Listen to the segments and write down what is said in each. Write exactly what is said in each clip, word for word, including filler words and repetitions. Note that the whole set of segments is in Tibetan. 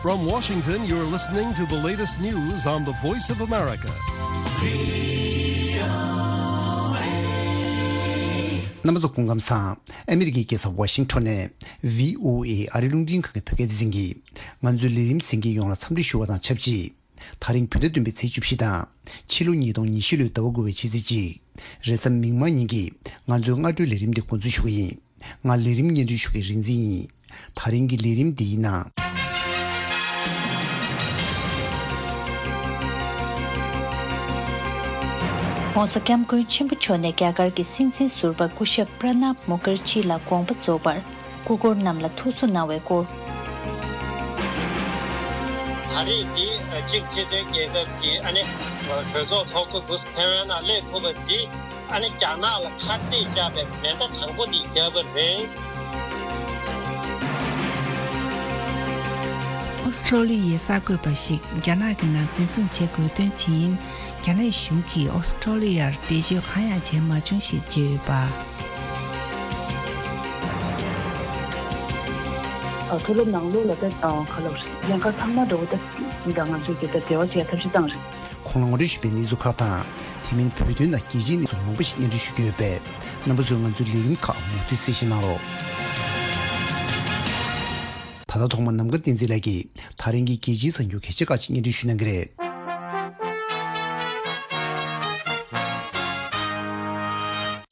From Washington, you're listening to the latest news on the Voice of America. རྣམ་པ་ཚོ་སྐུ་ཁམས་བཟང་། ཨ་མི་རི་ཀའི་རྒྱལ་ས་ཝ་ཤིང་ཊོན་ནས་བྷི་ཨོ་ཨེ་ཨ་རིའི་རླུང་འཕྲིན་ཁང་གི་བོད་སྐད་སྡེ་ཚན་གྱིས་ང་ཚོའི་ལས་རིམ་གསན་མཁན་ཡོངས་ལ་འཚམས་འདྲི་ཞུ་བ་དང་ཆབས་ཅིག་དེ་རིང་བོད་ཟླ་བདུན་པའི་ཚེས་བཅུ་བཞི་དང་། ཕྱི་ལོ་ཉིས་སྟོང་ཉི་ཤུ་ལོའི་ཟླ་བ་དགུ་པའི་ཕྱི་ཚེས་གཅིག་རེས་གཟའ་མིག་དམར་ཉིན་གྱི་ང་ཚོའི་སྔ་དྲོའི་ལས་རིམ་འདི་འགོ་འཛུགས་ཞུ་གི་ཡིན། ང་ལས་རིམ་སྙན་སྒྲོན་ཞུ་མཁན་རིག་འཛིན་ཡིན། དེ་རིང་གི་ལས་རིམ་འདིའི་ནང་།༸གོང་ས་༸སྐྱབས་མགོན་ཆེན་པོ་མཆོག་ནས་རྒྱ་གར་གྱི་སྲིད་འཛིན་ཟུར་པ་སྐུ་ཞབས་པྲ་ནཱབ་མུ་ཁར་ཇི་ལ་དགོངས་པ་རྫོགས་པར་སྐུ་འཁོར་རྣམས་ལ་ཐུགས་གསོ་གནང་བའི་སྐོར། ད་རེས་འདི་གཅིག་སྤྱི་མཐུན་རྒྱལ་ཁབ་ཀྱི་ཨ་ནི་གྲོས་ཚོགས་ཚོགས་འདུ་འདུག་ཐེ་ཝན་ནང་སླེབས་ཐུབ་པ་འདི་ཨ་ནི་རྒྱ་ནག་ལ་ཁ་གཏད་བཅག་པའི་མེ་མདའ་དང་པོ་འདི་བརྒྱབ་པ་རེད། ཨོ་སི་ཁྲོ་ལི་ཡའི་གསར་འགོད་པ་ཞིག་རྒྱ་ནག་གི་ནང་འཛིན་བཟུང་བྱེད་དགོས་དོན་ཇི་ཡིན། རྒྱ་ནག་གཞུང་གིས་ཨོ་སི་ཁྲོ་ལི་ཡར་འགྲེལ་བརྗོད་གང་ཡང་བྱས་མ་བྱུང་ཞེས་བརྗོད་ཡོད་པ། མཐོ་སློབ་ནང་ལོགས་ལ་ད་ག་ལབ་རེད། ལྷན་ཁག་ཚང་མ་འདྲ་བོ་ད་ད་ང་ཚོས་ཀྱི་ད་འབྲེལ་བ་བྱེད་ཐབས་ཤེས་བཏང་རེད། ཁོང་ལ་ངོ་སྤྲོད་ཞུས་པའི་གནས་ཚུལ་ཁག་དང་། དེ་མིན་བོད་དོན་དང་རྒྱལ་སྤྱིའི་གནས་ཚུལ་མང་པོ་ཞིག་སྙན་སྒྲོན་ཞུ་རྒྱུ་ཡོད་པས། རྣམ་པ་ཚོས་ང་ཚོའི་ལས་རིམ་ཁག་མུ་མཐུད་གསན་བཞེས་གནང་རོགས། ད་ལྟ་ཐོག་མར་ནམ་མཁའ་བསྟན་འཛིན་ལགས་ཀྱིས་ད་རིང་གི་རྒྱལ་སྤྱིའི་གསར་འགྱུར་གལ་ཆེ་ཁག་ཅིག་སྙན་སྒྲོན་ཞུ་གནང་གི་རེད།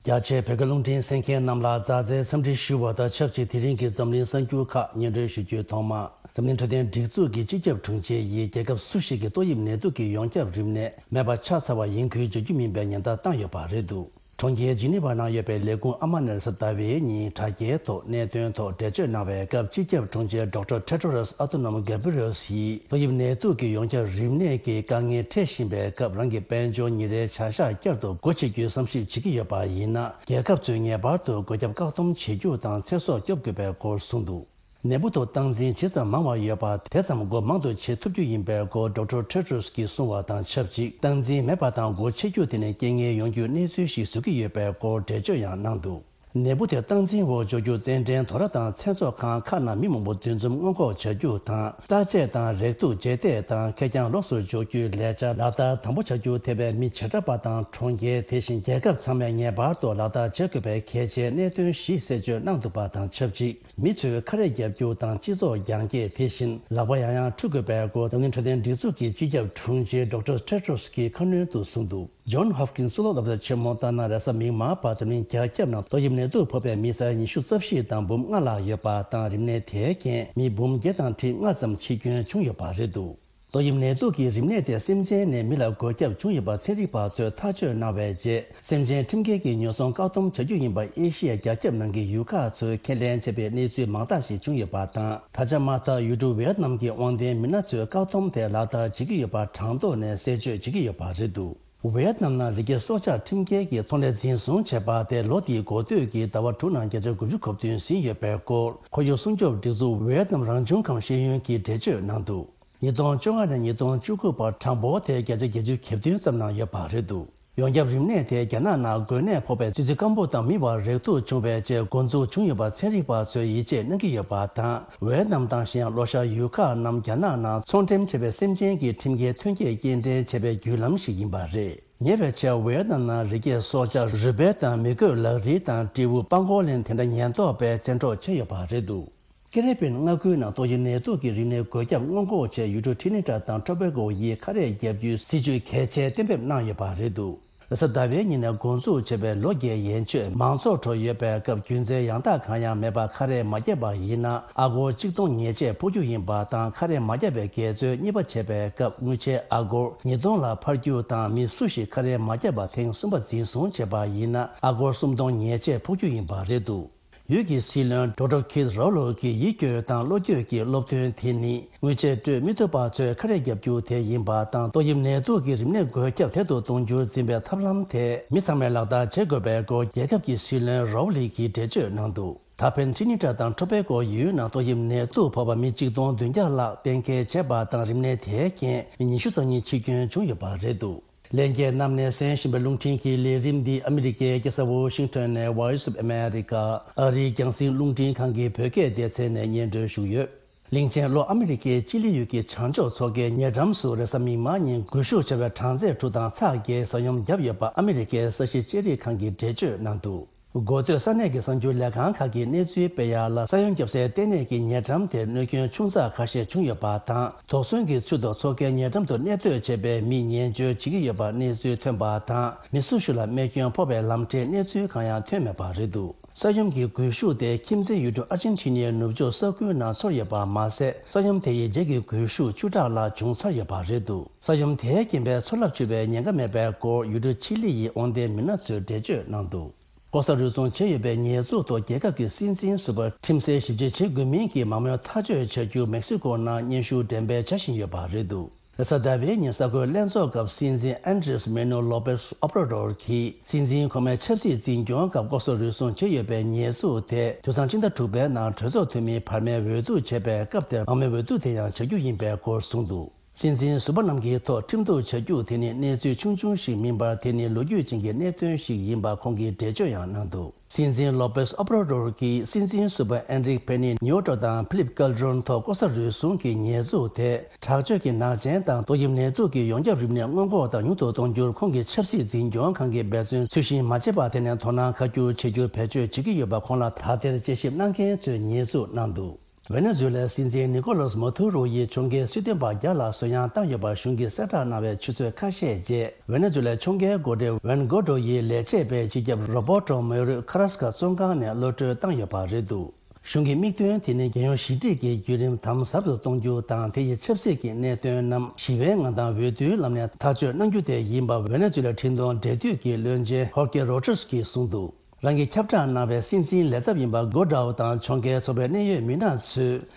རྒྱ་ཆེའི་བོད་སྐད་རླུང་འཕྲིན་གསན་མཁན་རྣམས་ལ་མཛའ་བརྩེའི་འཚམས་འདྲི་ཞུ་བ་དང་ཆབས་ཅིག་དེ་རིང་གི་འཛམ་གླིང་གསར་འགྱུར་ཁག་སྙན་སྒྲོན་ཞུ་རྒྱུའི་ཐོག་མ། འཛམ་གླིང་འཕྲོད་བསྟེན་སྒྲིག་འཛུགས་ཀྱི་སྤྱི་ཁྱབ་དྲུང་ཆེ་ཡིས་རྒྱལ་ཁབ་སུ་ཞིག་གི་ཏོག་དབྱིབས་ནད་དུག་གི་ཡོངས་ཁྱབ་རིམས་ནད་མེད་པ་ཆགས་ཚར་བ་ཡིན་ཁུལ་བརྗོད་རྒྱུ་མིན་པའི་ཉེན་བརྡ་བཏང་ཡོད་པ་རེད་འདུག་གྲོང་ཁྱེར་ཇི་ནི་ཝ་ནང་ཡོད་པའི་ལས་ཁུངས་ཨ་མ་ནས་རེས་གཟའ་ཟླ་བའི་ཉིན་དྲ་རྒྱའི་ཐོག་གནད་དོན་ཐོག་འགྲེལ་བརྗོད་གནང་བའི་སྐབས། སྤྱི་ཁྱབ་དྲུང་ཆེ་ཌོག་ཊར་ཊེ་ཌོ་རོས་ཨ་ཐོ་ནོམ་གྷེ་བྷི་རི་ཨེལ་ཡིས་ཏོག་དབྱིབས་ནད་དུག་གི་ཡོངས་ཁྱབ་རིམས་ནད་ཀྱི་དཀའ་ངལ་འཕྲད་བཞིན་པའི་སྐབས། རང་གི་དཔལ་འབྱོར་ཉིན་རེའི་བྱ་གཞག་བསྐྱར་དུ་སྒོ་ཕྱེ་རྒྱུའི་བསམ་ཞིབ་བྱེད་ཀྱི་ཡོད་པ་ཡིན་ན། རྒྱལ་ཁབ་ཚོས་ངེས་པར་དུ་འགོག་ཁྱབ་བཀག་སྡོམ་བྱེད་རྒྱུ་དང་ཚེ་སྲོག་སྐྱོབ་དགོས་པའི་སྐོར་གསུངས་འདུག་ནད་འབུ་ཐོག་སྟངས་འཛིན་ཇི་ཙམ་མང་བ་ཡོད་པ། དེ་ཙམ་སྒོ་མང་དུ་ཕྱེ་ཐུབ་རྒྱུ་ཡིན་པའི་སྐོར་ཌོག་ཊར་ཊེ་ཌོ་རོས་ཀྱིས་གསུངས་བ་དང་ཆབས་ཅིག་སྟངས་འཛིན་མེད་པ་དང་སྒོ་ཕྱེ་རྒྱུ་དེ་ནི་རྐྱེན་ངན་ཡོང་རྒྱུའི་གནས་ཚུལ་ཞིག་བཟོ་གི་ཡོད་པའི་སྐོར་འགྲེལ་བརྗོད་ཡང་གནང་འདུག་ནད་འབུ་དེ་སྟངས་འཛིན་འོག་འཇོག་རྒྱུ་རྩེད་འགྲན་དོ་ར་དང་མཚན་ཚོགས་ཁང་ཁག་ནང་མི་མང་པོ་འདུ་འཛོམས་སྔོན་འགོག་བྱ་རྒྱུ་དང་། རྟ་དཔྱད་དང་རེག་དུག་རྗེས་འདེད་དང་ཁེར་རྐྱང་ལོགས་སུ་འཇོག་རྒྱུའི་ལས་འཆར་ལག་བསྟར་དམ་པོ་བྱ་རྒྱུ། དེ་བས་མི་བྱེ་བྲག་པ་དང་གྲོང་ཁྱེར། དེ་བཞིན་རྒྱལ་ཁབ་ཚང་མས་ངེས་པར་དུ་ལག་བསྟར་བྱེད་དགོས་པའི་གལ་ཆེའི་གནད་དོན་བཞི་གསལ་བརྗོད་གནང་འདུག་པ་དང་ཆབས་ཅིག་མི་ཚོས་ཁ་རས་བརྒྱབ་རྒྱུ་དང་སྤྱི་ཚོགས་རྒྱང་བཀྱེད། དེ་བཞིན་ལག་པ་ཡང་ཡང་འཁྲུ་དགོས་པའི་སྐོར་འཛམ་གླིང་འཕྲོད་བསྟེན་སྒྲིག་འཛུགས་ཀྱི་སྤྱི་ཁྱབ་དྲུང་ཆེ་ཌོག་ཊར་ཊེ་ཌོ་རོས་ཀྱིས་ཁ་སྣོན་དུ་གསུངས་འདུག་ཇོན་ཧོབ་ཀིན་སི་གཙུག་ལག་སློབ་གྲྭ་ཆེན་མོ་ལྟར་ན། རེས་གཟའ་མིག་དམར་བར་འཛམ་གླིང་རྒྱ་ཁྱབ་ནང་ཏོག་དབྱིབས་ནད་དུག་ཕོག་པའི་མི་ཚང་ཉི་ཤུ་རྩ་བཞི་དང་འབུམ་ལྔ་ལྷག་ཡོད་པ་དང་། རིམས་ནད་དེའི་རྐྱེན་མི་འབུམ་བརྒྱད་དང་ཁྲི་ལྔ་ཙམ་འཆི་སྐྱོན་བྱུང་ཡོད་པ་རེད་འདུག་ཏོག་དབྱིབས་ནད་དུག་གི་རིམས་ནད་དེ་སེམས་ཅན་ནས་མི་ལ་འགོས་ཁྱབ་བྱུང་ཡོད་པ་ཚན་རིག་པ་ཚོས་ཐག་གཅོད་གནང་བའི་རྗེས། སེམས་ཅན་ཁྲིམས་འགལ་གྱི་ཉོ་ཚོང་བཀག་སྡོམ་བྱ་རྒྱུ་ཡིན་པ་ཨེ་ཤི་ཡ་རྒྱ་ཁྱབ་ནང་གི་ཡུལ་ཁག་ཚོས་ཁས་ལེན་བྱས་པའི་གནས་ཚུལ་མང་དག་ཞིག་བྱུང་ཡོད་པ་དང་། ད་ཆ་མ་མཐའ་ཡུལ་གྲུ་ཝེ་ཡེད་ནམ་གྱི་དབང་ལྡན་མི་སྣ་ཚོས་བཀག་སྡོམ་དེ་ལག་བསྟར་བྱེད་ཀྱི་ཡོད་པ་གྲངས་ཐོ་ནས་གསལ་བརྗོད་བྱེད་ཀྱི་ཡོད་པ་རེད་འདུག་ཝེ་ཡེད་ནམ་ནང་རི་སྐྱེས་སྲོག་ཆགས་ཁྲིམས་འགལ་གྱིས་ཚོང་ལས་འཛིན་བཟུང་བྱས་པ་དེ་ལོ་འདིའི་འགོ་སྟོད་ཀྱི་ཟླ་བ་དྲུག་ནང་བརྒྱ་ཆ་དགུ་བཅུ་གོ་བདུན་ཟིན་ཡོད་པའི་སྐོར། ཁོར་ཡུག་སྲུང་སྐྱོབ་སྒྲིག་འཛུགས་ཝེ་ཡེད་ནམ་རང་བྱུང་ཁམས་ཤེས་ཡོན་གྱིས་འགྲེལ་བརྗོད་གནང་འདུག་ཉིས་སྟོང་བཅོ་ལྔ་ནས་ཉིས་སྟོང་བཅུ་དགུ་བར་གྲངས་འབོར་དེ་བརྒྱ་ཆ་བརྒྱད་ཅུ་གྱ་བདུན་ཙམ་ནང་ཡོད་པ་རེད་འདུག་ཡོངས་ཁྱབ་རིམས་ནད་དེ་རྒྱ་ནག་ནང་འགོས་ནད་ཕོག་པའི་ཙི་ཙི་སྐམ་པོ་དང་མི་བར་རེག་ཐུག་བྱུང་བའི་རྗེས་འགོ་འཛུགས་བྱུང་ཡོད་པ་ཚན་རིག་པ་ཚོས་ཡིད་ཆེས་གནང་གི་ཡོད་པ་དང་། ཝེ་ཡེད་ནམ་དང་གཞན་ལྷོ་ཤར་ཡུལ་ཁག་རྣམས་རྒྱ་ནག་ནང་ཚོང་འགྲེམས་བྱས་པའི་སེམས་ཅན་གྱི་ཁྲིམས་འགལ་ཐོན་སྐྱེད་སྐྱེལ་འདྲེན་བྱས་པའི་བརྒྱུད་ལམ་ཞིག་ཡིན་པ་རེད། ཉེ་བའི་ཆར་ཝེ་ཡེད་ནམ་ནང་རི་སྐྱེས་སྲོག་ཆགས་རུས་སྦལ་དང་མི་རྒོད་ལག་རིལ་དང་སྤྲེའུ་པ་གོ་ལིན་དེ་འདྲ་ཉེན་རྟོག་པས་བཙན་འཕྲོག་བྱས་ཡོད་པ་རེད་འདུག་ཀེ་རི་བི་ཡན་མངའ་ཁུལ་ནང་ཏོག་དབྱིབས་ནད་དུག་གི་རིམས་ནད་འགོས་ཁྱབ་སྔོན་འགོག་ཆེད་ཡུལ་གྲུ་ཁྲི་ནི་ཏྲ་དང་ཊོ་བྷེ་གོ་ཡིས་ཁ་རས་བརྒྱབ་རྒྱུའི་སྲིད་ཇུས་གལ་ཆེ་གཏན་འབེབས་གནང་ཡོད་པ་རེད་འདུག །རེས་གཟའ་ཟླ་བའི་ཉིན་ནས་འགོ་འཛུགས་བྱས་པའི་ལོ་བརྒྱའི་ཡན་ཆོད་མང་ཚོགས་ཁྲོད་ཡོད་པའི་སྐབས་རྒྱུ་མཚན་ཡང་དག་གང་ཡང་མེད་པར་ཁ་རས་མ་བརྒྱབ་པ་ཡིན་ན་ཨ་སྒོར་གཅིག་སྟོང་ཉེས་ཆད་ཕོག་རྒྱུ་ཡིན་པ་དང་། ཁ་རས་མ་བརྒྱབ་པའི་འགལ་འཛོལ་གཉིས་པ་བྱས་པའི་སྐབས་དངུལ་ཆད་ཨ་སྒོར་ཉིས་སྟོང་ལ་འཕར་རྒྱུ་དང་། མི་སུ་ཞིག་ཁ་རས་མ་བརྒྱབ་པ་ཐེངས་གསུམ་པ་འཛིན་བཟུང་བྱས་པ་ཡིན་ན་ཨ་སྒོར་སུམ་སྟོང་ཉེས་ཆད་ཕོག་རྒྱུ་ཡིན་པ་རེད་འདུག །ཡུལ་གྱི་སྲིད་བློན་ཌོག་ཊར་ཁིད་རོ་ལོ་གིས་ཡིད་སྐྱོ་དང་བློ་འགྱོད་ཀྱི་སློབ་སྟོན་དེ་ནི་དངུལ་ཆད་སྤྲོད་མི་ཐུབ་པ་ཚོས་ཁ་རས་བརྒྱབ་རྒྱུ་དེ་ཡིན་པ་དང་། ཏོག་དབྱིབས་ནད་དུག་གི་རིམས་ནད་འགོས་ཁྱབ་དལ་དུ་གཏོང་རྒྱུར་འཛིན་པའི་ཐབས་ལམ་དེ་མི་ཚང་མས་ལག་བསྟར་བྱེད་དགོས་པའི་སྐོར་རྒྱལ་ཁབ་ཀྱི་སྲིད་བློན་རོ་ལི་གིས་འགྲེལ་བརྗོད་གནང་འདུག །ད་ཕན་ཁྲི་ནི་ཏྲ་དང་ཊོ་བྷེ་གོ་ཡུལ་ནང་ཏོག་དབྱིབས་ནད་དུག་ཕོག་པ་མི་གཅིག་སྟོང་བདུན་བརྒྱ་ལྷག་གཏན་འཁེལ་བྱས་པ་དང་། རིམས་ནད་དེའི་རྐྱེན་མི་ཉི་ཤུ་རྩ་གཉིས་འཆི་སྐྱོན་བྱུང་ཡོད་པ་རེད་འདུག །ལྷན་རྒྱས་རྣམས་ནས་གསན་བཞིན་པའི་རླུང་འཕྲིན་གྱི་ལས་རིམ་འདི་ཨ་མི་རི་ཀའི་རྒྱལ་ས་ཝོ་ཤིང་ཊོན་ནས་Voice of America ཨ་རིའི་རྒྱང་སྲིང་རླུང་འཕྲིན་ཁང་གི་བོད་སྐད་སྡེ་ཚན་ནས་སྙན་སྒྲོན་ཞུས་ཡོད། གླིང་ཆེན་ལྷོ་ཨ་མི་རི་ཀའི་ཅི་ལི་ཡུལ་གྱི་བྱང་ཕྱོགས་མཚོ་ཁའི་ཉེ་འགྲམ་སུ་རེས་གཟའ་མིག་དམར་ཉིན་སྒུལ་ཤུགས་ཆེ་བའི་གྲང་ཚད་དྲུག་དང་ཚེག་བརྒྱད་ས་ཡོམ་བརྒྱབ་ཡོད་པ་ཨ་མི་རི་ཀའི་ས་གཞི་ལྕགས་རིག་ཁང་གིས་འགྲེལ་བརྗོད་གནང་འདུག་འགོ་སྟོད་ས་གནས་ཀྱི་གསར་འགྱུར་ལས་ཁང་ཁག་གིས་གནས་ཚུལ་སྤེལ་ཡག་ལ། ས་ཡོམ་བརྒྱབ་སའི་ལྟེ་གནས་ཀྱི་ཉེ་འགྲམ་དེར་གནོད་སྐྱོན་ཆུང་ཙག་ཁ་ཤས་བྱུང་ཡོད་པ་དང་། དོགས་ཟོན་གྱི་ཚུལ་དུ་མཚོ་ཁའི་ཉེ་འགྲམ་དུ་གནས་སྡོད་བྱས་པའི་མིས་ཉེན་བཅོལ་བྱེད་ཀྱི་ཡོད་པ་གནས་ཚུལ་ཐོན་པ་དང་། མི་སོ་སོ་ལ་རྨས་སྐྱོན་ཕོག་པའི་ལམ་འཕྲལ་གནས་ཚུལ་གང་ཡང་ཐོན་མེད་པ་རེད་འདུག་ས་ཡོམ་གྱི་སྒུལ་ཤུགས་དེ་ཁྱིམ་མཚེས་ཡུལ་གྲུ་ཨར་ཇེན་ཊི་ནའི་ནུབ་ཕྱོགས་ས་ཁུལ་ནང་ཚོར་ཡོད་པ་མ་ཟད། ས་ཡོམ་དེ་ཡི་རྗེས་ཀྱི་སྒུལ་ཤུགས་བཅུ་ཕྲག་ལྷག་བྱུང་ཚར་ཡོད་པ་རེད་འདུག་ས་ཡོམ་དེའི་རྐྱེན་པས་མཚོ་རླབས་འཕྱུར་བའི་ཉེན་ཁ་མེད་པའི་སྐོར་ཡུལ་གྲུ་ཆི་ལི་ཡི་དབང་ལྡན་མི་སྣ་ཚོས་འགྲེལ་བརྗོད་གནང་འདུག་ལྐོག་ཟ་རུལ་སུངས་བྱས་ཡོད་པའི་ཉེས་འཛུགས་ཐོག་རྒྱལ་ཁབ་ཀྱི་སྲིད་འཛིན་ཟུར་པ་ཁྲིམས་སེལ་ཞིབ་དཔྱོད་བྱེད་དགོས་མིན་གྱི་མ་དངུལ་ཐག་གཅོད་བྱ་རྒྱུ་མེག་སི་ཀོ་ནང་སྙན་ཞུ་འགྲེམས་སྤེལ་བྱ་བཞིན་ཡོད་པ་རེད་འདུག་རེས་གཟའ་ཟླ་བའི་ཉིན་གསར་འགོད་ལྷན་ཚོགས་སྐབས་སྲིད་འཛིན་ཨན་ཌྲེས་མེ་ནུ་ལོ་པེས་ཨོབ་ར་ཌོར་གྱིས་སྲིད་འཛིན་ཁོ་མའི་ཆབ་སྲིད་འཛིན་སྐྱོང་སྐབས་ལྐོག་ཟ་རུལ་སུངས་བྱས་ཡོད་པའི་ཉེས་འཛུགས་དེ་དུས་སང་ཕྱི་ཟླ་དྲུག་པའི་ནང་གྲོས་ཚོགས་འཐུས་མིའི་བར་མའི་འོས་བསྡུ་བྱས་པའི་སྐབས་དེར་མང་མོས་འོས་བསྡུ་དེ་ཡང་བྱ་རྒྱུ་ཡིན་པའི་སྐོར་གསུངས་འདུག་སྲིད་འཛིན་ཟུར་པ་རྣམས་ཀྱི་ཐོག་ཁྲིམས་གཏུག་བྱ་རྒྱུ་དེ་ནི་གནས་ཚུལ་ཆུང་ཆུང་ཞིག་མིན་པར། དེ་ནི་ལོ་རྒྱུས་ཅན་གྱི་གནད་དོན་ཞིག་ཡིན་པ་ཁོང་གིས་འགྲེལ་བརྗོད་ཡང་གནང་འདུག་སྲིད་འཛིན་ལོ་པེས་ཨོབ་ར་ཌོར་གྱིས་སྲིད་འཛིན་ཟུར་པ་ཨན་རིག་པེ་ནི་ཉོ་ཏོ་དང་ཕི་ལིབ་ཀལ་ཌྲོན་ཐོག་ལྐོག་ཟ་རུལ་སུངས་ཀྱི་ཉེས་འཛུགས་དེ་དྲག་སྤྱོད་ཀྱི་ནག་ཅན་དང་ཏོག་དབྱིབས་ནད་དུག་གི་ཡོངས་ཁྱབ་རིམས་ནད་སྔོན་འགོག་དང་ཉུང་དུ་གཏོང་རྒྱུར་ཁོང་གི་ཆབ་སྲིད་འཛིན་སྐྱོང་ཁང་གིས་འབད་བརྩོན་ཚུལ་བཞིན་མ་བྱས་པར། དེ་ནས་དོ་སྣང་ཁ་སྒྱུར་བྱེད་རྒྱུར་བེད་སྤྱོད་བྱེད་ཀྱི་ཡོད་པ་ཁོང་ལ་དག་ཐེར་དཔྱད་ཞིབ་གནང་མཁན་ཚོས་ཉེས་འཛུགས་གནང་འདུག་ཝེ་ནེ་ཛུ་ལའི་སྲིད་འཛིན་ནི་ཀོ་ལོས་མ་ཐུ་རོ་ཡིས་ཕྱོགས་འགལ་སྲིད་དོན་པ་བརྒྱ་ལ་གསོད་ཡང་བཏང་ཡོད་པར་གཞུང་གིས་གསལ་བསྒྲགས་གནང་བའི་ཆུ་ཚོད་ཁ་ཤས་རྗེས། ཝེ་ནེ་ཛུ་ལའི་ཕྱོགས་འགལ་འགོ་ཁྲིད་ཝན་གོ་ཏྲོ་ཡི་ལས་བྱེད་པས་སྤྱི་ཁྱབ་རོ་བྷར་ཏོ་མོ་རུ་ཁ་ར་སི་ཀ་བཙོན་ཁང་ནས་གློད་གྲོལ་བཏང་ཡོད་པ་རེད་འདུག་གཞུང་གི་དམིགས་དོན་དེ་ནི་རྒྱལ་ཡོངས་ཞི་འགྲིག་གི་བརྒྱུད་རིམ་དམ་ཟབ་ཏུ་གཏོང་རྒྱུ་དང་། དེ་ཡི་ཆབ་སྲིད་ཀྱི་གནད་དོན་རྣམས་ཞི་བའི་ངང་དང་འོས་བསྡུའི་ལམ་ནས་ཐག་གཅོད་གནང་རྒྱུ་དེ་ཡིན་པ་ཝེ་ནེ་ཛུ་ལའི་འཕྲིན་གཏོང་འབྲེལ་མཐུད་ཀྱི་བློན་ཆེན་ཧོར་ཀེ་རོ་ཏྲེས་ཀྱིས་གསུངས་འདུག་རང་གིས་ཁྱབ་བསྒྲགས་གནང་བའི་སྲིད་འཛིན་ལས་ཚབ་ཡིན་པ་གོ་ཏྲོ་དང་ཕྱོགས་འགལ་ཚོགས་པའི་གནད་ཡོད་མི་སྣ་ཚོས་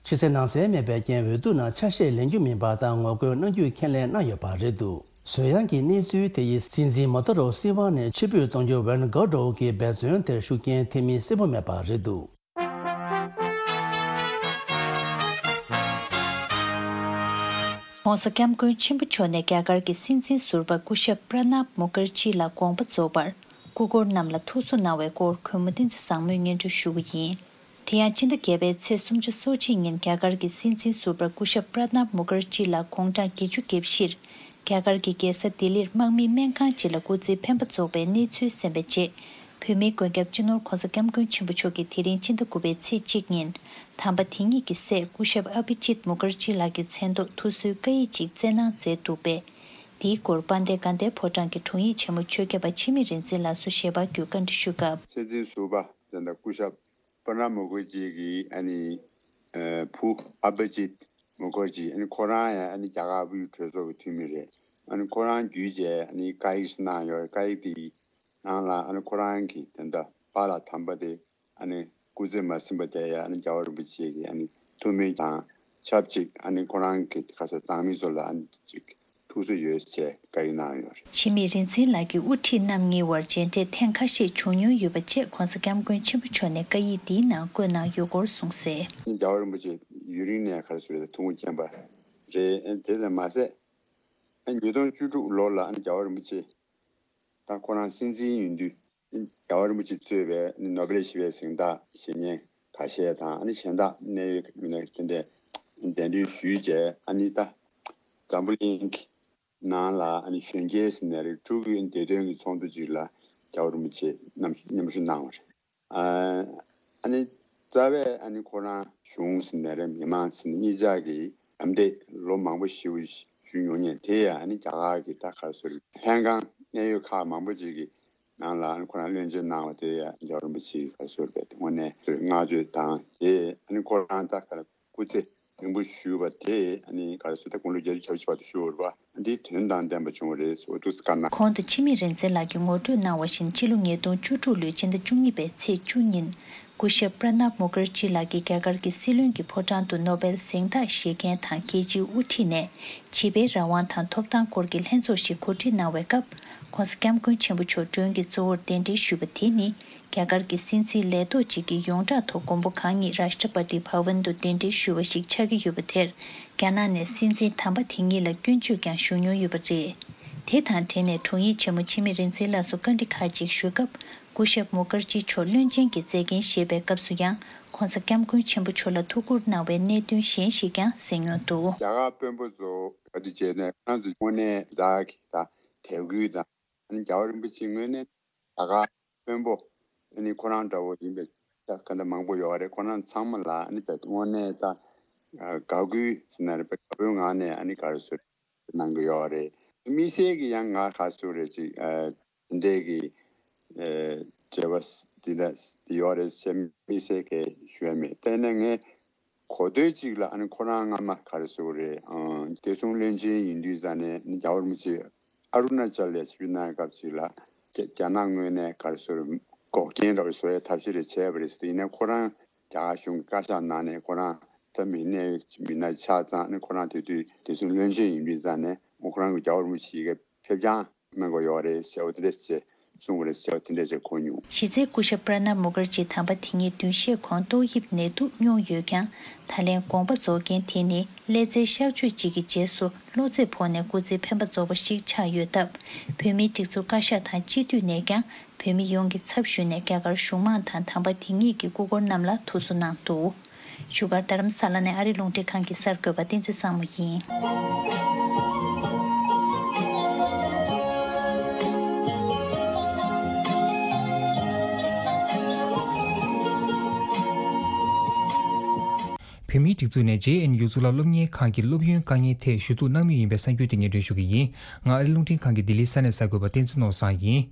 ཕྱི་གསལ་ནང་གསལ་མེད་པའི་རྐྱེན་འོས་བསྡུ་ནང་ཆ་ཤས་ལེན་རྒྱུ་མིན་པ་དང་ངོ་རྒོལ་གནང་རྒྱུའི་ཁས་ལེན་གནང་ཡོད་པ་རེད་འདུག་བཟོད་ཡངས་ཀྱི་གནས་ཚུལ་དེ་ཡིས་སྲིད་འཛིན་མོ་ཏོ་རོ་སི་ཝ་ནས་ཕྱིར་འབུད་གཏོང་རྒྱུར་ཝན་གོ་ཏྲོ་གི་འབད་བརྩོན་དེར་ཤུགས་རྐྱེན་ཐེབས་མིན་གསལ་པོ་མེད་པ་རེད་འདུག ༸གོང་ས་༸སྐྱབས་མགོན་ཆེན་པོ་མཆོག་ནས་རྒྱ་གར་གྱི་སྲིད་འཛིན་ཟུར་པ་སྐུ་ཞབས་པྲ་ནབ་མུ་ཁར་ཇི་ལ་དགོངས་པ་རྫོགས་པར་སྐུ་འཁོར་རྣམས་ལ་ཐུགས་གསོ་གནང་བའི་སྐོར་གུས་མོ་བསྟན་འཛིན་བཟང་མོས་སྙན་སྒྲོན་ཞུ་བ་ཡིན། དེ་ཡང་ཕྱི་ཟླ་བརྒྱད་པའི་ཚེས་སུམ་ཅུ་སོ་གཅིག་ཉིན་རྒྱ་གར་གྱི་སྲིད་འཛིན་ཟུར་པ་སྐུ་ཞབས་པྲ་ནབ་མུ་ཁར་ཇི་ལགས་དགུང་གྲངས་བརྒྱད་ཅུ་གྱ་བཞིར་རྒྱ་གར་གྱི་རྒྱལ་ས་ལྡི་ལིར་དམག་མིའི་སྨན་ཁང་ཅིག་ལ་སྐུ་ཚེའི་འཕེན་པ་རྫོགས་པའི་གནས་ཚུལ་གསན་པའི་རྗེས། བོད་མིའི་མགོན་སྐྱབས་སྤྱི་ནོར་༸གོང་ས་༸སྐྱབས་མགོན་ཆེན་པོ་མཆོག་གིས་དེ་རིང་ཕྱི་ཟླ་དགུ་པའི་ཚེས་གཅིག་ཉིན་དམ་པ་དེ་ཉིད་ཀྱི་སྲས་སྐུ་ཞབས་ཨ་བྷི་ཇིད་མུ་ཁར་ཇི་ལགས་ཀྱི་མཚན་ཐོག་ཐུགས་གསོའི་བཀའ་ཡིག་ཅིག་བསྩལ་གནང་མཛད་འདུག་པས། དེའི་སྐོར་དཔལ་ལྡན་དགའ་ལྡན་ཕོ་བྲང་གི་དྲུང་ཡིག་ཆེན་མོ་ཆོས་སྐྱབས་པ་འཆི་མེད་རིག་འཛིན་ལགས་སུ་ཞལ་པར་བརྒྱུད་བཀའ་འདྲི་ཞུས་སྐབས། སྲིད་འཛིན་ཟུར་པ་དེ་འདྲ་སྐུ་ཞབས་པྲ་ནབ་མུ་ཁར་ཇི་གི་ཨ་ནི་བུ་ཨ་བྷི་ཇིད་མུ་ཁར་ཇི་ཨ་ནི་ཁོ་རང་ཡང་ཨ་ནི་རྒྱ་གར་དབུས་གྲོས་ཚོགས་ཀྱི་འཐུས་མི་རེད། ཨ་ནི་ཁོ་རང་བརྒྱུད་བྱས་ཨ་ནི་བཀའ་ཡིག་ཞིག་གནང་ཡོད་རེད། བཀའ་ཡིག་དེ་ནང་ལ་ཨ་ནི་ཁོ་རང་གིས་དེ་འདྲ་པཱ་ལགས་དམ་པ་དེ་ཨ་ནི་སྐུ་ཚེ་མ་ཟིན་པ་དེ་ཡང་ཨ་ནི་རྒྱལ་བ་རིན་པོ་ཆེ་གི་ཨ་ནི་ཐུགས་སྨོན་དང་ཆབས་ཅིག་ཨ་ནི་ཁོ་རང་གི་ཁ་ས་འདང་མི་ཚོ་ལ་ཨ་ནི་ཅིག་ཐུགས་གསོ་ཡོད་ཅེས་བཀའ་ཡིག་གནང་ཡོད་རེད། འཆི་མེད་རིག་འཛིན་ལགས་ཀྱི་དབུ་ཁྲིད་རྣམ་གཉིས་དབར་མཇལ་འཕྲད་ཐེངས་ཁ་ཤས་བྱུང་མྱོང་ཡོད་པ་བཅས་༸གོང་ས་༸སྐྱབས་མགོན་ཆེན་པོ་མཆོག་ནས་བཀའ་ཡིག་འདིའི་ནང་བཀོད་གནང་ཡོད་སྐོར་གསུངས་གསལ། ཨ་ནི་རྒྱལ་བ་རིན་པོ་ཆེ་ཡུན་རིང་ནས་ག་རེ་ཟེར་རེད། ཐུགས་དགོངས་བཞེས་པ་རེད། ཨ་ནི་དེ་ཙམ་མ་ཟད་ཨ་ནི་ཉིས་སྟོང་བཅུ་དྲུག་ལོ་ལ་ཨ་ནི་རྒྱལ་བ་རིན་པོ་ཆེ་ད་ཁོ་རང་སྲིད་འཛིན་ཡིན་དུས། རྒྱལ་བ་རིན་པོ་ཆེ་གཙོས་པའི་ནོ་བེལ་ཞི་བའི་གཟེངས་རྟགས་བཞེས་མཁན་ཁ་ཤས་དང་། ཨ་ནི་གཞན་དག་གནད་ཡོད་མི་སྣ་དེ་འདྲས་གདན་འདྲེན་ཞུས་རྗེས། ཨ་ནི་ད་འཛམ་བུ་གླིང་གི་ནང་ལ་ཨ་ནི་གཞོན་སྐྱེས་ཟེར་ནའི་རེད། ཕྲུ་གུའི་བདེ་དོན་གྱི་ཚོགས་འདུ་ཅིག་ལ་རྒྱལ་བ་རིན་པོ་ཆེ་མཉམ་མཉམ་ཞུགས་གནང་བ་རེད། ཨ་ནི་རྩ་བའི་ཨ་ནི་ཁོ་རང་གཞུང་ཟེར་ནའི་རེད། མི་མང་ཟེར་ནའི་གཉིས་ཆ་གི་ལམ་སྟོན་ལོ་མང་པོ་ཞེ་པོ་ཞུས་མྱོང་མཁན་དེ་ཡང་ཨ་ནི་རྒྱ་གར་གྱི་ད་ག་རེ་ཟེར་ལྷན་ཁང་གནད་ཡོད་ཁག་མང་པོ་ཅིག་གི་ནང་ལ་ཨ་ནི་ཁོ་རང་བློན་ཆེན་གནང་བ་དེ་ཡང་རྒྱལ་བ་རིན་པོ་ཆེ་གི་ག་རེ་ཟེར་བའི་དངོས་གནས་བསྔགས་བརྗོད་དང་། དེ་ཨ་ནི་ཁོ་རང་ད་ག་རེ་སྐུ་ཚེ་རིང་པོ་བཞུགས་པ་དེ་ཨ་ནི་ག་རེ་ཟེར། ད་དགུང་ལོ་བརྒྱད་ཅུ་གྱ་བཞི་བར་དུ་བཞུགས་པ་འདི་དོན་དང་ལྡན་པ་བྱུང་བ་རེད་ཟེར་བ་འདུག་སེ་བཀའ་གནང་། གོང་དུ་འཆི་མེད་རིག་འཛིན་ལགས་ཀྱིས་ངོ་སྤྲོད་གནང་བ་བཞིན། ཕྱི་ལོ་ཉིས་སྟོང་བཅུ་དྲུག་ལོའི་ཕྱི་ཟླ་བཅུ་གཉིས་པའི་ཚེས་བཅུ་ཉིན། སྐུ་ཞབས་པྲ་ནབ་མུ་ཁར་ཇི་ལགས་ཀྱིས་རྒྱ་གར་གྱི་སྲིད་བློན་གྱི་ཕོ་བྲང་དུ་ནོ་བེལ་གཟེངས་རྟགས་བཞེས་མཁན་དང་རྒྱལ་སྤྱིའི་དབུ་ཁྲིད་ནས་བྱིས་པའི་རང་དབང་དང་ཐོབ་ཐང་སྐོར་གྱི་ལྷན་ཚོགས་ཤིག་གོ་སྒྲིག་གནང་བའི་སྐབས། ༸གོང་ས་༸སྐྱབས་མགོན་ཆེན་པོ་མཆོག་མགྲོན་གྱི་གཙོ་བོར་གདན་འདྲེན་ཞུས་པ་དེ་ནི། རྒྱ་གར་གྱི་སྲིད་འཛིན་ལས་ཐོག་ཅིག་གིས་ཡོངས་གྲགས་ཐོག་མགོན་པོ་གང་ཉིད་རཱཤ་ཊ་པ་ཏི་བྷ་ཝན་དུ་གདན་འདྲེན་ཞུས་པ་ཞིག་ཆགས་ཀྱི་ཡོད་པ་དེར། རྒྱ་ནག་ནས་སྲིད་འཛིན་དམ་པ་དེ་ཉིད་ལ་སྐྱོན་བརྗོད་ཀྱང་ཞུ་མྱོང་ཡོད་པ་རེད། དེ་དང་འབྲེལ་ནས་དྲུང་ཡིག་ཆེན་མོ་འཆི་མེད་རིག་འཛིན་ལགས་སུ་བཀའ་འདྲི་ཁག་ཅིག་ཞུས་སྐབས། སྐུ་ཞབས་མུ་ཁར་ཇི་མཆོག་བློན་ཆེན་གྱི་མཛད་འགན་བཞེས་པའི་སྐབས་སུ་ཡང་། ྋགོང་ས་ྋསྐྱབས་མགོན་ཆེན་པོ་མཆོག་ལ་ཐུགས་ཁུར་གནང་བའི་གནད་དོན་གཞན་ཞིག་ཀྱང་གསན་མྱོང་འདུག་རྒྱ་གར་དཔོན་པོ་ཚོ་ག་དུས་བྱས་ནས་ཁོ་རང་ཚོ་དངོས་གནས་རག་གི་ད་དད་གུས་དང་། ཨ་ནི་རྒྱལ་བ་རིན་པོ་ཆེ་དངོས་གནས་རྒྱ་གར་དཔོན་པོ་ཨ་ནི་ཁོ་རང་འདྲ་བོ་ཡིན་པའི་ད་ག་འདྲ་མང་པོ་ཡོད་རེད། ཁོ་རང་ཚང་མ་ལ་ཨ་ནི་དཔེ་དངོས་གནས་ད་དགའ་གུས་ཟེར་ན་རེད། དཔེ་དགའ་པོའི་ངང་ནས་ཨ་ནི་ག་རེ་ཟེར་གནང་གི་ཡོད་རེད། དམིགས་བསལ་གྱི་ཡང་ང་ག་ཟེར་རེད་ཅིག་ཨ། དེ་འདྲས་ཀྱི་ཨ་འབྲེལ་བ་འདི་འདྲ་ཡོད་རེད་ཟེར་དམིགས་བསལ་གྱི་ཞུ་ཡ་མེད། དེ་ནས་ངས་གོ་ཐོས་ཅིག་ལ་ཨ་ནི་ཁོ་རང་སྔ་མ་ག་རེ་ཟེར་རེད། ཨ་བདེ་སྲུང་བློན་ཆེན་ཡིན་དུས་ཙང་ནས་ཨ་ནི་རྒྱལ་བ་རིན་པོ་ཆེ་ཨ་རུ་ན་ཅལ་ལ་ཆིབས་བསྒྱུར་གནང་སྐབས་ཅིག་ལ་རྒྱ་རྒྱ་ནག་ངོས་ནས་ག་རེ་ཟེར་འགོག་རྐྱེན་འདྲ་བོ་བཟོ་ཡའི་ཐབས་ཤེས་རེ་བྱས་པ་རེད་ཟེར། ཡིན་ནའི་ཁོ་རང་རྒྱ་གར་གཞུང་གི་བཀའ་ཤག་ནང་ནས་ཁོ་རང་ད་མི་སྣའི་མི་སྣ་ཆགས་ཙང་ནས་ཁོ་རང་དེ་དུས་བདེ་སྲུང་བློན་ཆེན་ཡིན་པའི་ཙང་ནས་ཁོ་རང་གི་རྒྱལ་བ་རིན་པོ་ཆེ་གི་ཕེབས་རྐྱང་གནང་དགོས་ཡོད་རེད་ཟེར་བ་དེ་འདྲ་ཞིག་གསུངས་པ་རེད་ཟེར་བ་དེ་འདྲ་ཞིག་གོ་མྱོང་། གཞི་རྩའི་སྐུ་ཞབས་པྲ་ནབ་མུ་ཁར་ཇི་དམ་པ་དེ་ཉིད་བདུན་ཤས་གོང་ཏོག་དབྱིབས་ནད་དུག་མྱོང་ཡོད་ཀྱང་། ད་ལན་དགོངས་པ་རྫོགས་རྐྱེན་དེ་ནི་ཀླད་རྩའི་གཤག་བཅོས་གཅིག་གི་རྗེས་སུ་གློ་ཚད་ཕོག་ནས་སྐུ་ཚེ་འཕེན་པ་རྫོགས་པ་ཞིག་ཆགས་ཡོད་སྟབས། བོད་མིའི་སྒྲིག་འཛུགས་བཀའ་ཤག་དང་སྤྱི་འཐུས་ནས་ཀྱང་བོད་མི་ཡོངས་ཀྱི་ཚབ་ཞུས་ནས་རྒྱ་གར་གཞུང་མང་དང་དམ་པ་དེ་ཉིད་ཀྱི་སྐུ་འཁོར་རྣམས་ལ་ཐུགས་གསོ་གནང་འདུག་བཞུགས་སྒར་རྡ་རམ་ས་ལ་ནས་ཨ་རི་རླུང་འཕྲིན་ཁང་གི་གསར་འགོད་པ་བསྟན་འཛིན་བཟང་མོ་ཡིན། བོད་མིའི་སྒྲིག་འཛུགས་ནས་ཇེ་ཨེན་ཡུ་གཙུག་ལག་སློབ་གཉེར་ཁང་གི་སློབ་ཡོན་དཀའ་ངལ་ཐད་ཞུ་གཏུག་གནང་མུས་ཡིན་པའི་གསར་འགྱུར་དེ་སྙན་སྒྲོན་ཞུ་གི་ཡིན། ང་ཨ་རི་རླུང་འཕྲིན་ཁང་གི་ལྡི་ལིའི་ས་གནས་གསར་འགོད་པ་བསྟན་འཛིན་ནོར་བཟང་ཡིན།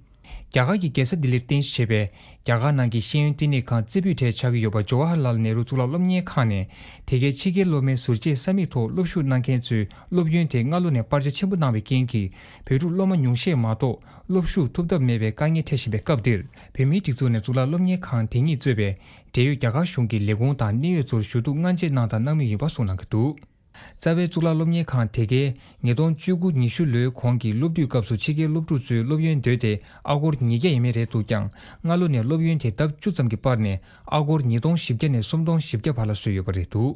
རྒྱ་གར་གྱི་རྒྱལ་ས་ལྡི་ལིར་རྟེན་གཞི་བྱས་པའི་རྒྱ་གར་ནང་གི་ཤེས་ཡོན་བསྟི་གནས་ཁང་རྩེ་ཕུད་གྲས་ཆགས་ཀྱི་ཡོད་པ་ཇོ་ཧ་ཧར་ལཱལ་ནེ་རུ་གཙུག་ལག་སློབ་གཉེར་ཁང་ནས་དེ་གའི་ཕྱི་རྒྱལ་སློབ་མའི་ཟུར་བཅད་ས་མིག་ཐོག་སློབ་ཞུགས་གནང་མཁན་ཚོའི་སློབ་ཡོན་དེ་སྔ་ལོ་ནས་སྤར་ཆ་ཆེན་པོ་གནང་བའི་རྐྱེན་གྱིས་བོད་ཕྲུག་སློབ་མ་ཉུང་ཤས་མ་གཏོགས་སློབ་ཞུགས་ཐུབ་ཐབས་མེད་པའི་དཀའ་ངལ་འཕྲད་བཞིན་པའི་སྐབས་འདིར། བོད་མིའི་སྒྲིག་འཛུགས་ནས་གཙུག་ལག་སློབ་གཉེར་ཁང་དེ་ཉིད་གཙོས་པའི་འབྲེལ་ཡོད་རྒྱ་གར་གཞུང་གི་ལས་ཁུངས་དང་གནད་ཡོད་ཚོར་ཞུ་གཏུག་སྔ་རྗེས་གནང་དང་གནང་མུས་ཡིན་པ་གསུངས་གནང་གི་འདུག་རྩ་བའི་གཙུག་ལག་སློབ་གཉེར་ཁང་དེ་གའི་ཉིས་སྟོང་བཅུ་དགུ་ཉི་ཤུ་ལོའི་གོང་གི་སློབ་དུས་སྐབས་སུ་ཕྱི་རྒྱལ་སློབ་ཕྲུག་ཚོའི་སློབ་ཡོན་བསྡོས་ཏེ་ཨ་སྒོར་ཉིས་བརྒྱ་ཡས་མས་རེད་འདུག་ཀྱང་། སྔ་ལོ་ནས་སློབ་ཡོན་དེ་ལྡབ་བཅུ་ཙམ་གྱིས་སྤར་ནས་ཨ་སྒོར་ཉིས་སྟོང་བཞི་བརྒྱ་ནས་སུམ་སྟོང་བཞི་བརྒྱ་བར་ལ་བཟོས་ཡོད་པ་རེད་འདུག་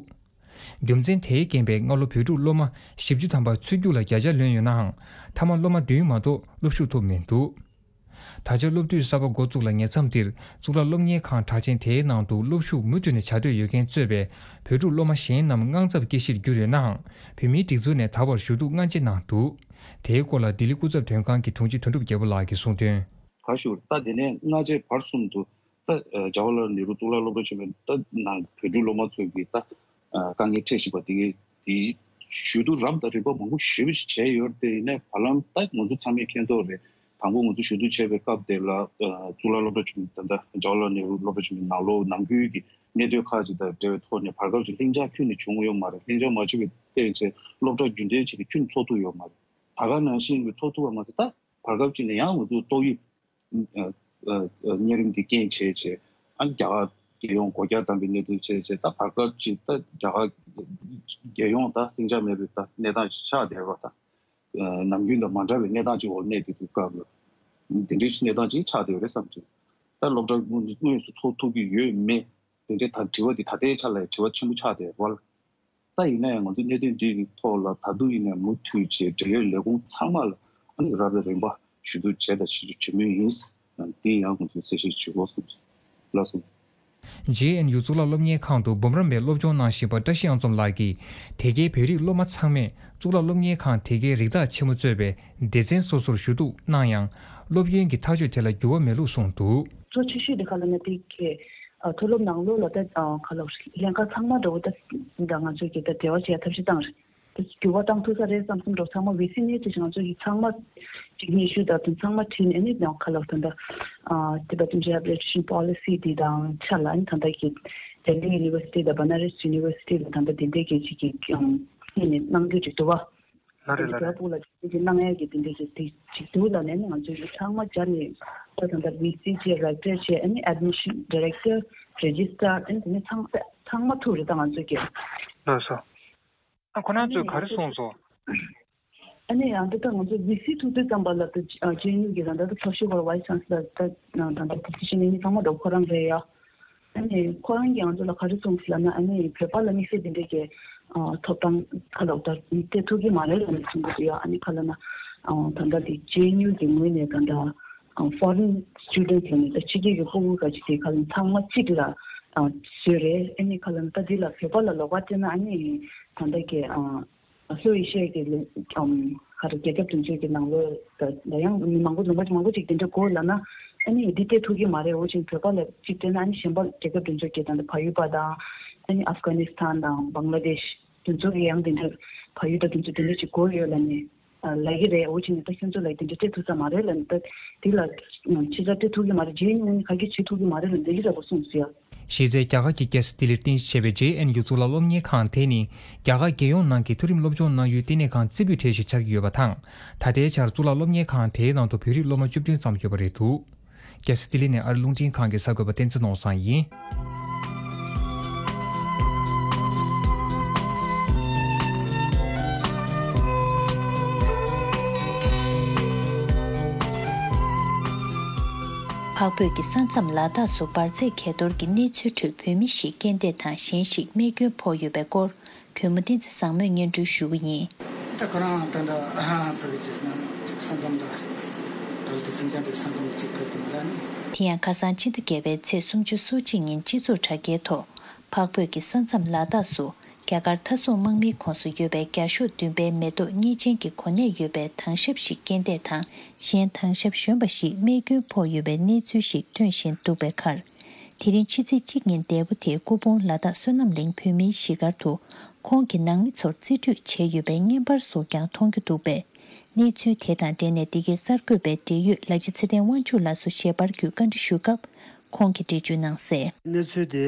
རྒྱུ་མཚན་དེའི་རྐྱེན་པས་སྔ་ལོ་བོད་ཕྲུག་སློབ་མ་བཞི་བཅུ་ཐམ་པ་ཚུད་རྒྱུ་ལ་བརྒྱ་ཆ་ལོན་ཡོད་ནའང་། མཐའ་མ་སློབ་མ་བདུན་མ་གཏོགས་སློབ་ཞུགས་ཐུབ་མི་འདུག་ད་ཆ་སློབ་དུས་གསར་པ་འགོ་བཙུགས་ལ་ཉེ་མཚམས་འདིར་གཙུག་ལག་སློབ་གཉེར་ཁང་གྲགས་ཅན་དེའི་ནང་དུ་སློབ་ཞུགས་མུ་མཐུད་ནས་བྱ་འདོད་ཡོད་མཁན་གཙོས་པའི་བོད་ཕྲུག་སློབ་མ་གཞན་རྣམས་དངངས་འཚབ་སྐྱེ་གཞིར་གྱུར་ཡོད་ནའང་། བོད་མིའི་སྒྲིག་འཛུགས་ནས་ད་བར་ཞུ་གཏུག་སྔ་རྗེས་གནང་འདུག་དེའི་སྐོར་ལ་ལྡི་ལི་སྐུ་ཚབ་དོན་ཁང་གི་དྲུང་ཆེ་དོན་གྲུབ་རྒྱལ་པོ་ལགས་ཀྱིས་གསུངས་དོན། ག་ཞུ་ད་དེ་ནས་སྔ་རྗེས་བར་གསུམ་དུ་ད་ཇ་ཝ་ལལ་ནེ་རུ་གཙུག་ལག་སློབ་གྲྭ་ཆེན་མོའི་ད་ནང་བོད་ཕྲུག་སློབ་མ་ཚོས་ཀྱིས་ད་དཀའ་ངལ་འཕྲད་བཞིན་པ་དེ་གའི་དེ་ཞུ་གཏུག་རབ་དང་རིམ་པ་མང་པོ་ཞེ་པོ་ཞིག་བྱས་ཡོད་རེད། དེ་ཡིན་ནའི་བར་ལམ་ད་ང་ཚོ་ཚང་མས་མཁྱེན་རྟོགས་རེད། དང་པོ་ང་ཚོ་ཞུ་གཏུག་བྱས་པའི་སྐབས་དེ་ལ་གཙུག་ལག་སློབ་གྲྭ་ཆེན་མོ་ད་ལྟ་ཇ་ཝ་ལལ་ནེ་རུ་སློབ་གྲྭ་ཆེན་མོའི་ནང་ལོགས་ནང་ཁུལ་གྱི་གནད་དོན་ཁག་ཅིག་དང་འབྲེལ་བའི་ཐོག་ནས་བར་སྐབས་ཅིག་ལྷིང་འཇགས་ཁྱོན་ནས་བྱུང་ཡོད་མ་རེད། ལྷིང་འཇགས་མ་བྱུང་བའི་སྟེང་ཆེད་སློབ་གྲྭ་རྒྱུན་གཏན་བྱས་ཏེ་ཁྱོན་ཚོགས་ཐུབ་ཡོད་མ་རེད། ད་ག་ནང་བཞིན་གྱི་ཚོགས་ཐུབ་པ་མ་ཟད་ད་བར་སྐབས་ཅིག་ནས་ཡང་ང་ཚོ་ཏོག་དབྱིབས་གཉན་རིམས་ཀྱི་རྐྱེན་བྱས་བྱས་ཨ་རྒྱ་གར་རྒྱལ་ཡོངས་སྒོ་རྒྱ་བསྡམས་པའི་གནད་དོན་བྱས་བྱས་ད་བར་སྐབས་ཅིག་ད་རྒྱ་གར་རྒྱལ་ཡོངས་ད་ལྷིང་འཇགས་མེད་པའི་ད་གནས་སྟངས་ཤིག་ཆགས་བསྡད་པ་དང་། ནམ་རྒྱུན་དང་མ་འདྲ་བའི་གནས་སྟངས་ཅིག་འོག་གནས་བསྡད་དུས་སྐབས་ལ། འདི་འདྲའི་གནས་སྟངས་ཅིག་ཆགས་བསྡད་ཡོད་རེད་བསམ་གྱི། ད་སློབ་གྲྭ་དངོས་དངོས་སུ་ཚོགས་ཐུབ་ཀྱི་ཡོད་མེད་དེ་འདྲའི་ད་དྲི་བ་འདི་ད་ལྟའི་ཆ་ལ་དྲི་བ་ཆེན་པོ་ཆགས་བསྡད་ཡོད་རེད་བ། ད་ཡིན་ན་ཡང་ང་ཚོ་གནད་དོན་འདིའི་ཐོག་ལ་ད་དུང་ཡིན་ནའི་མུ་མཐུད་བྱས་འབྲེལ་ཡོད་ལས་ཁུངས་ཚང་མ་ལ་ཨ་ནི་རབ་དང་རིམ་པ་ཞུ་གཏུག་བྱས་དང་བྱེད་བྱེད་མུས་ཡིན། དེ་ཡང་ང་ཚོས་གསལ་བཤད་ཞུ་དགོས་བསམ་གྱི། ལགས་སོ། ཇེ་ཨེན་ཡུ་གཙུག་ལག་སློབ་གཉེར་ཁང་དུ་འབུམ་རམས་པའི་སློབ་སྦྱོང་གནང་བཞིན་པ་བཀྲ་ཤིས་གཡང་འཛོམས་ལགས་ཀྱིས་དེ་གའི་བོད་རིགས་སློབ་མ་ཚང་མས་གཙུག་ལག་སློབ་གཉེར་ཁང་དེ་གའི་རིགས་བདག་ཆེན་མོ་གཙོས་པའི་སྡེ་ཚན་སོ་སོར་ཞུ་གཏུག་གནང་ཡང་། སློབ་ཡོན་གྱི་ཐག་གཅོད་དེ་ལ་འགྱུར་བ་མེད་ལུགས་གསུངས་འདུག་གཙོ་ཆེ་ཤོས་དེ་ག་ལ་ན་དེ་གའི་མཐོ་སློབ་ནང་ལོགས་ལ་ད་ག་ལ་ལྷན་ཁག་ཚང་མ་འདྲ་བོ་ད་ང་ཚོས་ཀྱི་ད་འབྲེལ་བ་བྱེད་ཡ་ཐབས་ཤེས་བཏང་རེད། འགྱུར་བ་བཏང་ཐུབ་ས་རེད་བསམ་བསམ་འགྲོ་ཚང་མ་ཝི་སི་ནས་ཅི་ཞིག་ང་ཚོ་ཡི་ཚང་མ་གཅིག་གཉིས་ཤུ་དང་དུ་ཚང་མ་ཁྲིད་ནས་ཨ་ནི་ཡང་ཁ་ལོག་ད་ལྟ་Tibetan Rehabilitation Policy དེ་དང་ཆ་ལ་ཨ་ནི་ད་ལྟ་གི་Delhi University དང་Banaras University ལ་ད་ལྟ་དེ་འདྲའི་གི་ཅིག་གི་ཡིན་ནས་གནང་རྒྱུ་ཅིག་འདུག་བ། ལ་རེད་ལ་རེད། ཕུག་ལ་ཅིག་གི་གནང་ཡ་གི་དེ་འདྲའི་གི་དེ་ཅིག་འདུག་ལ་ནས་ཨ་ནི་ང་ཚོ་ཡི་ཚང་མ་སྦྱར་ནས་ད་ད་ལྟ་ཝི་སི་བྱས་རེག་ཊར་བྱས་ཨ་ནི་Admission Director Registrar ཨ་ནི་དེ་ནས་ཚང་ཚང་མ་ཐུག་རེད་ད་ང་ཚོ་གི། ལགས་སོ། ཨ་ཁོ་རང་ཚོས་ག་རེ་གསུངས་སོང་། ཨ་ནི་ཡང་འདི་ལྟར་ང་ཚོ་ཝི་སི་ཐུག་དུས་ཙམ་པ་ལ་ད་ཇེ་ཨེན་ཡུ་གི་ད་ལྟ་ད་ཐོག་ཤོས་ཁོ་ར་ཝའི་སི་ཆན་སི་ལར་ད་ད་ལྟ་པོ་སི་ཤན་གཉིས་ཚང་མ་ད་ཁོ་རང་རེད་ཡ། ཨ་ནི་ཁོ་རང་གིས་ང་ཚོ་ལ་ག་རེ་གསུངས་སོང་ལབ་ན་ཨ་ནི་བོད་པ་ལ་དམིགས་བསལ་འདི་འདྲའི་གི་ཐོབ་ཐང་ཁ་ལོག་ད་སྤྲད་ཐུབ་ཀྱི་མ་རེད་ལབ་ནས་གསུང་གི་འདུག་ཡ། ཨ་ནི་ཁ་ལ་ན་ད་ལྟ་དེ་ཇེ་ཨེན་ཡུ་གི་ངོས་ནས་ད་ལྟ་ foreign students ལ་ནི་ད་ཕྱི་རྒྱལ་གྱི་སྤུ་གུ་ག་ཅིག་དེ་ཁ་ལ་ཚང་མ་གཅིག་ལ་བཟོས་རེད། ཨ་ནི་ཁ་ལ་ད་འདི་ལ་བོད་པ་ལ་ལོགས་ཀ་སྤྲད་ན་ཨ་ནི་ད་ལྟ་གི་ལྷོ་ཨེ་ཤི་ཡ་གི་ལུང་ཨམ་ག་རེ་རྒྱལ་ཁབ་དེ་ཚོའི་གི་ནང་ལོགས་ད་ད་ཡང་མི་མང་པོ་ལུང་པ་མང་པོ་ཅིག་དེ་འདྲ་དགོས་ལབ་ན་ཨ་ནི་འདི་སྤྲད་ཐུབ་ཀྱི་མ་རེད། འོ་ཅིག་བོད་པ་ལ་གཅིག་སྤྲད་ན་ཨ་ནི་གཞན་པ་རྒྱལ་ཁབ་དེ་ཚོའི་གི་ད་ལྟ་བལ་ཡུལ་པ་དང་ཨ་ནི་ཨབ་གྷ་ནི་སི་ཐན་དང་བང་ལ་དེཤ་དེ་ཚོ་གི་ཡང་དེ་འདྲ་བལ་ཡུལ་དང་དེ་ཚོ་དེ་འདྲ་ཅིག་དགོས་ཡོད་ལབ་ནས་ལབ་ཀྱི་རེད། འོ་ཅིག་ནས་ད་ཁྱོད་ཚོ་ལ་དེ་འདྲ་སྤྲད་ཐུབ་ས་མ་རེད་ལབ་ནས་ད་དེ་ལ་ཕྱི་ས་སྤྲད་ཐུབ་ཀྱི་མ་རེད། རྗེས་ནས་ག་གེ་བྱེད་ཐུབ་ཀྱི་མ་རེད་ལབ་འདི་འདྲ་འདྲ་པོ་གསུངས་སོང་། གཞི་རྩའི་རྒྱ་གར་གྱི་རྒྱལ་ས་ལྡི་ལིར་རྟེན་གཞི་བྱས་པའི་ཇེ་ཨེན་ཡུ་གཙུག་ལག་སློབ་གཉེར་ཁང་དེ་ནི་རྒྱ་གར་རྒྱལ་ཡོངས་ནང་གི་མཐོ་རིམ་སློབ་སྦྱོང་གནང་ཡུལ་ལྟེ་གནས་ཁང་རྩེ་ཕུད་གྲས་ཤིག་ཆགས་ཀྱི་ཡོད་པ་དང་། ད་ལྟའི་ཆར་གཙུག་ལག་སློབ་གཉེར་ཁང་དེའི་ནང་དུ་བོད་རིགས་སློབ་མ་བཅུ་བདུན་ཙམ་ཡོད་པ་རེད་འདུག་རྒྱལ་ས་ལྡི་ལི་ནས་ཨ་རི་རླུང་འཕྲིན་ཁང་གི་གསར་འགོད་པ་བསྟན་འཛིན་ནོར་བཟང་ཡིན། འཕགས་བོད་ཀྱི་ས་མཚམས་ལ་དྭགས་སུ་འབར་རྫས་གས་གཏོར་གྱི་གནས་ཚུལ་ཁྲོད་བོད་མི་ཞིག་རྐྱེན་འདས་དང་གཞན་ཞིག་རྨས་སྐྱོན་ཕོག་ཡོད་པའི་སྐོར། གུས་མོ་བསྟན་འཛིན་བཟང་མོས་སྙན་སྒྲོན་ཞུ་གི་ཡིན། ད་ཁོ་རང་ད་ལྟ་ཨ་ཧ་ཕ་གི་ཅེས་ན་ཅིག་ས་མཚམས་ད་ད་ལྟ་སེམས་ཅན་དེ་ས་མཚམས་ཅིག་ཕེབས་ཐུབ་མ་རེད་ནི། དེ་ཡང་ཁ་སང་ཕྱི་ཟླ་བརྒྱད་པའི་ཚེས་སུམ་ཅུ་སོ་གཅིག་ཉིན་སྤྱི་ཚོགས་དྲ་རྒྱའི་ཐོག་འཕགས་བོད་ཀྱི་ས་མཚམས་ལ་དྭགས་སུ་རྒྱ་གར་མཐའ་སྲུང་དམག་མིའི་ཁོངས་སུ་ཡོད་པའི་བརྒྱ་ཤོག་བདུན་པའི་མེ་ཏོག་གཉིས་ཅན་གྱི་གོ་གནས་ཡོད་པའི་དྭང་ཞབས་ཤིག་རྐྱེན་འདས་དང་གཞན་དྭང་ཞབས་གཞོན་པ་ཞིག་རྨས་སྐྱོན་ཕོག་ཡོད་པའི་གནས་ཚུལ་ཞིག་ཐོན་བཞིན་འདུག་པའི་ཁར། དེ་རིང་ཕྱི་ཚེས་གཅིག་ཉིན་འདས་པོ་དེ་སྐུ་ཕུང་ལ་དྭགས་བསོད་ནམས་གླིང་བོད་མིའི་གཞིས་སྒར་དུ་ཁོང་གི་ནང་མི་ཚོར་རྩིས་སྤྲོད་བྱས་ཡོད་པའི་བརྙན་པར་སོགས་ཀྱང་མཐོང་རྒྱུ་འདུག་པས། གནས་ཚུལ་དེ་དང་འབྲེལ་ནས་འདི་གའི་གསར་འགོད་པའི་འབྲེལ་ཡོད་ལ་ཕྱི་ཚེ་བརྟན་དབང་ཕྱུག་ལགས་སུ་ཞལ་པར་བརྒྱུད་བཀའ་འདྲི་ཞུས་སྐབས་ཁོང་གིས་འགྲེལ་བརྗོད་གནང་གསལ། གནས་ཚུལ་དེ་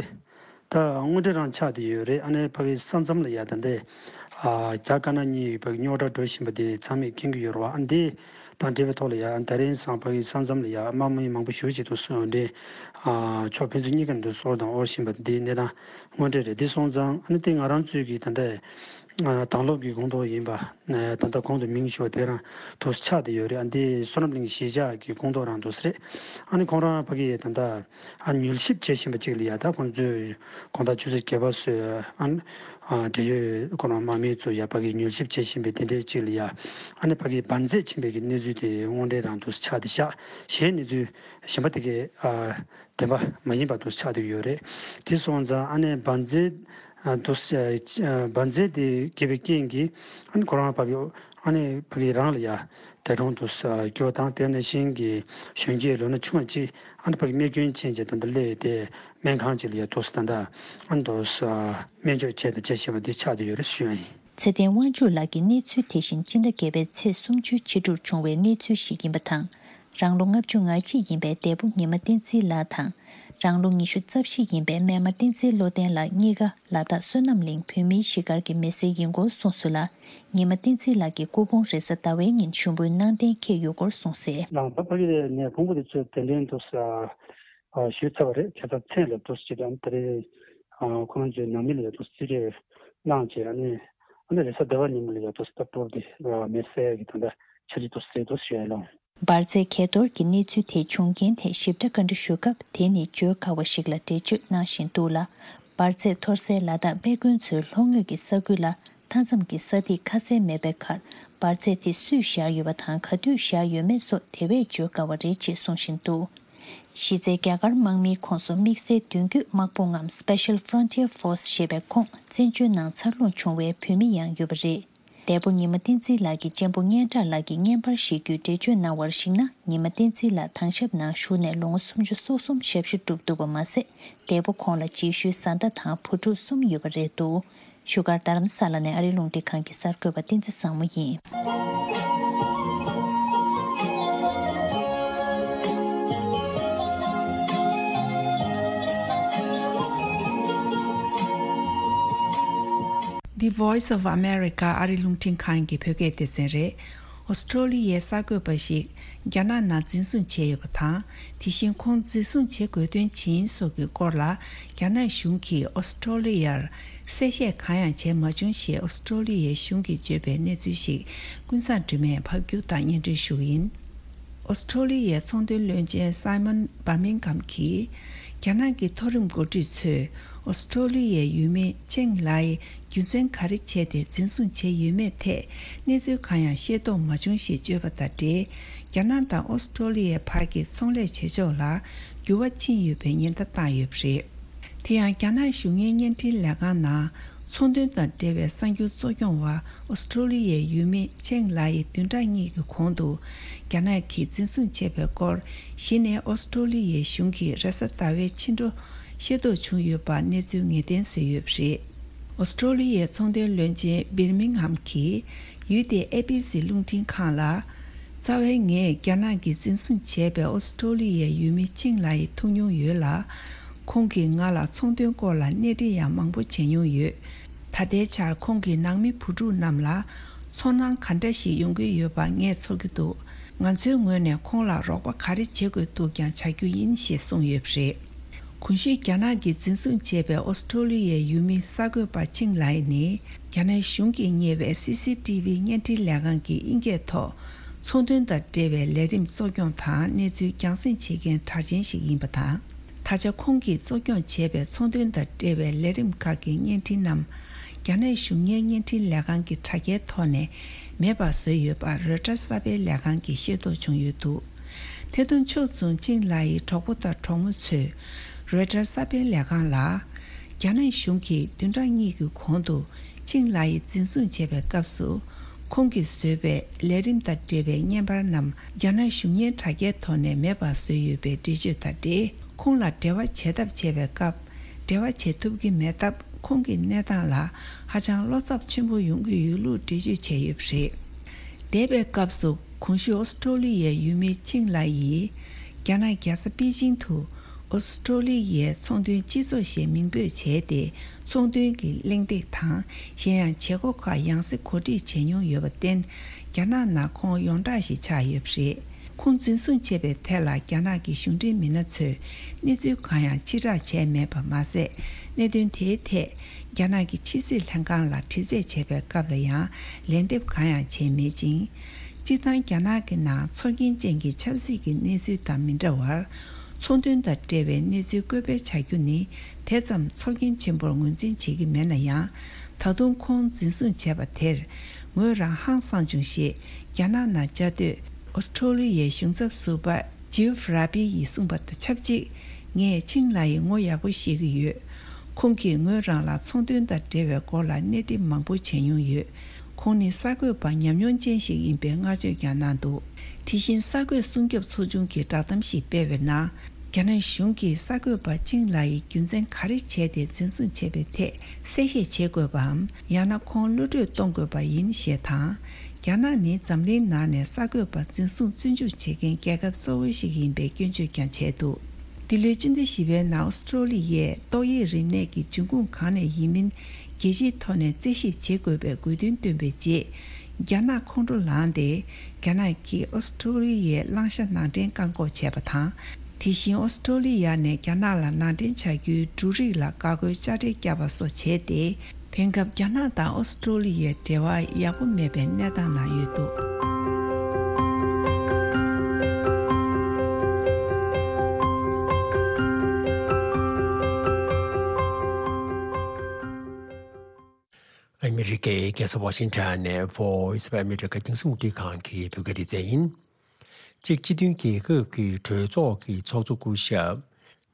ད་དངོས་འབྲེལ་རང་ཆགས་བསྡད་ཡོད་རེད། ཨ་ནི་ཕ་གི་ས་མཚམས་ལ་ཡ་ད་འདི་ཨ་རྒྱ་དཀར་ནག་གཉིས་ཡོད་པའི་རྙོག་དྲ་འགྲོ་བཞིན་པ་དེ་ཚང་མས་མཁྱེན་གྱི་ཡོད་རེད་བ། ཨ་འདི་དང་འབྲེལ་བའི་ཐོག་ལ་ཡ་ཨ་ད་རིང་སང་ཕ་གི་ས་མཚམས་ལ་ཡ་དམག་མི་མང་པོ་ཞེ་པོ་ཅིག་འདུག་སོང་འདྲེ་ཨ་ཕྱོགས་ཕན་ཚུན་གཉིས་ཀ་འདུག་སོར་དང་དབོར་བཞིན་པ་འདི་གནས་སྟངས་དངོས་འབྲེལ་རེད། འདི་སོང་ཙང་ཨ་ནི་དེ་ང་རང་ཚོའི་གི་ད་ལྟ་ཨ་དྭང་སློབ་ཀྱི་ཁོངས་གཏོགས་ཡིན་པ་ཨ་ད་ལྟ་གོང་དུ་མིང་ཞུ་བ་དེ་རང་འདུག་ཆགས་བསྡད་ཡོད་རེད། ཨ་འདི་བསོད་ནམས་གླིང་གཞིས་ཆགས་ཀྱི་ཁོངས་གཏོགས་རང་འདུག་ས་རེད། ཨ་ནི་ཁོང་རང་ཕ་གི་ད་ལྟ་ཨ་མྱུལ་ཞིབ་བྱེད་བཞིན་པ་ཅིག་ལ་ཡ་ད་ཁོང་ཚོས་དགོང་དག་ཆུ་ཚོད་བརྒྱད་པ་སོས་ཨ་ཨ་འབྲེལ་ཡོད་ཁོ་རང་དམག་མི་ཚོ་ཡ་ཕ་གི་མྱུལ་ཞིབ་བྱེད་བཞིན་པའི་དེ་འདྲའི་ཅིག་ལ་ཡ་ཨ་ནི་ཕ་གི་འབར་རྫས་ཕྱིན་པའི་གི་གནས་ཚུལ་དེ་དངོས་འབྲེལ་རང་འདུག་ཆགས་བསྡད་ཤག་གཞན་གནས་ཚུལ་གཞན་པ་དེ་གའི་ཨ་བདེན་པ་མ་ཡིན་པ་འདུག་ཆགས་བསྡད་ཡོད་རེད། དེ་སོང་ཙང་ཨ་ནི་འབར་རྫས་ཨ་འདུག་ཨ་འབར་རྫས་དེ་སྐྱེས་པའི་རྐྱེན་གྱིས་ཨ་ནི་ཁོ་རང་ཕ་གི་ཨ་ནི་ཕ་གི་རང་ལ་ཡ། དེ་རུང་དུ་ས་སྐྱོ་དང་དེ་ནས་ཤིང་གི་གཞོན་སྐྱེས་ལོ་ན་ཆུང་བ་གཅིག་ཨ་ནི་ཕ་གི་རྨས་སྐྱོན་ཕྱིན་རྗེས་ད་ལྟ་སླེབས་ཏེ་སྨན་ཁང་གཅིག་ལ་ཡ་དུ་ས་ད་ལྟ་ཨ་ནི་དུ་ས་སྨན་བཅོས་བྱས་དང་བྱེད་བཞིན་པ་འདི་ཆགས་བསྡད་ཡོད་རེད་ཞུ་ཡ་ཡིན། ཚེ་བརྟན་དབང་ཕྱུག་ལགས་ཀྱི་གནས་ཚུལ་དེ་བཞིན་སྤྱི་ཟླ་བརྒྱད་པའི་ཚེས་སུམ་ཅུ་ཕྱི་དྲོར་བྱུང་བའི་གནས་ཚུལ་ཞིག་ཡིན་པ་དང་། རང་ལོ་ལྔ་བཅུ་ང་གཅིག་ཡིན་པའི་འདས་པོ་ཉི་མ་བསྟན་འཛིན་ལགས་དང་། རང་ལོ་ཉི་ཤུ་རྩ་བཞི་ཡིན་པའི་སྨན་མ་བསྟན་འཛིན་བློ་ལྡན་ལགས་གཉིས་ཀ་ལ་དྭགས་བསོད་ནམས་གླིང་བོད་མིའི་གཞིས་སྒར་གྱི་མི་སེར་ཡིན་སྐོར་གསུངས་སོང་ལ། ཉི་མ་བསྟན་འཛིན་ལགས་ཀྱི་སྐུ་ཕུང་རེས་གཟའ་ཟླ་བའི་ཉིན་ཞུགས་འབུལ་གནང་གཏན་འཁེལ་ཡོད་སྐོར་གསུངས་གསལ། ལགས་ད་ཕ་གི་ནས་ཕུང་པོ་དེ་ཚོས་གདན་འདྲེན་དུ་ཞུས་ཚར་བ་རེད། ཁ་སང་མཚན་ལ་དུ་ཞིག་དང་ད་རེས་ཁོང་ཚོའི་ནང་མི་ལ་ཡ་དུ་རྩིས་སྤྲོད་གནང་བྱས་ཨ་ནི་ཨ་ནི་རེས་གཟའ་ཟླ་བ་ཉིན་མོ་ལ་ཡ་དུ་ད་སྤོར་དེ་མེ་སེ་གི་ད་ལྟ་ཆ་རྒྱུས་དུ་ཟེར་དུ་ཞུ་ཡ་ལོ། འབར་རྫས་གས་གཏོར་གྱི་གནས་ཚུལ་དེ་བྱུང་རྐྱེན་ཐད་ཞིབ་ཕྲ་བཀའ་འདྲི་ཞུ་སྐབས་དེ་ནི་བརྗོད་དཀའ་བ་ཞིག་ལ་འགྲེལ་བརྗོད་གནང་བཞིན་འདུག་ལ། འབར་རྫས་གཏོར་སའི་ལ་དྭགས་དཔེ་དཀོན་ཚོའི་ལྷོ་ངོས་ཀྱི་ས་ཁུལ་ལ་མཐའ་མཚམས་ཀྱི་ས་ཐིག་ཁ་གསལ་མེད་པའི་ཁར་འབར་རྫས་དེ་སུས་བཞག་ཡོད་པ་དང་ག་དུས་བཞག་ཡོད་མེད་སོགས་དེ་བས་བརྗོད་དཀའ་བ་རེད་ཅེས་གསུང་བཞིན་འདུག་གཞི་རྩའི་རྒྱ་གར་དམག་མིའི་ཁོངས་སུ་དམིགས་བསལ་མདུན་སྐྱོད་དམག་དཔུང་ངམ་Special Frontier Force ཞེས་པའི་ཁོངས་བཙན་བྱོལ་ནང་འཚར་ལོངས་བྱུང་བའི་བོད་མི་ཡང་ཡོད་པ་རེད། འདས་པོ་ཉི་མ་བསྟན་འཛིན་ལགས་ཀྱི་གཅེན་པོ་སྙན་གྲགས་ལགས་ཀྱིས་བརྙན་པར་ཞིག་བརྒྱུད་འགྲེལ་བརྗོད་གནང་བར་གཞིགས་ན། ཉི་མ་བསྟན་འཛིན་ལགས་དྭང་ཞབས་ནང་བཞུགས་ནས་ལོ་ངོ་སུམ་ཅུ་སོ་གསུམ་ཞབས་ཞུ་བསྒྲུབས་འདུག་པ་མ་ཟད། འདས་པོ་ཁོང་ལ་རྗེས་ཤུལ་བཟའ་ཟླ་དང་བུ་ཕྲུག་གསུམ་ཡོད་པ་རེད་འདུག་བཞུགས་སྒར་རྡ་རམ་ས་ལ་ནས་ཨ་རིའི་རླུང་འཕྲིན་ཁང་གི་གསར་འགོད་པ་བསྟན་འཛིན་བཟང་མོ་ཡིན། The Voice of America ཨ་རིའི་རླུང་འཕྲིན་ཁང་གི་བོད་སྐད་སྡེ་ཚན་རེད། ཨོ་སི་ཀྲོ་ལི་ཡའི་གསར་འགོད་པ་ཞིག་རྒྱ་ནག་ནང་འཛིན་བཟུང་བྱས་ཡོད་པ་དང་། དེ་བཞིན་ཁོང་འཛིན་བཟུང་བྱེད་དགོས་དོན་ཇི་ཡིན་སོགས་ཀྱི་སྐོར་ལ། རྒྱ་ནག་གཞུང་གིས་ཨོ་སི་ཀྲོ་ལི་ཡར་གསལ་བཤད་གང་ཡང་བྱས་མ་བྱུང་ཞེས་ཨོ་སི་ཀྲོ་ལི་ཡའི་གཞུང་གིས་བརྗོད་པའི་གནས་ཚུལ་ཞིག་ཀུན་བཟང་སྒྲོལ་མས་ཕབ་སྒྱུར་དང་སྙན་སྒྲོན་ཞུ་གི་ཡིན། ཨོ་སི་ཀྲོ་ལི་ཡའི་ཚོང་དོན་བློན་ཆེན་སའི་མོན་བར་མིང་གྷམ་གྱིས། རྒྱ་ནག་གི་མཐོ་རིམ་འགོ་ཁྲིད་ཚོས་ཨོ་སི་ཀྲོ་ལི་ཡའི་ཡུལ་མི་ཅེང་ལའི་ རྒྱུ་མཚན་ག་རེ་བྱས་ཏེ་འཛིན་བཟུང་བྱས་ཡོད་མེད་ཐད་གནས་ཚུལ་གང་ཡང་ཤེས་རྟོགས་མ་བྱུང་ཞེས་བརྗོད་པ་དང་འབྲེལ། རྒྱ་ནག་དང་ཨོ་སི་ཀྲོ་ལི་ཡའི་བར་གྱི་ཚོང་ལས་བྱེད་ཕྱོགས་ལ་འགྱུར་བ་ཕྱིན་ཡོད་པའི་ཉེན་བརྡ་བཏང་ཡོད་པ་རེད། དེ་ཡང་རྒྱ་ནག་གཞུང་གཉེར་བརྙན་འཕྲིན་ལས་ཁང་ནང་ཚོང་དོན་དང་འབྲེལ་བའི་གསར་འགྱུར་གཙོ་སྐྱོང་བ་ཨོ་སི་ཀྲོ་ལི་ཡའི་ཡུལ་མི་ཆེང་ལའེ་བདུན་ཕྲག་གཉིས་ཀྱི་གོང་དུ་རྒྱ་ནག་གིས་འཛིན་བཟུང་བྱས་པའི་སྐོར་གཞི་ནས་ཨོ་སི་ཀྲོ་ལི་ཡའི་གཞུང་གིས་རེས་གཟའ་ཟླ་བའི་ཕྱི་དྲོ་ཤེས་རྟོགས་བྱུང་ཡོད་པ་གནས་ཚུལ་ངེས་གཏན་བཟོས་ཡོད་པ་རེད། ཨོ་སི་ཀྲོ་ལི་ཡའི་ཚོང་དོན་བློན་ཆེན་བིར་མིང་ཧམ་གྱིས་ཡུལ་དེའི་ཨེ་བི་སི་རླུང་འཕྲིན་ཁང་ལ། རྩ་བའི་ངས་རྒྱ་ནག་གིས་འཛིན་བཟུང་བྱས་པའི་ཨོ་སི་ཀྲོ་ལི་ཡའི་ཡུལ་མི་ཆིང་ལའེ་ཐུག་མྱོང་ཡོད་ལ། ཁོང་གིས་ང་ལ་ཚོང་དོན་སྐོར་ལ་གནས་འདྲི་ཡང་མང་པོ་བྱས་མྱོང་ཡོད། ད་ལྟའི་ཆར་ཁོང་གི་ནང་མི་བུ་ཕྲུག་རྣམས་ལ་ཚོར་སྣང་ག་འདྲ་ཞིག་ཡོང་གི་ཡོད་པ་ངས་ཚོར་གྱི་འདུག་ང་ཚོའི་ངོས་ནས་ཁོང་ལ་རོགས་པ་ག་རེ་བྱེད་དགོས་འདུག་ཀྱང་བྱ་རྒྱུ་ཡིན་ཞེས་གསུངས་ཡོད་པ་རེད། གོང་ཞུས་རྒྱ་ནག་གིས་འཛིན་བཟུང་བྱས་པའི་ཨོ་སི་ཀྲོ་ལི་ཡའི་ཡུལ་མི་གསར་འགོད་པ་ཆིང་ལའེ་ནི་རྒྱ་ནག་གཞུང་གིས་གཉེར་བའི་སི་སི་ཏི་ཝི་བརྙན་འཕྲིན་ལས་ཁང་གི་ཨིན་སྐད་ཐོག་ཚོང་དོན་དང་འབྲེལ་བའི་ལས་རིམ་གཙོ་སྐྱོང་དང་གནས་ཚུལ་རྒྱང་སྲིང་བྱེད་མཁན་གྲགས་ཅན་ཞིག་ཡིན་པ་དང་། ད་ཆ་ཁོང་གིས་གཙོ་སྐྱོང་བྱས་པའི་ཚོང་དོན་དང་འབྲེལ་བའི་ལས་རིམ་ཁག་གི་བརྙན་འཕྲིན་རྣམས་རྒྱ་ནག་གཞུང་གཉེར་བརྙན་འཕྲིན་ལས་ཁང་གི་དྲ་རྒྱའི་ཐོག་ནས་མེད་པར་བཟོས་ཡོད་པ་རོའི་ཊར་གསར་སྤེལ་ལས་ཁང་གིས་ཤེས་རྟོགས་བྱུང་ཡོད་འདུག་དེ་དང་ཕྱོགས་མཚུངས་ཆིང་ལའེ་ཡི་གྲོགས་པོ་དང་གྲོགས་མོ་ཚོས་རོའི་ཊར་གསར་སྤེལ་ལས་ཁང་ལ། རྒྱ་ནག་གཞུང་གིས་བདུན་ཕྲག་གཉིས་ཀྱི་གོང་དུ་ཆིང་ལའེ་འཛིན་བཟུང་བྱས་པའི་སྐབས་སུ། ཁོང་གིས་བཟོས་པའི་ལས་རིམ་དང་འབྲེལ་བའི་བརྙན་པར་རྣམས་རྒྱ་ནག་གཞུང་གཉེར་དྲ་རྒྱའི་ཐོག་ནས་མེད་པར་བཟོས་ཡོད་པའི་འགྲེལ་བརྗོད་དང་འབྲེལ། ཁོང་ལ་འབྲེལ་བ་བྱེད་ཐབས་བྱས་པའི་སྐབས། འབྲེལ་བ་བྱེད་ཐུབ་ཀྱི་མེད་སྟབས། ཁོང་གི་གནས་སྟངས་ལ་ཧ་ཅང་བློ་འཚབ་ཆེན་པོ་ཡོང་གི་ཡོད་ལུགས་འགྲེལ་བརྗོད་བྱས་ཡོད་པ་རེད། འདས་པའི་སྐབས་སུ་གོང་ཞུས་ཨོ་སི་ཀྲོ་ལི་ཡའི་ཡུལ་མི་ཆིང་ལའེ་ཡིས་རྒྱ་ནག་རྒྱལ་ས་པེ་ཅིང་དུ་ཨོ་སི་ཀྲོ་ལི་ཡའི་ཚོང་དོན་སྤྱི་ཚོགས་ཞེས་མིང་འབོད་བྱས་ཏེ། ཚོང་དོན་གྱི་གླེང་སྟེགས་དང་གཞན་ཡང་བྱེད་སྒོ་ཁག་ཡང་སེ་གོ་སྒྲིག་བྱས་མྱོང་ཡོད་པར་བརྟེན། རྒྱ་ནག་ནང་ཁོང་ཡོངས་གྲགས་ཤིག་ཆགས་ཡོད་པ་རེད། ཁོང་འཛིན་བཟུང་བྱས་པའི་ཐད་ལ་རྒྱ་ནག་གི་གཞུང་འབྲེལ་མི་སྣ་ཚོས་གནས་ཚུལ་གང་ཡང་ཕྱིར་བསྒྲགས་བྱས་མེད་པ་མ་ཟད། གནད་དོན་དེའི་ཐད་རྒྱ་ནག་གི་ཕྱི་སྲིད་ལྷན་ཁང་ལ་དྲི་རྩད་བྱས་པའི་སྐབས་ལ་ཡང་ལན་འདེབས་གང་ཡང་བྱས་མེད་ཅིང་། སྤྱིར་བཏང་རྒྱ་ནག་གི་ནང་ཚོར་སྐྱེན་ཅན་གྱི་ཆབ་སྲིད་ཀྱི་གནས་ཚུལ་དང་མི་འདྲ་བར། ཚོང་དོན་དང་འབྲེལ་བའི་གནས་ཚུལ་བཀོད་སྤེལ་བྱ་རྒྱུ་ནི་དེ་ཙམ་ཚོར་སྐྱེན་ཆེན་པོར་ངོས་འཛིན་བྱེད་ཀྱི་མེད་ན་ཡང་། ད་དུང་ཁོང་འཛིན་བཟུང་བྱས་པ་དེར་ངོས་རང་ཧང་སངས་བྱུང་ཞེས་རྒྱ་ནག་ནང་བཅའ་སྡོད་ཨོ་སི་ཀྲོ་ལི་ཡའི་གཞུང་ཚབ་ཟུར་པ་ཇིའུ་ར་པི་ཡིས་གསུངས་པ་དང་ཆབས་ཅིག་ངས་ཆིང་ལའེ་ཡི་ངོ་ཡག་པོ་ཤེས་ཀྱི་ཡོད། ཁོང་གིས་ངོས་རང་ལ་ཚོང་དོན་དང་འབྲེལ་བའི་སྐོར་ལ་གནས་འདྲི་མང་པོ་བྱས་མྱོང་ཡོད། ཁོང་ནི་གསར་འགོད་པ་ཉམས་མྱོང་ཅན་ཞིག་ཡིན་པའི་བསྔགས་བརྗོད་ཀྱང་གནང་འདུག་དེ་བཞིན་གསར་འགོད་སྲུང་སྐྱོབ་ཚོགས་ཆུང་གིས་བསྒྲགས་གཏམ་ཞིག་སྤེལ་བའི་ནང་། རྒྱ་ནག་གཞུང་གིས་གསར་འགོད་པ་ཆིང་ལའེ་ཡི་རྒྱུ་མཚན་ག་རེ་བྱས་ཏེ་འཛིན་བཟུང་བྱས་པའི་ཐད་གསལ་བཤད་བྱེད་དགོས་པའམ། ཡང་ན་ཁོང་གློད་གྲོལ་གཏོང་དགོས་པ་ཡིན་ཞེས་དང་། རྒྱ་ནག་ནི་འཛམ་གླིང་ནང་ནས་གསར་འགོད་པ་འཛིན་བཟུང་བཙོན་འཇུག་བྱེད་མཁན་རྒྱལ་ཁབ་གཙོ་བོ་ཞིག་ཡིན་པའི་སྐྱོན་བརྗོད་ཀྱང་བྱས་འདུག་འདི་ལོའི་སྤྱི་ཟླ་བཞི་པའི་ནང་ཨོ་སི་ཀྲོ་ལི་ཡས་ཏོག་དབྱིབས་རིམས་ནད་ཀྱི་འབྱུང་ཁུངས་གང་ནས་ཡིན་མིན་རྒྱལ་སྤྱིའི་ཐོག་ནས་རྩད་ཞིབ་བྱེད་དགོས་པའི་དགོས་འདུན་བཏོན་པའི་རྗེས། རྒྱ་ནག་ཁོང་ཁྲོ་ལངས་ཏེ། རྒྱ་ནག་གིས་ཨོ་སི་ཀྲོ་ལི་ཡའི་གླིང་ཤ་ནང་འདྲེན་བཀག་འགོག་བྱས་པ་དང་། དེ་བཞིན་ཨོ་སི་ཀྲོ་ལི་ཡ་ནས་རྒྱ་ནག་ལ་ནང་འདྲེན་བྱ་རྒྱུའི་འབྲུ་རིགས་ལ་འགག་སྒོའི་དཔྱ་ཁྲལ་བཀྱགས་པ་སོགས་བྱས་ཏེ། དེང་སྐབས་རྒྱ་ནག་དང་ཨོ་སི་ཀྲོ་ལི་ཡའི་འབྲེལ་བ་ཡག་པོ་མེད་པའི་གནས་སྟངས་ནང་ཡོད་འདུག་ཨ་མི་རི་ཀའི་རྒྱལ་ས་ཝ་ཤིང་ཊོན་ནས་Voice of America རྒྱང་སྲིང་རླུང་འཕྲིན་ཁང་གི་བོད་སྐད་སྡེ་ཚན་ཡིན། གཅིག་སྤྱི་མཐུན་རྒྱལ་ཁབ་ཀྱི་གྲོས་ཚོགས་ཀྱི་ཚོགས་གཙོ་སྐུ་ཞབས་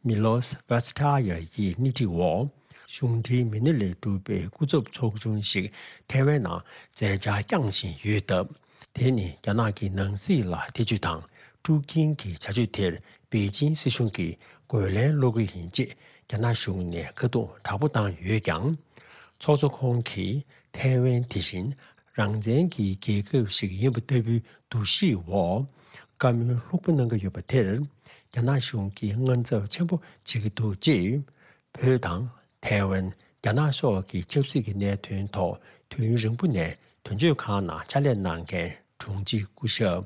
མི་ལོས་ཝེ་སི་ཐ་ཡ་ཡི་སྣེ་ཁྲིད་འོག་གཞུང་འབྲེལ་མི་སྣ་ལས་གྲུབ་པའི་སྐུ་ཚབ་ཚོགས་ཆུང་ཞིག་ཐའེ་ཝན་ནང་མཛད་འཆར་བསྐྱངས་བཞིན་ཡོད་སྟབས། དེ་ནི་རྒྱ་ནག་གི་ནང་སྲིད་ལ་ཐེ་བྱུས་དང་དཀྲུག་རྐྱེན་གྱི་བྱ་སྤྱོད་དེར་པེ་ཅིང་སྲིད་གཞུང་གིས་རྒོལ་ལན་སློག་གི་ཡིན་ཅེས་རྒྱ་ནག་གཞུང་ནས་ཁ་རྡུང་དྲག་པོ་བཏང་ཡོད་ཀྱང་། ཚོགས་གཙོ་ཁོང་གིས་ཐའེ་ཝན་དེ་བཞིན་རང་བཙན་གྱི་རྒྱལ་ཁབ་ཞིག་ཡིན་པ་ལྟ་བུའི་འདུ་ཤེས་འོག་བཀའ་མོལ་ལྷུག་པོ་གནང་གི་ཡོད་པ་དེར། རྒྱ་ནག་གཞུང་གིས་དངངས་འཚབ་ཆེན་པོ་བྱེད་ཀྱི་འདུག་ཅེས། བོད་དང་ཐའེ་ཝན། རྒྱ་ནག་སོགས་ཀྱི་ཆབ་སྲིད་ཀྱི་གནད་དོན་ཐོག་དུས་ཡུན་རིང་པོ་ནས་དོན་གཅོད་ཁང་ནང་ཕྱག་ལས་གནང་མཁན་དྲུང་ཆེ་སྐུ་ཞབས་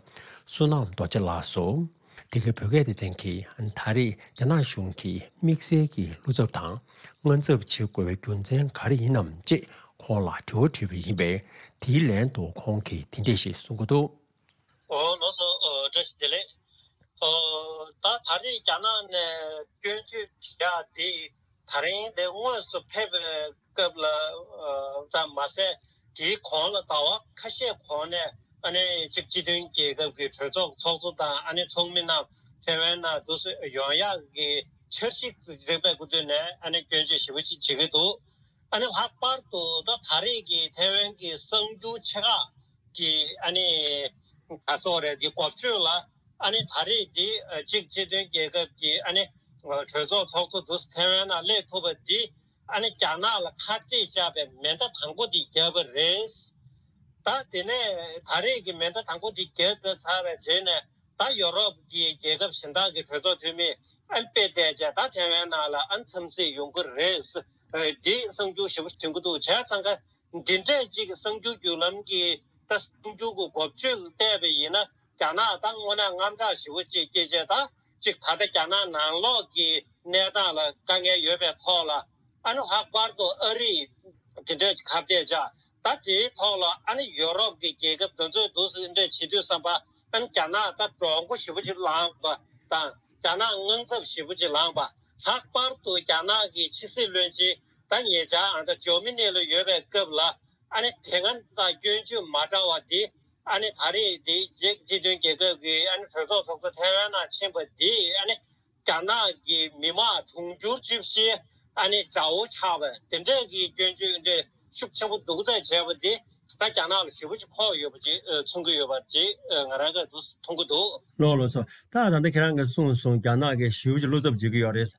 བསོད་ནམས་རྡོ་རྗེ་ལགས་སུ། འདི་གའི་བོད་སྐད་སྡེ་ཚན་གྱིས་ད་རེས་རྒྱ་ནག་གཞུང་གིས་དམིགས་བསལ་གྱི་བློ་འཚབ་དང་དངངས་འཚབ་བྱེད་དགོས་པའི་རྒྱུ་མཚན་ག་རེ་ཡིན་ནམ་ཅེས་ཁོང་ལ་དྲི་བ་དྲིས་པ་ཡིན་པས། དེའི་ལན་དུ་ཁོང་གིས་འདི་འདྲ་ཞིག་གསུང་གི་འདུག་ཨོ་ལགས་སོ། ཨོ་བཀྲ་ཤིས་བདེ་ལེགས། ཨོ་ད་ད་རེས་རྒྱ་ནག་ནས་སྐྱོན་བརྗོད་བྱེད་ཡག་དེ་ ད་རིང་དེ་དངོས་སུ་ཕེབས་པའི་སྐབས་ལ་ཙམ་མ་ཟད། དེའི་གོང་ལ་ཟླ་བ་ཁ་ཤས་གོང་ནས་ཨ་ནི་གཅིག་སྤྱི་མཐུན་རྒྱལ་ཁབ་ཀྱི་གྲོས་ཚོགས་ཚོགས་གཙོ་དང་ཨ་ནི་ཚོགས་མི་རྣམས་ཐེ་ཝན་ནང་དུ་ཡོང་ཡག་གི་འཆར་གཞི་རིམ་པས་འགོ་བསྟུན་ནས་ཨ་ནི་སྐྱོན་བརྗོད་ཞེ་པོ་ཅིག་བྱེད་ཀྱི་འདུག་ཨ་ནི་ལྷག་པར་དུ་ད་ད་རེས་ཀྱི་ཐེ་ཝན་གྱི་གསར་འགྱུར་ཆེ་ཁག་གི་ཨ་ནི་ག་སོགས་རེད། གི་འགོ་བརྗོད་ལ་ཨ་ནི་ད་རེས་འདི་གཅིག་སྤྱི་མཐུན་རྒྱལ་ཁབ་ཀྱི་ཨ་ནི་གྲོས་ཚོགས་ཚོགས་གཙོ་དུ་ཐེ་ཝན་ནང་སླེབས་ཐུབ་པ་འདི་ཨ་ནི་རྒྱ་ནག་ལ་ཁ་གཏད་བཅག་པའི་མེ་མདའ་དང་པོ་འདི་བརྒྱབ་པ་རེད། ད་དེ་ནས་ད་རེས་ཀྱི་མེ་མདའ་དང་པོ་འདི་བརྒྱབ་པ་ཚར་བའི་རྗེས་ནས། ད་ཡོ་རོབ་ཀྱི་རྒྱལ་ཁབ་གཞན་དག་གི་གྲོས་ཚོགས་འཐུས་མི་ཨན་དཔེ་བལྟས་བྱས་ད་ཐེ་ཝན་ནང་ལ་ཨན་འཚམས་གཟིགས་ཡོང་གི་རེད། འདི་གསར་འགྱུར་ཞེ་པོ་ཐོན་གི་འདུག་བྱས་ཙང་ཀ་འདི་འདྲས་ཅིག་གསར་འགྱུར་བརྒྱུད་ལམ་གྱི་ད་གསར་འགྱུར་གྱི་འགོ་བརྗོད་ལ་བལྟས་པ་ཡིན་ན། རྒྱ་ནག་ད་དངོས་གནས་དངངས་སྐྲག་ཞེ་པོ་ཅིག་སྐྱེས་བྱས། ད་ཅིག་ད་ལྟ་རྒྱ་ནག་ནང་ལོགས་ཀྱི་གནས་སྟངས་ལ་དཀའ་ངལ་ཡོད་པའི་ཐོག་ལ། ཨ་ནི་ལྷག་པར་དུ་ཨ་རིས་དེ་འདྲས་ཁ་གཏད་བཅག་ད་དེའི་ཐོག་ལ་ཨ་ནི་ཡོ་རོབ་ཀྱི་རྒྱལ་ཁབ་དེ་ཚོས་འདུག་སེ་འདྲས་བྱེད་དུས་ཙམ་པ། ཨ་ནི་རྒྱ་ནག་ད་གྲོགས་པོ་ཞེ་པོ་ཅིག་ལངས་པ་དང་། རྒྱ་ནག་དངངས་འཚབ་ཞེ་པོ་ཅིག་ལངས་པ། ལྷག་པར་དུ་རྒྱ་ནག་གི་ཕྱི་སྲིད་བློན་ཆེན་ད་ཉེ་ཆར་ཨ་ད་ཇོ་མི་ནེ་ལ་ཡོད་པའི་སྐབས་ལ། ཨ་ནི་དེ་སྔ་དང་སྐྱོན་བརྗོད་མ་འདྲ་བ་འདི། ཨ་ནི་ད་རེས་འདི་རྗེས་སྤྱི་མཐུན་རྒྱལ་ཁབ་ཀྱི་ཨ་ནི་གྲོས་ཚོགས་ཚོགས་གཙོ་ཐེ་ཝན་ནང་ཕྱིན་པ་འདི། ཨ་ནི་རྒྱ་ནག་གི་མི་དམངས་དུང་ཕྱུར་བཅུ་བཞི་ཨ་ནི་དགྲ་བོ་ཆགས་པ་དེ་འདྲས་ཀྱི་སྐྱོན་བརྗོད་འདྲས་ཤུགས་ཆེན་པོ་འདུག་སེ་བྱས་པ་འདི་ད་རྒྱ་ནག་ལ་ཞེ་པོ་ཅིག་ཕོག་ཡོད་པ་ཅིག་མཚོན་གྱི་ཡོད་པ་ཅིག་ང་རང་གིས་འདུག་མཐོང་གི་འདུག་ལགས་ལགས་སོ། ད་ད་ལྟ་ཁྱེད་རང་གིས་གསུངས་སོང་། རྒྱ་ནག་གིས་ཞེ་པོ་ཅིག་བློ་འཚབ་བྱེད་ཀྱི་ཡོད་རེད།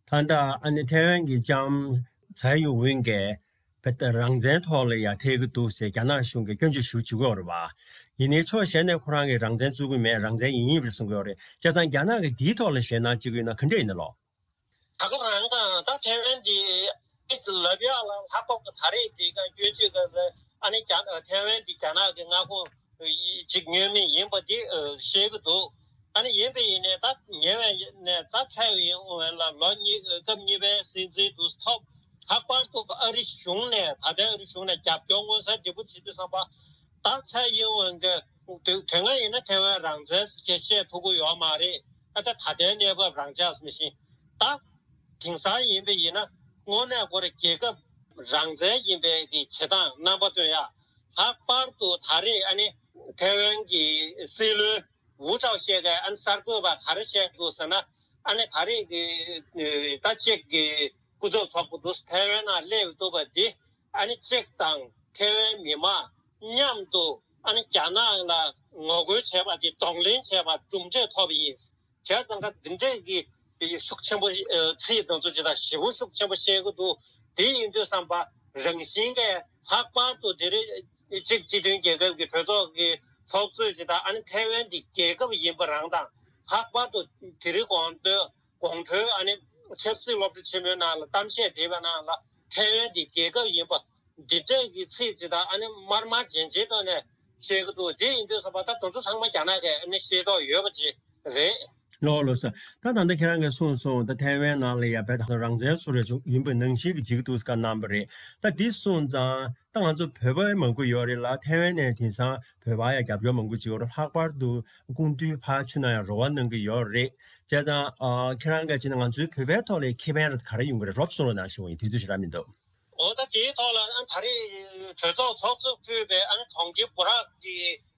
ད་ལྟ་ཨ་ནི་ཐའེ་ཝན་གྱི་ལྕམ་ཚའེ་ཡིན་ཝེན་གྱིས་བོད་རང་བཙན་ཐོག་ལ་ཡ་ཐེ་གི་འདུག་ཟེར་རྒྱ་ནག་གཞུང་གིས་སྐྱོན་བརྗོད་ཞུ་བྱེད་ཀྱི་ཡོད་རེད་བ། ཡིན་ནའི་ཕྱོགས་གཞན་ནས་ཁོ་རང་གིས་རང་བཙན་རྩོད་ཀྱི་མེད། རང་བཙན་ཡིན་ཡིན་པ་རེད་གསུང་གི་ཡོད་རེད། བྱས་ཙང་རྒྱ་ནག་གིས་འདིའི་ཐོག་ལ་ཞེད་སྣང་བྱེད་ཀྱི་ཡོད་ན་ག་འདྲ་ཡིན་ན་ལོ། ད་ག་རང་གང་ད་ཐའེ་ཝན་འདི་ལབ་ཡག་ལ་ལྷག་པར་དུ་ད་རེས་འདི་ག་སྐྱོན་བརྗོད་ག་ལ་ཨ་ནི་རྒྱ་ཐའེ་ཝན་འདི་རྒྱ་ནག་གི་མངའ་ཁོངས་ཅིག་ཉོས་མིན་ཡིན་པ་འདི་ཤེས་ཀྱི་འདུག་ཨ་ནི་ཡིན་པ་ཡིན་ནའི་ད་ཉེ་བའི་ནས་ད་ཚའེ་ཡིན་ཝེན་ལ་ལོ་གཉིས་སྐབས་གཉིས་པའི་སྲིད་འཛིན་དུ་ཐོབ། ལྷག་པར་དུ་ཨ་རི་གཞུང་ནས་ད་ལྟའི་ཨ་རི་གཞུང་ནས་རྒྱབ་སྐྱོར་མངོན་གསལ་དོད་པོ་བྱེད་དུས་ཙམ་པ། ད་ཚའེ་ཡིན་ཝེན་གྱི་དུས་དེ་སྔ་ཡིན་ན་ཐའེ་ཝན་རང་བཙན་ཟེར་བཤད་ཐུབ་ཀྱི་ཡོད་མ་རེད། ཨ་ད་ད་ལྟའི་གནས་བབ་རང་འཇགས་ཟེར་ནས་ཤིང་ད། དེང་སང་ཡིན་པ་ཡིན་ན་དངོས་གནས་ཁོ་རང་རྒྱལ་ཁབ་རང་བཙན་ཡིན་པའི་གི་བྱེད་སྟངས་རྣམ་པ་སྟོན་ཡ། ལྷག་པར་དུ་ད་རེས་ཨ་ནི་ཐའེ་ཝན་གྱི་སྲིད་བློན་ཝུ་ཀྲའོ་ཤེ་གིས་ཨ་ནི་གསར་འགོད་པ་ག་རེ་བཤད་འདུག་ཟེར་ན། ཨ་ནི་ད་རེས་ཀྱི་ད་ཅིག་གི་སྐུ་ཚབ་ཚོགས་པ་འདུག་ཐའེ་ཝན་ནང་སླེབས་འདུག་པ་འདི་ཨ་ནི་ཅིག་དང་ཐའེ་ཝན་མི་མང་མཉམ་དུ་ཨ་ནི་རྒྱ་ནག་ལ་ངོ་རྒོལ་བྱས་པ་འདི་གདོང་ལེན་བྱས་པ་གྲུབ་འབྲས་ཐོབ་པ་ཡིན། བྱས་ཙང་ཀ་འདི་འདྲས་ཀྱི་ཤུགས་ཆེན་པོ་ཨ་ཚིག་དེ་ཚོ་ཇི་ལྟར་ཞེ་པོ་ཤུགས་ཆེན་པོ་བཤད་ཀྱི་འདུག་དེ་ཡིན་དུས་ཙམ་པ་རང་བཞིན་གྱིས་ལྷག་པར་དུ་དེ་རིང་གཅིག་སྤྱི་མཐུན་རྒྱལ་ཁབ་ཀྱི་གྲོས་ཚོགས་ཀྱི་ཚོགས་གཙོས་ཇི་ལྟར་ཨ་ནི་ཐའེ་ཝན་འདི་རྒྱལ་ཁབ་ཡིན་པ་རང་དང་། ལྷག་པར་དུ་དེ་རིང་དགོང་དྲོ་དགོང་དྲོའི་ཨ་ནི་ཆབ་སྲིད་སློབ་གྲྭ་ཆེན་མོའི་ནང་ལ་གཏམ་བཤད་བྱས་པའི་ནང་ལ་ཐའེ་ཝན་འདི་རྒྱལ་ཁབ་ཡིན་པ། འདི་འདྲས་ཀྱི་ཚིག་ཅིག་དང་ཨ་ནི་དམར་དམར་རྗེན་རྗེན་ཐོག་ནས་བཤད་ཀྱི་འདུག་དེ་ཡིན་དུས་ཙམ་པ་ད་དེ་ཚོ་ཚང་མ་རྒྱ་ནག་གིས་ཨ་ནི་ཤེས་རྟོགས་ཡོད་པ་ཅིག་རེད། ལགས་ལགས་སོ། ད་ད་ལྟ་ཁྱེད་རང་གིས་གསུངས་སོང་། ད་ཐའེ་ཝན་ནང་ལ་ཡ་བོད་དང་རང་བཙན་སུ་རེད་ཡིན་པ་ནང་བཞིན་གྱི་བྱེད་ཀྱི་འདུག་བཀའ་གནང་བ་རེད། ད་འདི་སོང་ཙང་ད་ང་ཚོ་བོད་པ་མང་པོ་ཡོད་རེད་ལ། ཐའེ་ཝན་ནས་དེང་སང་བོད་པ་ཡ་རྒྱབ་སྐྱོར་མང་པོ་བྱེད་ཀྱི་ཡོད་རེད། ལྷག་པར་དུ་སྐུ་མདུན་ཕར་ཕྱིན་ན་ཡང་རོགས་པ་གནང་གི་ཡོད་རེད། བྱས་ཙང་ཨ་ཁྱེད་རང་གིས་བྱས་ན་ང་ཚོའི་བོད་པའི་ཐོག་ལ་ཁེ་ཕན་ར་ག་རེ་ཡོང་གི་རེད། རོབ་གསུང་རོགས་གནང་ཞུ་བ་ཡིན། དུས་ཚོད་ཞེ་དྲག་མི་འདུག་འོ་ད་དེའི་ཐོག་ལ་ཨ་ད་རེས་གྲོས་ཚོགས་ཚོགས་གཙོས་ཕུད་པའི་ཨ་ནི་གྲོང་ཁྱེར་འབོ་རག་གི་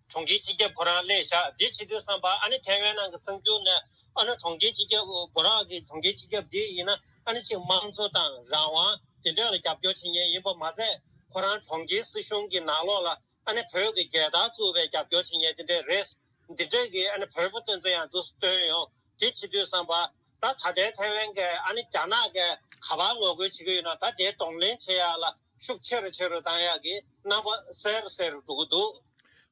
གྲོང་ཁྱེར་སྤྱི་ཁྱབ་ཁོ་རང་སླེབས་བཞག་འདི་བྱེད་དུས་ཙམ་པ་ཨ་ནི་ཐའེ་ཝན་ནང་གི་གསར་འགྱུར་ནས་ཨ་ནི་གྲོང་ཁྱེར་སྤྱི་ཁྱབ་འབོ་རག་གི་གྲོང་ཁྱེར་སྤྱི་ཁྱབ་འདི་ཡིན་ན་ཨ་ནི་ཅིག་དམངས་གཙོ་དང་རང་དབང་དེ་འདྲ་ལ་རྒྱབ་སྐྱོར་བྱེད་མཁན་ཡིན་པ་མ་ཟད། ཁོ་རང་གྲོང་ཁྱེར་སྲིད་གཞུང་གི་ནང་ལོགས་ལ་ཨ་ནི་བོད་ཀྱི་རྒྱལ་དར་བཙུགས་པའི་རྒྱབ་སྐྱོར་བྱེད་མཁན་དེ་འདྲ་རེད། འདི་འདྲ་གི་ཨ་ནི་བོད་པ་དེ་ཚོ་ཡང་འདུག་སྟོན་ཡོང་། དེ་བྱེད་དུས་ཙམ་པ། ད་ད་ལྟའི་ཐའེ་ཝན་གྱི་ཨ་ནི་རྒྱ་ནག་གིས་ག་པར་ངོ་རྒོལ་བྱེད་ཀྱི་ཡོད་ན་ད་དེ་གདོང་ལེན་བྱེད་ཡག་ལ་ཤུགས་ཆེ་རུ་ཆེ་རུ་བཏང་ཡག་གི་རྣམ་པ་གསལ་རུ་གསལ་རུ་འགྲོ་གི་འདུག་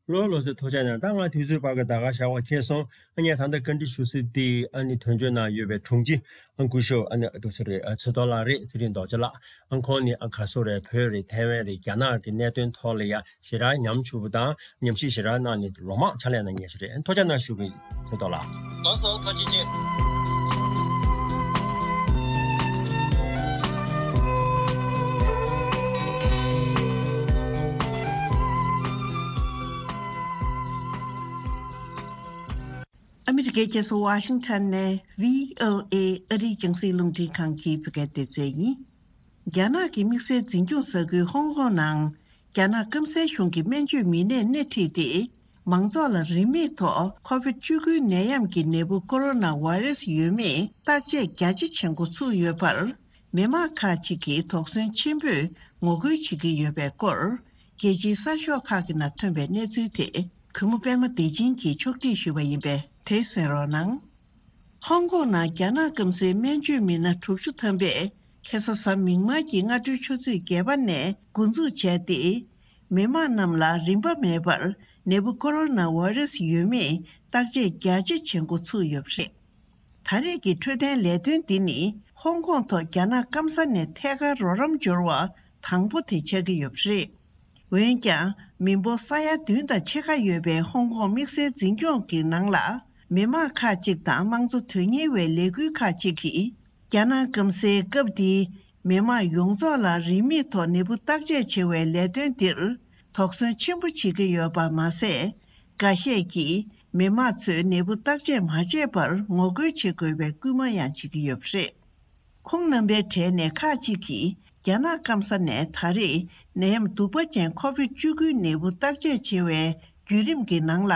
ལགས་ལགས་སོ། ཐུགས་རྗེ་གནང་། ད་ང་དུས་ཚོད་ཕར་གི་ད་ག་ཞག་པ་ཁེལ་སོང་། ཨ་ངས་ད་ལྟ་བཀའ་འདྲི་ཞུ་སྲིད་དེ་ཨ་ནི་དོན་གཅོད་ནང་ཡོད་པའི་དྲུང་ཆེ་ཨ་སྐུ་ཞབས་ཨ་ནི་ཨ་དུ་སེ་རེད། ཨ་ཚེ་ཏོ་ལགས་རེད། ཚེ་རིང་རྡོ་རྗེ་ལགས། ཨ་ཁོང་ནི་ཨ་ག་སོ་རེད། བོད་རེད། ཐའེ་ཝན་རེད། རྒྱ་ནག་གི་གནད་དོན་ཐོག་ལ་ཡ་ཞེ་དྲག་ཉམས་ཆུང་པོ་དང་ཉམས་ཞིབ་ཞེ་དྲག་གནང་ནས་ལོ་མང་ཕྱག་ལས་གནང་མཁན་ཞིག་རེད། ཐུགས་རྗེ་གནང་ཞུ་གི་ཚེ་ཏོ་ལགས། ལགས་སོ། ཐུགས་རྗེ་ཆེ། ཨ་མི་ ཕྱི་རྒྱལ་ཁྱེད་ཚོ་ཝ་ཤིང་ཊོན་ནས་བྷི་ཨོ་ཨེ་ཨ་རིའི་རྒྱང་སྲིང་རླུང་འཕྲིན་ཁང་གི་བོད་སྐད་སྡེ་ཚན་ཡིན། རྒྱ་ནག་གི་དམིགས་བསལ་འཛིན་སྐྱོང་ས་ཁུལ་ཧོང་ཀོང་ནང་རྒྱ་ནག་སྐམ་སའི་གཞུང་གི་སྨན་བཅོས་མི་སྣས་སྣེ་ཁྲིད་དེ། མང་ཚོགས་ལ་རིན་མེད་ཐོག་ཁོ་བིད་བཅུ་དགུའི་ནད་ཡམས་ཀྱི་ནད་འབུ་ཀོ་རོ་ན་ཝེ་རེ་སི་ཡོད་མེད་བརྟག་དཔྱད་རྒྱ་ཆེ་བྱེད་འགོ་ཚུགས་ཡོད་པར། མི་མང་ཁག་ཅིག་གིས་དོགས་ཟོན་ཆེན་པོས་ངོ་རྒོལ་བྱེད་ཀྱི་ཡོད་པའི་སྐོར། རྒྱལ་སྤྱིའི་གསར་ཤོག་ཁག་གི་ནང་ཐོན་པའི་གནས་ཚུལ་དེ་གུས་མོ་པད་མ་བདེ་ཆེན་གྱིས་ཕྱོགས་སྒྲིག་ཞུས་པ་ཡིན་པས། དེ་གསན་རོགས་གནང་། ཧོང་ཀོང་ནང་རྒྱ་ནག་སྐམ་སའི་སྨན་བཅོས་མི་སྣ་དྲུག་ཅུ་ཐམ་པས་ཁ་སང་གཟའ་མིག་དམར་གྱི་སྔ་དྲོའི་ཆུ་ཚོད་བརྒྱད་པ་ནས་འགོ་འཛུགས་བྱས་ཏེ། མི་མང་རྣམས་ལ་རིན་པ་མེད་པར་ནད་འབུ་ཀོ་རོ་ན་ཝེ་རེ་སི་ཡོད་མེད་བརྟག་དཔྱད་རྒྱ་ཆེ་བྱེད་འགོ་ཚུགས་ཡོད་པ་རེད། ད་རེས་ཀྱི་འཕྲོད་བསྟེན་ལས་དོན་འདི་ནི་ཧོང་ཀོང་ཐོག་རྒྱ་ནག་སྐམ་ས་ནས་ཐད་ཀར་རོགས་རམ་འབྱོར་བ་དང་པོ་དེ་ཆགས་ཀྱི་ཡོད་པ་རེད། འོན་ཀྱང་། མི་འབོར་ས་ཡ་བདུན་དང་ཕྱེད་ཀ་ཡོད་པའི་ཧོང་ཀོང་དམིགས་བསལ་འཛིན་སྐྱོང་གི་ནང་ལ། མི་མང་ཁག་ཅིག་དང་དམངས་གཙོ་དོན་གཉེར་བའི་ལས་འགུལ་ཁག་ཅིག་གིས། རྒྱ་ནག་སྐམ་སའི་སྐབས་འདིའི་མི་མང་ཡོངས་རྫོགས་ལ་རིན་མེད་ཐོག་ནད་འབུ་བརྟག་དཔྱད་བྱེད་པའི་ལས་དོན་འདིར། དོགས་ཟོན་ཆེན་པོ་བྱེད་ཀྱི་ཡོད་པ་མ་ཟད། འགའ་ཤས་ཀྱིས་མི་མང་ཚོས་ནད་འབུ་བརྟག་དཔྱད་མ་བྱས་པར་ངོ་རྒོལ་བྱེད་དགོས་པའི་སྐུལ་མ་ཡང་བྱེད་ཀྱི་ཡོད་པ་རེད། ཁོང་རྣམ་པའི་གྲས་ནས་ཁག་ཅིག་གིས་རྒྱ་ནག་སྐམ་ས་ནས་ད་རེས་ནད་ཡམས་གདུག་པ་ཅན་ཁོ་བིད་བཅུ་དགུའི་ནད་འབུ་བརྟག་དཔྱད་བྱེད་པའི་བརྒྱུད་རིམ་གྱི་ནང་ལ།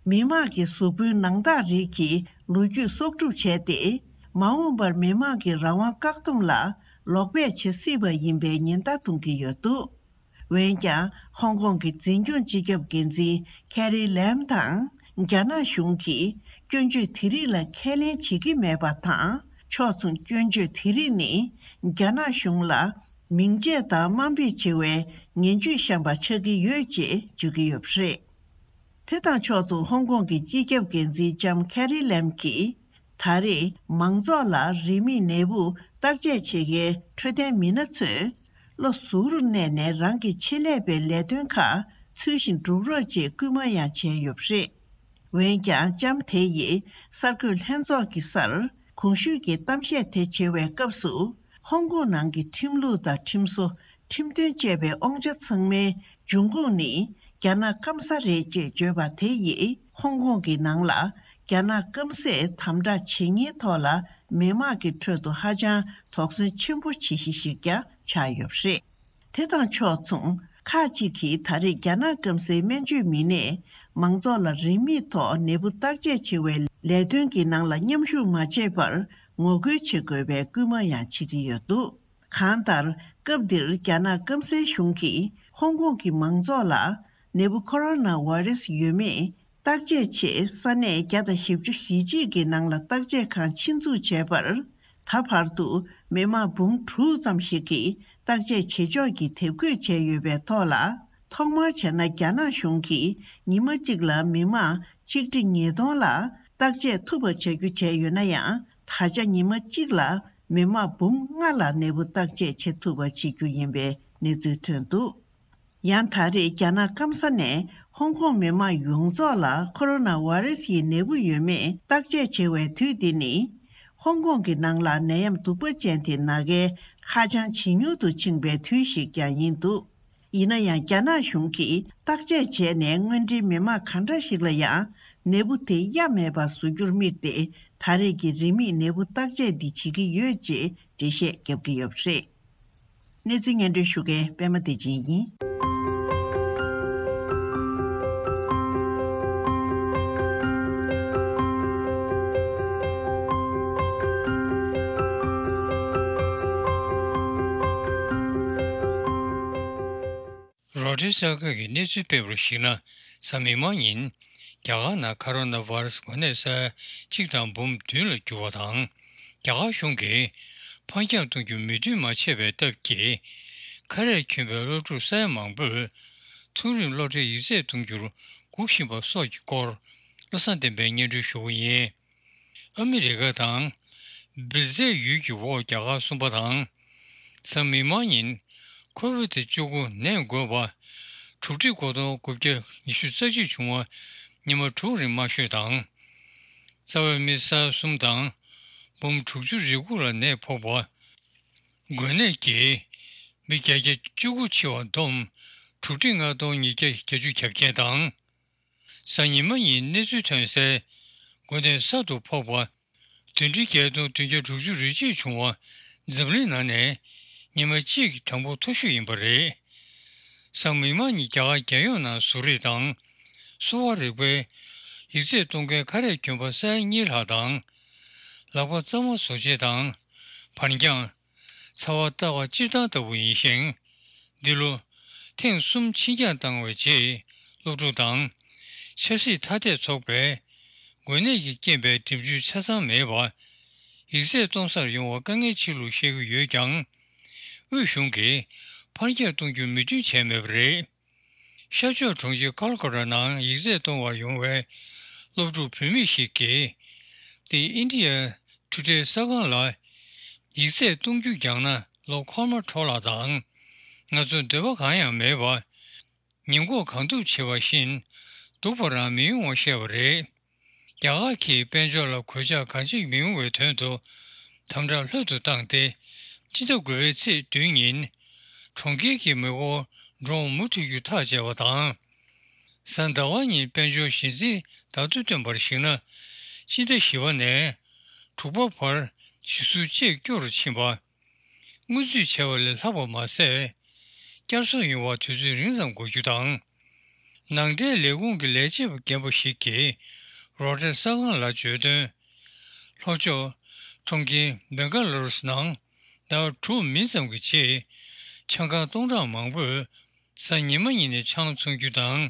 མི་དམངས་ཀྱི་གཟུགས་པོའི་ནང་རྟགས་རིགས་ཀྱི་ལོ་རྒྱུས་གསོག་སྒྲུབ་བྱས་ཏེ། མ་འོངས་པར་མི་དམངས་ཀྱི་རང་དབང་བཀག་སྡོམ་ལ་ལོག་པས་བྱེད་སྲིད་པ་ཡིན་པའི་ཉེན་བརྡ་གཏོང་གི་ཡོད་འདུག་འོན་ཀྱང་། ཧོང་ཀོང་གི་འཛིན་སྐྱོང་སྤྱི་ཁྱབ་འགན་འཛིན་ཁེ་རི་ལེམ་དང་། རྒྱ་ནག་གཞུང་གིས་སྐྱོན་བརྗོད་དེ་རིགས་ལ་ཁས་ལེན་བྱེད་ཀྱི་མེད་པ་དང་། ཕྱོགས་མཚུངས་སྐྱོན་བརྗོད་དེ་རིགས་ནི། རྒྱ་ནག་གཞུང་ལ་མིང་ཆད་དང་དམའ་འབེབས་བྱེད་པའི་ངན་ཇུས་བཤམས་པ་ཆགས་ཀྱི་ཡོད་ཅེས་བརྗོད་ཀྱི་ཡོད་པ་རེད། དེ་དང་ཕྱོགས་མཚུངས་ཧོང་ཀོང་གི་སྤྱི་ཁྱབ་འགན་འཛིན་ལྕམ་ཁེ་རི་ལེམ་གྱིས། ད་རེས་མང་ཚོགས་ལ་རིན་མེད་ནད་འབུ་བརྟག་དཔྱད་བྱེད་མཁན་འཕྲོད་བསྟེན་མི་སྣ་ཚོས། བློ་གཟུ་བོར་གནས་ནས་རང་གི་ཆེད་ལས་པའི་ལས་དོན་ཁག་ཚུལ་བཞིན་སྒྲུབ་རོགས་ཅེས་སྐུལ་མ་ཡང་བྱས་ཡོད་པ་རེད། འོན་ཀྱང་། ལྕམ་དེ་ཡིས་གསར་འགོད་ལྷན་ཚོགས་ཀྱི་སར་གོང་ཞུས་ཀྱི་གཏམ་བཤད་དེ་བྱེད་པའི་སྐབས་སུ། ཧོང་ཀོང་ནང་གི་ཁྲིམས་ལུགས་དང་ཁྲིམས་བཟོ། ཁྲིམས་དོན་བཅས་པའི་དབང་ཆ་ཚང་མའི་འབྱུང་ཁུངས་ནི་རྒྱ་ནག་སྐམ་ས་རེད་ཅེས་བརྗོད་པ་དེ་ཡིས། ཧོང་ཀོང་གི་ནང་ལ་རྒྱ་ནག་སྐམ་སས་དམ་དྲག་བྱེད་མཁན་ཐོག་ལ་མི་དམངས་ཀྱི་ཁྲོད་དུ་ཧ་ཅང་དོགས་ཟོན་ཆེན་པོ་བྱེད་གཞི་ཞིག་ཀྱང་ཆགས་ཡོད་པ་རེད། དེ་དང་ཕྱོགས་མཚུངས། ཁག་ཅིག་གིས་ད་རེས་རྒྱ་ནག་སྐམ་སའི་སྨན་བཅོས་མི་སྣས་མང་ཚོགས་ལ་རིན་མེད་ཐོག་ནད་འབུ་བརྟག་དཔྱད་བྱེད་པའི་ལས་དོན་གྱི་ནང་ལ་མཉམ་ཞུགས་མ་བྱས་པར་ངོ་རྒོལ་བྱེད་དགོས་པའི་སྐུལ་མ་ཡང་བྱེད་ཀྱི་ཡོད་འདུག་གང་ལྟར། སྐབས་འདིར་རྒྱ་ནག་སྐམ་སའི་གཞུང་གིས་ཧོང་ཀོང་གི་མང་ཚོགས་ལ་ནད་འབུ་ཁོ་རོ་ན་ཝེ་རེ་སི་ཡོད་མེད་བརྟག་དཔྱད་ཆེད་ས་གནས་བརྒྱ་དང་བཞི་བཅུ་ཞེ་གཅིག་གི་ནང་ལ་བརྟག་དཔྱད་ཁང་ཆེད་འཛུགས་བྱས་པར། ད་བར་དུ་མི་དམངས་འབུམ་དྲུག་ཙམ་ཞིག་གིས་བརྟག་དཔྱད་བྱེད་ཕྱོགས་ཀྱི་དེབ་འགོད་བྱས་ཡོད་པའི་ཐོག་ལ། ཐོག་མར་བྱས་ན་རྒྱ་ནག་གཞུང་གིས་ཉི་མ་གཅིག་ལ་མི་དམངས་ཆིག་ཁྲི་ཉིས་སྟོང་ལ་བརྟག་དཔྱད་ཐུབ་པ་བྱ་རྒྱུ་བྱས་ཡོད་ན་ཡང་། ད་ཆ་ཉི་མ་གཅིག་ལ་མི་དམངས་འབུམ་ལྔ་ལ་ནད་འབུ་བརྟག་དཔྱད་བྱེད་ཐུབ་པ་བྱེད་རྒྱུ་ཡིན་པའི་གནས་ཚུལ་ཐོན་འདུག་ཡང་ད་རེས་རྒྱ་ནག་སྐམ་ས་ནས་ཧོང་ཀོང་མི་དམངས་ཡོངས་རྫོགས་ལ་ཁོ་རོ་ན་ཝེ་རེ་སི་ཡི་ནད་འབུ་ཡོད་མེད་བརྟག་དཔྱད་བྱེད་པའི་དུས་འདི་ནི། ཧོང་ཀོང་གི་ནང་ལ་ནད་ཡམས་གདུག་པ་ཅན་དེ་ན་མཁན་ཧ་ཅང་ཇེ་ཉུང་དུ་ཕྱིན་པའི་དུས་ཤིག་ཀྱང་ཡིན་འདུག་ཡིན་ན་ཡང་། རྒྱ་ནག་གཞུང་གིས་བརྟག་དཔྱད་བྱས་ནས་དངོས་འབྲེལ་མི་དམངས་ག་འདྲ་ཞིག་ལ་ཡང་ནད་འབུ་དེ་གཡའ་མེད་པར་བཟོ་རྒྱུར་དམིགས་ཏེ། ད་རེས་ཀྱི་རིན་མེད་ནད་འབུ་བརྟག་དཔྱད་འདི་བྱེད་ཀྱི་ཡོད་ཅེས་འགྲེལ་བཤད་བརྒྱབ་ཀྱི་ཡོད་པ་རེད། གནས་ཚུལ་སྙན་སྒྲོན་ཞུ་མཁན་པད་མ་བདེ་ཆེན་ཡིན། རོའི་ཊར་གསར་ཁང་གིས་གནས་ཚུལ་སྤེལ་བར་གཞིགས་ན། གཟའ་མིག་དམར་ཉིན། རྒྱ་གར་ནང་ཁོ་རོ་ན་ཝེ་རུ་སི་འགོས་ནད་ས་ཡ་གཅིག་དང་འབུམ་བདུན་ལ་གྱུར་བ་དང་། རྒྱ་གར་གཞུང་གིས་འཕར་འགྱངས་གཏོང་རྒྱུ་མོས་མཐུན་མ་བྱས་པའི་སྟབས་ཀྱིས། ཁ་རས་གྱོན་པའི་སློབ་ཕྲུག་ས་ཡ་མང་པོས་མཐོ་རིམ་སློབ་གྲྭའི་ཡིག་ཚད་གཏོང་རྒྱུར་སྒུག་བཞིན་པ་སོགས་ཀྱི་སྐོར། བློ་བཟང་བསྟན་པས་སྙན་སྒྲོན་ཞུ་བ་ཡིན། ཨ་མི་རི་ཀ་དང་། སྦིར་ཟས་ཡུལ་གྱི་འོག་རྒྱ་གར་གསུམ་པ་དང་། གཟའ་མིག་དམར་ཉིན། ཁོ་བིད་བཅུ་དགུ་ནད་འགོས་པ། གྲུབ་སྒྲིག་སྒོར་སྟོང་དགུ་བརྒྱ་ཉི་ཤུ་རྩ་གཅིག་བྱུང་བ། ཉི་མ་དྲུག་རིང་དམར་ཤོས་དང་། རྩ་བའི་མི་ས་ཡ་གསུམ་དང་། འབུམ་དྲུག་ཅུ་རེ་དགུ་ལ་ནད་ཕོག་པ། འགོས་ནད་ཀྱིས། མི་བརྒྱད་བརྒྱ་བཅུ་དགུ་འཆི་བ་བསྡོམས། གྲུབ་སྒྲིག་ལྔ་སྟོང་ཉིས་བརྒྱ་བརྒྱད་ཅུ་གྱ་བརྒྱད་དང་། གཟའ་ཉི་མ་ཉིན་གནས་ཚུལ་ཐོན་གསལ། འགོ་ནས་གསར་དུ་ཕོག་པ། བདུན་ཁྲི་བརྒྱད་སྟོང་བདུན་བརྒྱ་དྲུག་ཅུ་རེ་གཅིག་བྱུང་བ་འཛམ་གླིང་ནང་ནས་ཉི་མ་གཅིག་གི་གྲངས་འབོར་མཐོ་ཤོས་ཡིན་པ་རེད། གཟའ་མིག་དམར་ཉིན་རྒྱ་གར་རྒྱལ་ཡོངས་ནང་བཟོ་རིག་དང་གསོ་བ་རིག་པའི་ཡིག་ཚད་གཏོང་མཁན་ཁ་རས་གྱོན་པ་ས་ཡ་གཉིས་ལྷག་དང་། ལག་པ་གཙང་མ་བཟོ་བྱེད་དང་། འབར་འགྱངས། ཚ་བ་ལྟ་བ་སྤྱིར་བཏང་ལྟ་བུ་ཡིན་ཞིང་། འདི་ལོ་ཐེངས་གསུམ་ཕྱིར་འགྱངས་བཏང་བའི་རྗེས་སློབ་ཕྲུག་དང་ཆབ་སྲིད་ཐ་དད་ཚོགས་པས་འགོས་ནད་ཀྱི་རྐྱེན་པས་འགྲིམ་འགྲུལ་ཆ་ཚང་མེད་པར་ཡིག་ཚད་གཏོང་སར་ཡོང་བར་དཀའ་ངལ་ཆེ་ལུགས་བཤད་ཀྱི་ཡོད་ཀྱང་། དབུས་གཞུང་གིས་ཕར་འགྱངས་གཏོང་རྒྱུ་མོས་མཐུན་བྱས་མེད་པ་རེད། ཤར་ཕྱོགས་གྲོང་ཁྱེར་ཀལ་ཀ་ཏ་ནང་ཡིག་ཚད་གཏོང་བར་ཡོང་བའི་སློབ་ཕྲུག་བུད་མེད་ཞིག་གིས། The India Today གསར་ཁང་ལ། ཡིག་ཚད་གཏོང་རྒྱུ་འགྱངས་ན་ལོ་འཁོར་མ་འཕྲོ་བརླག་དང་། ང་ཚོ་འདོད་པ་གང་ཡང་མེད་པར། ཉིན་གུང་གང་ཐུབ་བྱེད་པ་བཞིན་སྡུག་པ་རང་མི་ཡོང་བ་བཤད་པ་རེད། རྒྱ་གར་གྱིས་དཔལ་འབྱོར་ལ་གོད་ཆག་གང་ཅི་མི་ཡོང་བའི་དོན་དུ་དམ་དྲག་ལྷོད་དུ་བཏང་སྟེ། སྤྱི་ཟླ་དགུ་པའི་ཚེས་བདུན་ཉིན་གྲོང་ཁྱེར་གྱི་མེ་འཁོར་འགྲོ་འོང་མུ་མཐུད་རྒྱུ་ཐག་བཅད་པ་དང་། གཟའ་ཟླ་བ་ཉིན་དཔལ་འབྱོར་གཞི་འཛིན་བརྡ་ཐོ་བཏོན་པར་གཞིགས་ན། སྤྱི་ཟླ་བཞི་པ་ནས་དྲུག་པ་བར་གཞི་ཟུར་བཅས་སྐྱོ་རུ་ཕྱིན་པ། སྔོན་ཚུད་བྱས་པ་ལས་ལྷག་པ་མ་ཟད། བསྐྱར་གསོ་ཡོང་བར་དུས་ཚོད་རིང་ཙམ་འགོར་རྒྱུ་དང་། ནང་འདྲེན་ལས་ཁུངས་ཀྱི་ལས་བྱེད་པ་རྒན་པ་ཞིག་གིས་རོའི་ཊར་གསར་ཁང་ལ་བརྗོད་དོན། ལྷོ་ཕྱོགས་གྲོང་ཁྱེར་སྦེང་ག་ལུ་རུ་ནང་ཟླ་བ་དྲུག་མིན་ཙམ་གྱི་རྗེས། ཆང་ཁང་སྟོང་ཕྲག་མང་པོས་གཟའ་ཉི་མ་ཉིན་ནས་ཆང་འཚོང་རྒྱུ་དང་།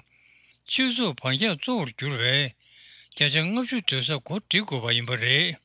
སྤྱི་ཚོགས་འབར་འཁྱམས་གཙོ་བོར་གྱུར་བའི་བརྒྱ་ཆ་ལྔ་བཅུ་སྡོད་ས་གོ་སྒྲིག་དགོས་པ་ཡིན་པ་རེད།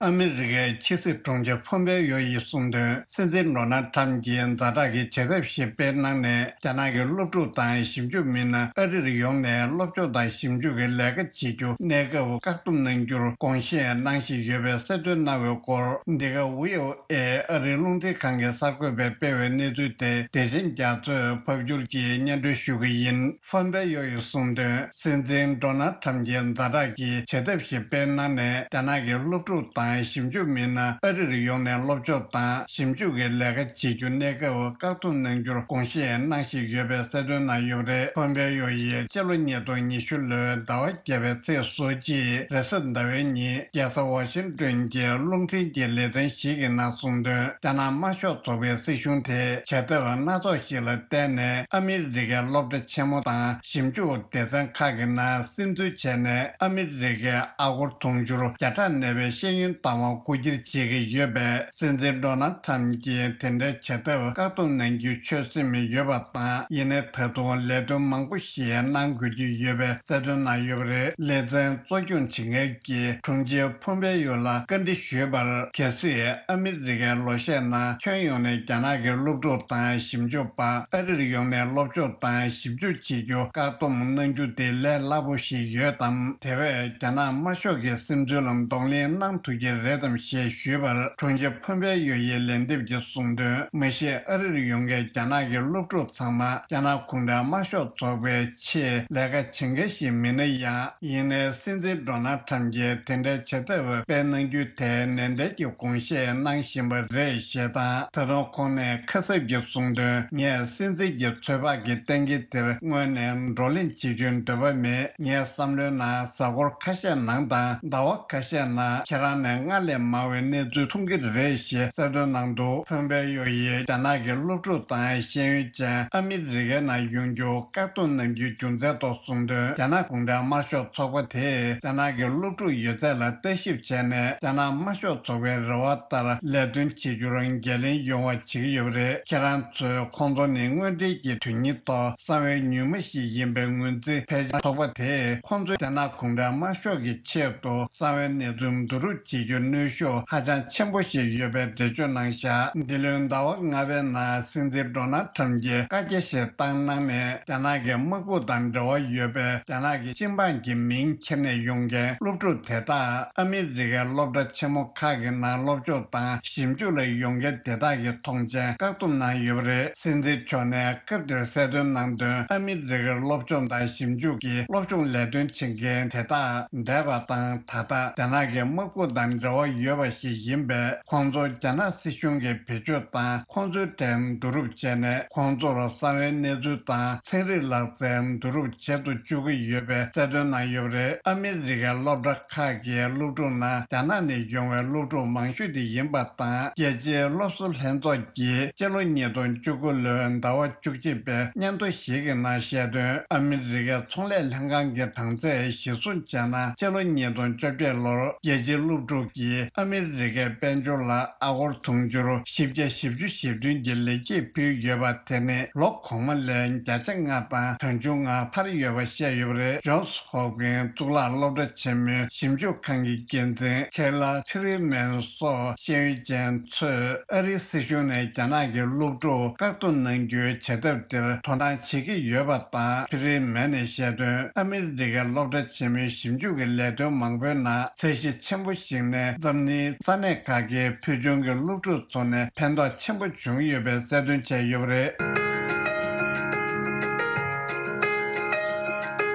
ཨ་མི་རི་ཀའི་ཕྱི་སྲིད་དྲུང་ཆེ་ཕོམ་པེ་ཡོ་ཡིས་གསུངས་དོན། སྲིད་འཛིན་ཌོ་ནལ་ཁྲམ་གྱིས་ཛ་དྲག་གི་བྱེད་ཐབས་ཤིག་སྤེལ་གནང་ནས། རྒྱ་ནག་གི་སློབ་ཕྲུག་དང་ཞིབ་འཇུག་མི་སྣ་ཨ་རིར་ཡོང་ནས་སློབ་སྦྱོང་དང་ཞིབ་འཇུག་གི་ལས་ཀ་བྱེད་རྒྱུ་གནས་སྐབས་བཀག་སྡོམ་གནང་རྒྱུར་དགོངས་བཞེས་གནང་བཞིན་ཡོད་པའི་གསལ་སྟོན་གནང་བའི་སྐོར། འདི་ག་ཝི་ཨོ་ཨེ་ཨ་རིའི་རླུང་འཕྲིན་ཁང་གི་གསར་འགོད་པས་སྤེལ་བའི་གནས་ཚུལ་དེ། བདེ་ཆེན་རྒྱ་མཚོས་ཕབ་སྒྱུར་གྱིས་སྙན་སྒྲོན་ཞུ་གི་ཡིན། ཕོམ་པེ་ཡོ་ཡིས་གསུངས་དོན། སྲིད་འཛིན་ཌོ་ནལ་ཁྲམ་གྱིས་ཛ་དྲག་གི་བྱེད་ཐབས་ཤིག་སྤེལ་གནང་ནས། རྒྱ་ནག་གི་སློབ་ཕྲུག་དང་ཞིབ་འཇུག་མི་སྣ་ཨ་རིར་ཡོང་ནས་སློབ་སྦྱོང་དང་ཞིབ་འཇུག་གི་ལས་ཀ་བྱེད་རྒྱུ་གནས་སྐབས་བཀག་སྡོམ་གནང་རྒྱུར་དགོངས་བཞེས་གནང་བཞིན་ཡོད་པའི་གསལ་སྟོན་གནང་ཡོད་པ་རེད། ཕོམ་པེ་ཡོ་ཡིས་སྤྱི་ལོ་ཉིས་སྟོང་ཉི་ཤུ་ལོའི་ཟླ་བ་བརྒྱད་པའི་ཚེས་སོ་གཅིག་རེས་གཟའ་ཟླ་བའི་ཉིན། རྒྱལ་ས་ཝ་ཤིང་ཏོན་གྱི་རླུང་འཕྲིན་གྱི་ལེ་ཚན་ཞིག་གི་ནང་གསུངས་དོན། རྒྱ་ནག་དམར་ཤོག་ཚོགས་པའི་སྲིད་གཞུང་དེས་བྱེད་ཐབས་སྣ་ཚོགས་ཤིག་ལ་བརྟེན་ནས། ཨ་མི་རི་ཀའི་སློབ་གྲྭ་ཆེན་མོ་དང་ཞིབ་འཇུག་སྡེ་ཚན་ཁག་གི་ནང་སིམ་འཛུལ་བྱས་ནས། ཨ་མི་རི་ཀའི་ཨ་སྒོར་དུང་ཕྱུར་བརྒྱ་ཕྲག་གནས་པའི་ཤེས་ཡོན་བཏང་བ་རྐུ་འཁྱེར་བྱེད་ཀྱི་ཡོད་པས། སྲིད་འཛིན་ཌོ་ནལ་ཁྲམ་གྱིས་དེ་འདྲའི་བྱེད་ཐབས་བཀག་སྡོམ་གནང་རྒྱུའི་ཆོད་སེམས་ཡོད་པ་དང་། ཡིན་ནའི་ད་དུང་ལས་དོན་མང་པོ་ཞིག་གནང་དགོས་ཀྱི་ཡོད་པའི་གསལ་སྟོན་གནང་ཡོད་པ་རེད། ལེ་ཚན་གཙོ་སྐྱོང་བྱེད་མཁན་གྱི་དྲུང་ཆེ་ཕོམ་པེ་ཡོ་ལ་བཀའ་འདྲི་ཞུས་པར། གལ་སྲིད་ཨ་མི་རི་ཀའི་ལོ་ཤས་ནང་ཁྱོན་ཡོངས་ནས་རྒྱ་ནག་གི་སློབ་ཕྲུག་དང་ཞིབ་འཇུག་པ་ཨ་རིར་ཡོང་ནས་སློབ་སྦྱོང་དང་ཞིབ་འཇུག་བྱེད་རྒྱུ་བཀག་སྡོམ་གནང་རྒྱུ་དེ་ལས་སླ་པོ་ཞིག་ཡོད་དམ། དེ་བས་རྒྱ་ནག་དམར་ཤོག་གི་སིམ་འཛུལ་ལ་གདོང་ལེན་གནང་ཐུབ་ཀྱི་རེད་དམ་ཞེས་ཞུས་པར། དྲུང་ཆེ་ཕོམ་པེ་ཡོ་ཡིས་ལན་འདེབས་ཀྱིས་གསུངས་དོན། མ་གཞི་ཨ་རིར་ཡོང་མཁན་རྒྱ་ནག་གི་སློབ་ཕྲུག་ཚང་མ་རྒྱ་ནག་གུང་ཁྲན་དམར་ཤོག་ཚོགས་པའི་ཆེད་ལས་ཀ་བྱེད་མཁན་ཞིག་མིན་ན་ཡང་། ཡིན་ནའི་སྲིད་འཛིན་ཌོ་ནལ་ཁྲམ་གྱིས་དེ་འདྲའི་བྱེད་ཐབས་སྤེལ་གནང་རྒྱུ་དེ་ནན་ཏན་གྱིས་དགོངས་བཞེས་གནང་བཞིན་པ་རེད་ཞེས་དང་། ད་དུང་ཁོང་ནས་ཁ་གསབ་ཀྱིས་གསུངས་དོན། ངས་སྲིད་འཛིན་གྱི་ཚོད་དཔག་གི་གཏན་འཁེལ་དེར་སྔོན་ནས་བགྲོ་གླེང་བྱེད་རྒྱུའི་འདོད་པ་མེད། ངའི་བསམ་བློའི་ནང་གཟའ་འཁོར་ཁ་ཤས་ནང་དང་ཟླ་བ་ཁ་ཤས་ནང་ཁྱེད་རང་ནས་སྔར་ལས་མང་བའི་གནས་ཚུལ་མཐོང་གི་རེད་ཞེས་གསལ་སྟོན་གནང་འདུག་ཕོམ་པེ་ཡོ་ཡིས་རྒྱ་ནག་གི་སློབ་ཕྲུག་དང་ཤེས་ཡོན་ཅན་ཨ་མི་རི་ཀའི་ནང་ཡོང་རྒྱུ་བཀག་སྡོམ་གནང་རྒྱུའི་རྒྱུ་མཚན་ཐོག་གསུངས་དོན། རྒྱ་ནག་གུང་ཁྲན་དམར་ཤོག་ཚོགས་པ་དེས་རྒྱ་ནག་གི་སློབ་ཕྲུག་ཡོད་ཚད་ལ་ལྟ་ཞིབ་བྱས་ནས། རྒྱ་ནག་དམར་ཤོག་ཚོགས་པའི་རེ་བ་ལྟར་ལས་དོན་བྱེད་རྒྱུར་འགན་ལེན་ཡོང་བ་བྱེད་ཀྱི་ཡོད་པ་རེད། ཁྱེད་རང་ཚོས་ཁོང་ཚོ་ནི་དངོས་འབྲེལ་གྱི་དོན་སྙིང་ཐོག་གསང་བའི་ཉུལ་མ་ཞིག་ཡིན་པའི་ངོས་འཛིན། ཕལ་ཆེར་ཚོགས་པ་དེས་ཁོང་ཚོས་རྒྱ་ནག་གུང་ཁྲན་དམར་ཤོག་གི་ཆེད་དུ་གསང་བའི་གནས་ཚུལ་བསྡུ་རུབ་བྱེད་ རྒྱུ་གནོན་ཤུགས་ཧ་ཅང་ཆེན་པོ་ཞིག་ཡོད་པའི་འགྲེལ་བརྗོད་གནང་བཞག་འདི་ལོའི་ཟླ་བ་ལྔ་པའི་ནང་སྲིད་འཛིན་ཌོ་ནལ་ཁྲམ་གྱིས་བཀའ་རྒྱ་ཞིག་བཏང་གནང་ནས། རྒྱ་ནག་གི་དམག་དཔུང་དང་འབྲེལ་བ་ཡོད་པའི་རྒྱ་ནག་གི་སྤྱི་འབངས་ཀྱི་མིང་ཁྱེར་ནས་ཡོང་མཁན་སློབ་ཕྲུག་དེ་དག་ཨ་མི་རི་ཀའི་སློབ་གྲྭ་ཆེན་མོ་ཁག་གི་ནང་སློབ་སྦྱོང་དང་ཞིབ་འཇུག་ལ་ཡོང་མཁན་དེ་དག་གི་མཐོང་མཆན་བཀག་སྡོམ་གནང་ཡོད་པ་རེད། སྲིད་འཛིན་མཆོག་ནས་སྐབས་དེར་གསལ་སྟོན་གནང་དོན། ཨ་མི་རི་ཀའི་སློབ་སྦྱོང་དང་ཞིབ་འཇུག་གི་སློབ་སྦྱོང་ལས་དོན་བྱེད་མཁན་དེ་དག་འདས་པ་དང་། ད་ལྟ་རྒྱ་ནག་གི་དམག་དཔུང་དང་འབྲེལ་བ་ཡོད་པ་ཞིག་ཡིན་པས། ཁོང་ཚོ་རྒྱ་ནག་སྲིད་གཞུང་གིས་བེད་སྤྱོད་དང་། ཁོང་ཚོའི་གྲས་བསྡུ་རུབ་བྱས་ནས། ཁོང་ཚོར་གསང་བའི་གནས་ཚུལ་དང་ཚན་རིག་ལག་རྩལ་བསྡུ་རུབ་བྱེད་དུ་བཅུག་གི་ཡོད་པའི་གསལ་སྟོན་གནང་ཡོད་པ་རེད། ཨ་མི་རི་ཀའི་སློབ་གྲྭ་ཁག་གི་སློབ་ཕྲུག་ནང་རྒྱ་ནག་ནས་ཡོང་བའི་སློབ་ཕྲུག་མང་ཤོས་དེ་ཡིན་པ་དང་། རྒྱལ་སྤྱིའི་སློབ་གསོ་ལྷན་ཚོགས་ཀྱིས་སྤྱི་ལོ་ཉིས་སྟོང་བཅུ་དགུ་ལོའི་ཟླ་བ་བཅུ་གཅིག་པའི་སྙན་ཐོ་ཞིག་གི་ནང་བཤད་དོན། ཨ་མི་རི་ཀའི་ཚོང་ལས་ལྷན་ཁང་གི་གྲངས་ཚད་གཞིར་བཟུང་བྱས་ན། སྤྱི་ལོ་ཉིས་སྟོང་བཅོ་བརྒྱད་ལོར་རྒྱལ་སྤྱིའི་སློབ་ཕྲུག་གིས་ཨ་མི་རི་ཀའི་དཔལ་འབྱོར་ལ་ཨ་སྒོར་དུང་ཕྱུར་བཞི་བརྒྱ་བཞི་བཅུ་ཞེ་བདུན་གྱི་ལེགས་སྐྱེས་ཕུལ་ཡོད་པ་དེ་ནི་ལོ་གོང་མ་ལས་བརྒྱ་ཆ་ལྔ་དང་གྲངས་ཆུང་ལྔ་འཕར་ཡོད་པ་བཤད་ཡོད་པ་རེད། ཇོན་སི་ཧོབ་ཀིན་གཙུག་ལག་སློབ་གྲྭ་ཆེན་མོའི་ཞིབ་འཇུག་ཁང་གི་འགན་འཛིན་ཁེ་ལ་ཁི་རི་མན་སོགས་ཤེས་ཡོན་ཅན་ཚོས། ཨ་རིའི་སྲིད་གཞུང་ནས་རྒྱ་ནག་གི་སློབ་ཕྲུག་བཀག་སྡོམ་གནང་རྒྱུའི་བྱེད་ཐབས་དེར་དོ་སྣང་བྱེད་ཀྱི་ཡོད་པ་དང་། ཁི་རི་མན་ནས་བཤད་དོན། ཨ་མི་རི་ཀའི་སློབ་གྲྭ་ཆེན་མོའི་ཞིབ་འཇུག་གི་ལས་དོན་མང་པོའི་ནང་ཚད་གཞི་ཆེན་པོ་ཞིག་ནས་འཛམ་གླིང་ས་གནས་ཁག་གི་ཕུལ་བྱུང་གི་སློབ་ཕྲུག་ཚོ་ནས་ཕན་ཐོགས་ཆེན་པོ་བྱུང་ཡོད་པའི་གསལ་སྟོན་བྱས་ཡོད་པ་རེད།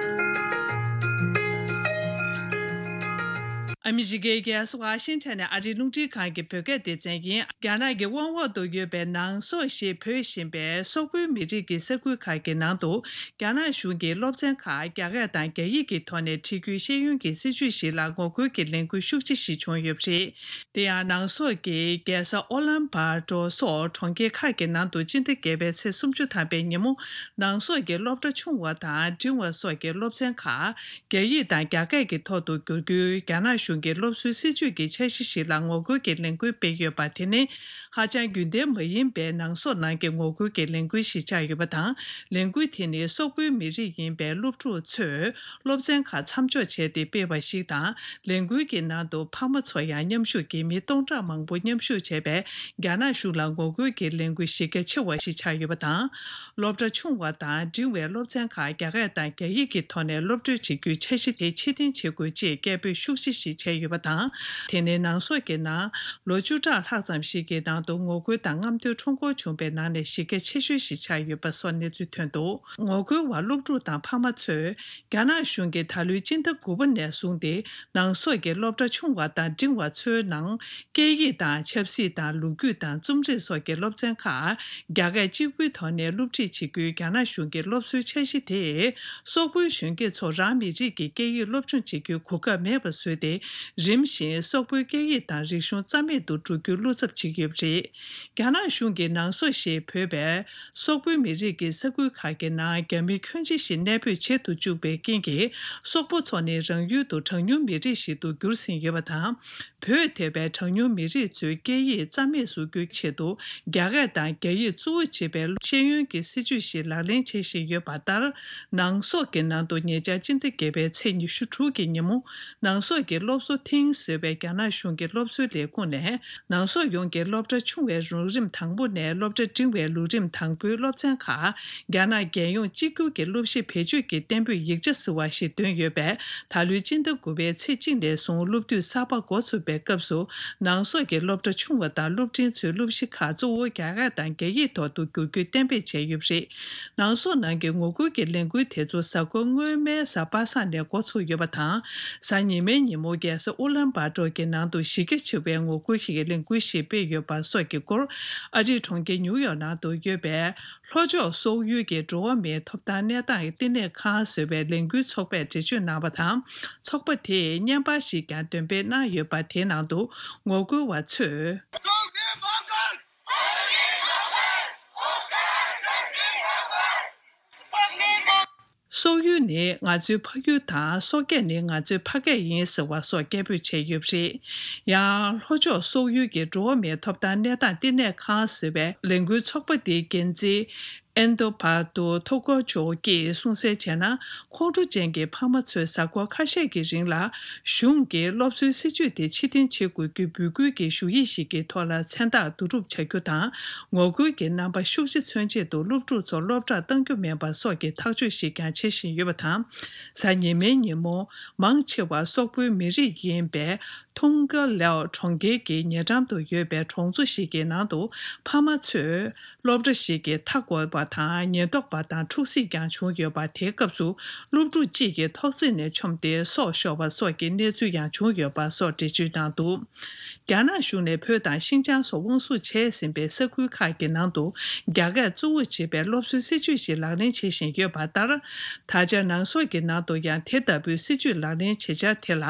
ཨ་མི་རི་ཀའི་རྒྱལ་ས་ཝ་ཤིང་ཊོན་ནས་ཨ་རིའི་རླུང་འཕྲིན་ཁང་གི་བོད་སྐད་སྡེ་ཚན་ཡིན། རྒྱ་ནག་གི་དབང་འོག་ཏུ་ཡོད་པའི་ནང་སོག་ཞེས་འབོད་བཞིན་པའི་སོག་པོའི་མི་རིགས་ཀྱི་ས་ཁུལ་ཁག་གི་ནང་དུ། རྒྱ་ནག་གཞུང་གིས་སློབ་ཚན་ཁག་རྒྱ་སྐད་དང་རྒྱ་ཡིག་གི་ཐོག་ནས་ཁྲིད་རྒྱུའི་ཤེས་ཡོན་གྱི་སྲིད་བྱུས་ཤིག་ལ་ངོ་རྒོལ་གྱི་ལས་འགུལ་ཤུགས་ཆེ་ཞིག་བྱུང་ཡོད་པ་རེད། དེ་ཡང་ནང་སོག་གི་རྒྱལ་ས་ཨོ་ལན་པ་ཏོ་སོགས་གྲོང་ཁྱེར་ཁག་གི་ནང་དུ་སྤྱི་ཟླ་བརྒྱད་པའི་ཚེས་སུམ་ཅུ་ཐམ་པའི་ཉིན་མོ། ནང་སོག་གི་སློབ་གྲྭ་ཆུང་བ་དང་འབྲིང་བ་སོགས་ཀྱི་སློབ་ཚན་ཁག་རྒྱ་ཡིག་དང་རྒྱ་སྐད་ཀྱི་ཐོག་ཏུ་བསྒྱུར་རྒྱུའི་རྒྱ་ནག་གཞུང་གི་སློབ་གསོའི་སྲིད་བྱུས་ཀྱི་འཆར་གཞི་ཞིག་ལ་ངོ་རྒོལ་གྱི་ལས་འགུལ་སྤེལ་ཡོད་པ་དེ་ནི། ཧ་ཅང་རྒྱུན་ལྡན་མ་ཡིན་པའི་ནང་སོག་ནང་གི་ངོ་རྒོལ་གྱི་ལས་འགུལ་ཞིག་ཆགས་ཡོད་པ་དང་། ལས་འགུལ་དེ་ནི་སོག་པོའི་མི་རིགས་ཡིན་པའི་སློབ་ཕྲུག་ཚོས་སློབ་ཚན་ཁག་མཚམས་འཇོག་བྱས་ཏེ་སྤེལ་བ་ཞིག་དང་། ལས་འགུལ་གྱི་ནང་དུ་ཕ་མ་ཚོ་ཡང་མཉམ་ཞུགས་ཀྱིས་མི་སྟོང་ཕྲག་མང་པོ་མཉམ་ཞུགས་བྱས་པས། རྒྱ་ནག་གཞུང་ལ་ངོ་རྒོལ་གྱི་ལས་འགུལ་གཞི་རྒྱ་ཆེ་བ་ཞིག་ཆགས་ཡོད་པ་དང་། སློབ་གྲྭ་ཆུང་བ་དང་འབྲིང་བའི་སློབ་ཚན་ཁག་རྒྱ་སྐད་དང་རྒྱ་ཡིག་གི་ཐོག་ནས་སློབ་སྦྱོང་བྱེད་རྒྱུའི་འཆར་གཞི་དེ་ཕྱིར་འཐེན་བྱེད་དགོས་ཅེས་སྐད་འབོད་ཤུགས་ཆེ་ཞིག་བྱས་ཡོད་པ་དང་། དེ་ནས་ནང་སོག་གི་ནང་ལོ་བཅུ་ཕྲག་ལྷག་ཙམ་ཞིག་གི་ནང་དུ་ངོ་རྒོལ་དང་རྔམ་སྟོན་ཁྲོམ་སྐོར་བྱུང་བའི་ནང་ནས་གཞི་རྒྱ་ཆེ་ཤོས་ཤིག་ཆགས་ཡོད་པ་སོགས་གནས་ཚུལ་ཐོན་འདུག་ངོ་རྒོལ་བ་སློབ་ཕྲུག་དང་ཕ་མ་ཚོས། རྒྱ་ནག་གཞུང་གིས་ད་ལོའི་སྤྱི་ཟླ་དགུ་པ་ནས་བཟུང་སྟེ། ནང་སོག་གི་སློབ་གྲྭ་ཆུང་བ་དང་འབྲིང་བ་ཚོའི་ནང་། སྐད་ཡིག་དང་ཆབ་སྲིད་དང་ལོ་རྒྱུས་དང་རྩོམ་རིག་སོགས་ཀྱི་སློབ་ཚན་ཁག་རྒྱ་སྐད་གཅིག་པུའི་ཐོག་ནས་སློབ་ཁྲིད་བྱེད་རྒྱུའི་རྒྱ་ནག་གཞུང་གི་སློབ་གསོའི་འཆར་གཞི་དེས། སོག་པོའི་གཞོན་སྐྱེས་ཚོར་རང་མི་རིགས་ཀྱི་སྐད་ཡིག་སློབ་སྦྱོང་བྱེད་རྒྱུའི་གོ་སྐབས་མེད་པ་བཟོས་ཏེ། རིམ་བཞིན་སོག་པོའི་སྐད་ཡིག་དང་རིག་གཞུང་རྩ་མེད་དུ་འགྲོ་རྒྱུའི་བློ་འཚབ་བྱེད་ཀྱི་ཡོད་པ་རེད། རྒྱ་ནག་གཞུང་གིས་ནང་སོག་ཞེས་འབོད་པའི་སོག་པོའི་མི་རིགས་ཀྱི་ས་ཁུལ་ཁག་གི་ནང་རྒྱ་མི་ཁྱོན་ཆེ་ཞིག་གནས་སྤོས་བྱེད་དུ་བཅུག་པའི་རྐྱེན་གྱིས། སོག་པོ་ཚོ་ནི་རང་ཡུལ་དུ་གྲངས་ཉུང་མི་རིགས་ཤིག་ཏུ་གྱུར་ཟིན་ཡོད་པ་དང་། བོད་ཐེ་བའི་གྲངས་ཉུང་མི་རིགས་ཚོའི་སྐད་ཡིག་རྩ་མེད་བཟོ་རྒྱུའི་ཆེད་དུ། རྒྱ་སྐད་དང་རྒྱ་ཡིག་གཙོ་བོ་བྱེད་པའི་ཤེས་ཡོན་གྱི་སྲིད་བྱུས་ཤིག་ལག་ལེན་བྱེད་བཞིན་ཡོད་པ་ལྟར། ནང་སོག་གི་ནང་དུ་ཉེ་ཆར་སྤྱི་ཟླ་བརྒྱད་པའི་ཚེས་ཉི་ཤུ་དྲུག་གི་ཉིན་མོ། ནང་སོག་གི་སློབ་གསོ་ཐིང་ཟེར་བའི་རྒྱ་ནག་གཞུང་གི་སློབ་གསོའི་ལས་ཁུངས་ནས། ནང་སོག་ཡོངས་ཀྱི་སློབ་གྲྭ་ཆུང་བའི་ལོ་རིམ་དང་པོ་ནས་སློབ་གྲྭ་འབྲིང་བའི་ལོ་རིམ་དང་པོའི་སློབ་ཚན་ཁག་རྒྱ་ནག་རྒྱལ་ཡོངས་གཅིག་གྱུར་གྱི་སློབ་གཞི་བེད་སྤྱོད་ཀྱི་གཏན་འབེབས་ཡིག་ཆ་ཟེར་བ་ཞིག་འདོན་ཡོད་པས། ད་ལོའི་སྤྱི་ཟླ་དགུ་པའི་ཚེས་གཅིག་ནས་བཟུང་སློབ་དུས་གསར་པ་འགོ་ཚུགས་པའི་སྐབས་སུ། ནང་སོག་གི་སློབ་གྲྭ་ཆུང་བ་དང་སློབ་འབྲིང་ཚོའི་སློབ་གཞི་ཁག་གཙོ་བོ་རྒྱ་སྐད་དང་རྒྱ་ཡིག་ཐོག་ཏུ་བསྒྱུར་རྒྱུའི་གཏན་འབེབས་བྱས་ཡོད་པ་རེད། ནང་སོག་ནང་གི་ངོ་རྒོལ་གྱི་ལས་འགུལ་དེ་ཚོ་གཟའ་འཁོར་སྔོན་མའི་གཟའ་པ་སངས་ནས་འགོ་ཚུགས་ཡོད་པ་དང་། གཟའ་ཉི་མའི་ཉིན་མོ་རྒྱལ་ས་ཨུ་ལན་བྷ་ཏོར་གྱི་ནང་དུ་གཞི་རྒྱ་ཆེ་བའི་ངོ་རྒོལ་ཞིག་གི་ལས་འགུལ་ཞིག་སྤེལ་ཡོད་པ་སོགས་ཀྱི་སྐོར། ཨ་རིའི་གྲོང་ཁྱེར་ཉིའུ་ཡོག་ནང་དུ་ཡོད་པའི་ལྷོ་ཕྱོགས་སོག་ཡུལ་གྱི་འགྲོ་བ་མིའི་ཐོབ་ཐང་གནས་སྟངས་བསྟི་གནས་ཁང་ཟེར་བའི་ལས་འགུལ་ཚོགས་པས་འགྲེལ་བརྗོད་གནང་བ་དང་། ཚོགས་པ་དེས་བརྙན་པར་ཞིག་ཀྱང་འདོན་སྤེལ་གནང་ཡོད་པ། དེའི་ནང་དུ་ངོ་རྒོལ་བ་ཚོས། སོག་ཡུལ་ནི་ང་ཚོའི་ཕ་ཡུལ་དང་། སོག་སྐད་ནི་ང་ཚོའི་ཕ་སྐད་ཡིན་ཟེར་བ་སོགས་སྐད་འབོད་བྱས་ཡོད་པ་རེད། ཡང་ལྷོ་ཕྱོགས་སོག་ཡུལ་གྱི་འགྲོ་བ་མིའི་ཐོབ་ཐང་གནས་སྟངས་བསྟི་གནས་ཁང་ཟེར་བའི་ལས་འགུལ་ཚོགས་པ་དེའི་འགན་འཛིན། ཨེན་དོ་བར་དུ་ཐོ་ཀོ་ཅོ་གིས་གསུངས་གསལ་བྱས་ན། ཁོང་ཁྲོ་ཅན་གྱི་ཕ་མ་ཚོས་གཟའ་འཁོར་ཁ་ཤས་ཀྱི་རིང་ལ་གཞུང་གིས་སློབ་གསོའི་སྲིད་བྱུས་དེ་ཕྱིར་འཐེན་བྱེད་དགོས་རྒྱུའི་འབོད་སྐུལ་གྱི་ཞུ་ཡིག་ཞིག་གི་ཐོག་ལ་མཚན་རྟགས་བསྡུ་རུབ་བྱ་རྒྱུ་དང་། ངོ་རྒོལ་གྱི་རྣམ་པ་ཤུགས་ཆེ་མཚོན་ཆེད་དུ་སློབ་ཕྲུག་ཚོར་སློབ་གྲྭར་གཏང་རྒྱུ་མིན་པ་སོགས་ཀྱི་ཐག་གཅོད་ཞིག་ཀྱང་བྱེད་བཞིན་ཡོད་པ་དང་། གཟའ་ཉི་མའི་ཉིན་མོ། མང་ཆེ་བ་སོག་པོའི་མི་རིགས་ཡིན་པའི་ཐུང་ག་ལའོ་གྲོང་ཁྱེར་གྱི་ཉེ་འགྲམ་དུ་ཡོད་པའི་གྲོང་ཚོ་ཞིག་གི་ནང་དུ་ཕ་མ་ཚོས། སློབ་གྲྭ་ཞིག་གི་མཐའ་བསྐོར་བ་དང་ཉེན་རྟོག་པ་དང་འཁྲུག་གཟིགས་ཀྱང་བྱུང་ཡོད་པ། དེའི་སྐབས་སུ་སློབ་ཕྲུག་གཅིག་གིས་ཐོག་བརྩེགས་ནས་མཆོངས་ཏེ་སྲོག་ཤོར་བ་སོགས་ཀྱི་གནས་ཚུལ་ཡང་བྱུང་ཡོད་པ་སོགས་འགྲེལ་བརྗོད་གནང་འདུག། རྒྱ་ནག་གཞུང་ནས་བོད་དང་ཤིན་ཅང་སོགས་དབང་བཟུང་བྱས་ཟིན་པའི་ས་ཁུལ་ཁག་གི་ནང་དུ་རྒྱ་སྐད་གཙོ་བོ་བྱེད་པའི་སློབ་གསོའི་སྲིད་བྱུས་ཤིག་ལག་ལེན་བྱེད་བཞིན་ཡོད་པ་ལྟར། ད་ཆ་ནང་སོག་གི་ནང་དུ་ཡང་དེ་ལྟ་བུའི་སྲིད་བྱུས་ལག་ལེན་བྱེད་འཆར་དེ་ལ།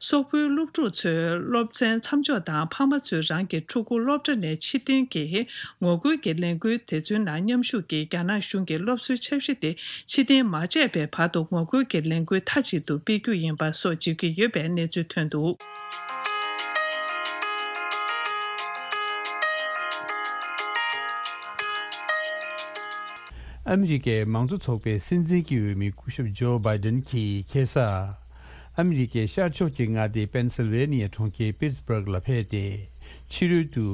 སོག་པོའི་སློབ་ཕྲུག་ཚོའི་སློབ་ཚན་མཚམས་འཇོག་དང་ཕ་མ་ཚོས་རང་གི་ཕྲུ་གུ་སློབ་གྲྭ་ནས་ཕྱིར་འཐེན་གྱི་ངོ་རྒོལ་གྱི་ལས་འགུལ་དེ་ཚོའི་ནང་མཉམ་ཞུགས་ཀྱིས་རྒྱ་ནག་གཞུང་གི་སློབ་གསོའི་འཆར་གཞི་དེ་ཕྱིར་འཐེན་མ་བྱས་པའི་བར་དུ་ངོ་རྒོལ་གྱི་ལས་འགུལ་མཐའ་གཅིག་ཏུ་སྤེལ་རྒྱུ་ཡིན་པ་སོགས་བརྗོད་ཀྱི་ཡོད་པའི་གནས་ཚུལ་ཐོན་འདུག། ཨ་མི་རི་ཀའི་མང་གཙོ་ཚོགས་པའི་སྲིད་འཛིན་གྱི་འོས་མི་སྐུ་ཞབས་ཇོ་བྷའི་ཌེན་གྱིས་ཁ་སང་། ཨ་མི་རི་ཀའི་ཤར་ཕྱོགས་ཀྱི་མངའ་སྡེ་པེན་སིལ་ཝེ་ནི་ཡ་གྲོང་ཁྱེར་པིཊ་སྦུག་ལ་ཕེབས་ཏེ། ཕྱི་རོལ་དུ་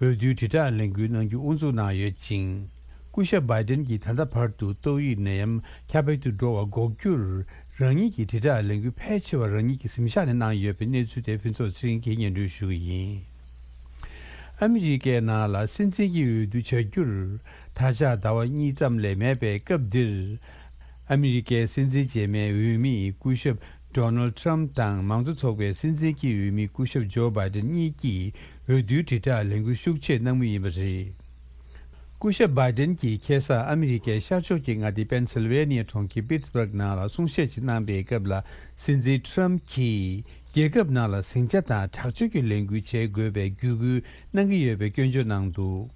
འོས་བསྡུའི་དྲིལ་བསྒྲགས་ལས་འགུལ་གནང་རྒྱུ་དབུ་འཛུགས་གནང་ཡོད་ཅིང་། སྐུ་ཞབས་བྷའི་ཌེན་གྱིས་ད་ལྟ་བར་དུ་ཏོག་དབྱིབས་ནད་ཡམས་ཁྱབ་སྤེལ་དུ་འགྲོ་བ་འགོག་རྒྱུར། རང་ཉིད་ཀྱི་དྲིལ་བསྒྲགས་ལས་འགུལ་ཕལ་ཆེ་བ་རང་ཉིད་ཀྱི་གཟིམ་ཤག་ནས་གནང་ཡོད་པའི་གནས་ཚུལ་དེ་ཕུན་ཚོགས་ཚེ་རིང་གིས་སྙན་སྒྲོན་ཞུ་གི་ཡིན། ཨ་མི་རི་ཀའི་ནང་ལ་སྲིད་འཛིན་གྱི་འོས་བསྡུ་བྱ་རྒྱུར་ད་ཆ་ཟླ་བ་གཉིས་ཙམ་ལས་མེད་པའི་སྐབས་འདིར། ཨ་མི་རི་ཀའི་སྲིད་འཛིན་རྗེས་མའི་འོས་མི་སྐུ་ཞབས་ཌོ་ནལ་ཊམ་དང་མང་གཙོ་ཚོགས་པའི་སྲིད་འཛིན་གྱི་འོས་མི་སྐུ་ཞབས་ཇོ་བྷའི་ཌེན་གཉིས་ཀྱིས་འོས་བསྡུའི་དྲིལ་བསྒྲགས་ལས་འགུལ་ཤུགས་ཆེ་གནང་མུས་ཡིན་པ་རེད། སྐུ་ཞབས་བྷའི་ཌེན་གྱིས་ཁ་སང་ཨ་མི་རི་ཀའི་ཤར་ཕྱོགས་ཀྱི་མངའ་སྡེ་པེན་སིལ་ཝེ་ནི་ཡ་གྲོང་ཁྱེར་པིཊ་སྦུག་ནང་ལ་གསུང་བཤད་ཅིག་གནང་པའི་སྐབས་ལ། སྲིད་འཛིན་ཊམ་གྱིས་རྒྱལ་ཁབ་ནང་ལ་ཟིང་ཆ་དང་དྲག་སྤྱོད་ཀྱི་ལས་འགུལ་བྱེད་དགོས་པའི་བརྒྱུད་སྐུལ་གནང་གི་ཡོད་པའི་སྐྱོན་བརྗོད་གནང་འདུག།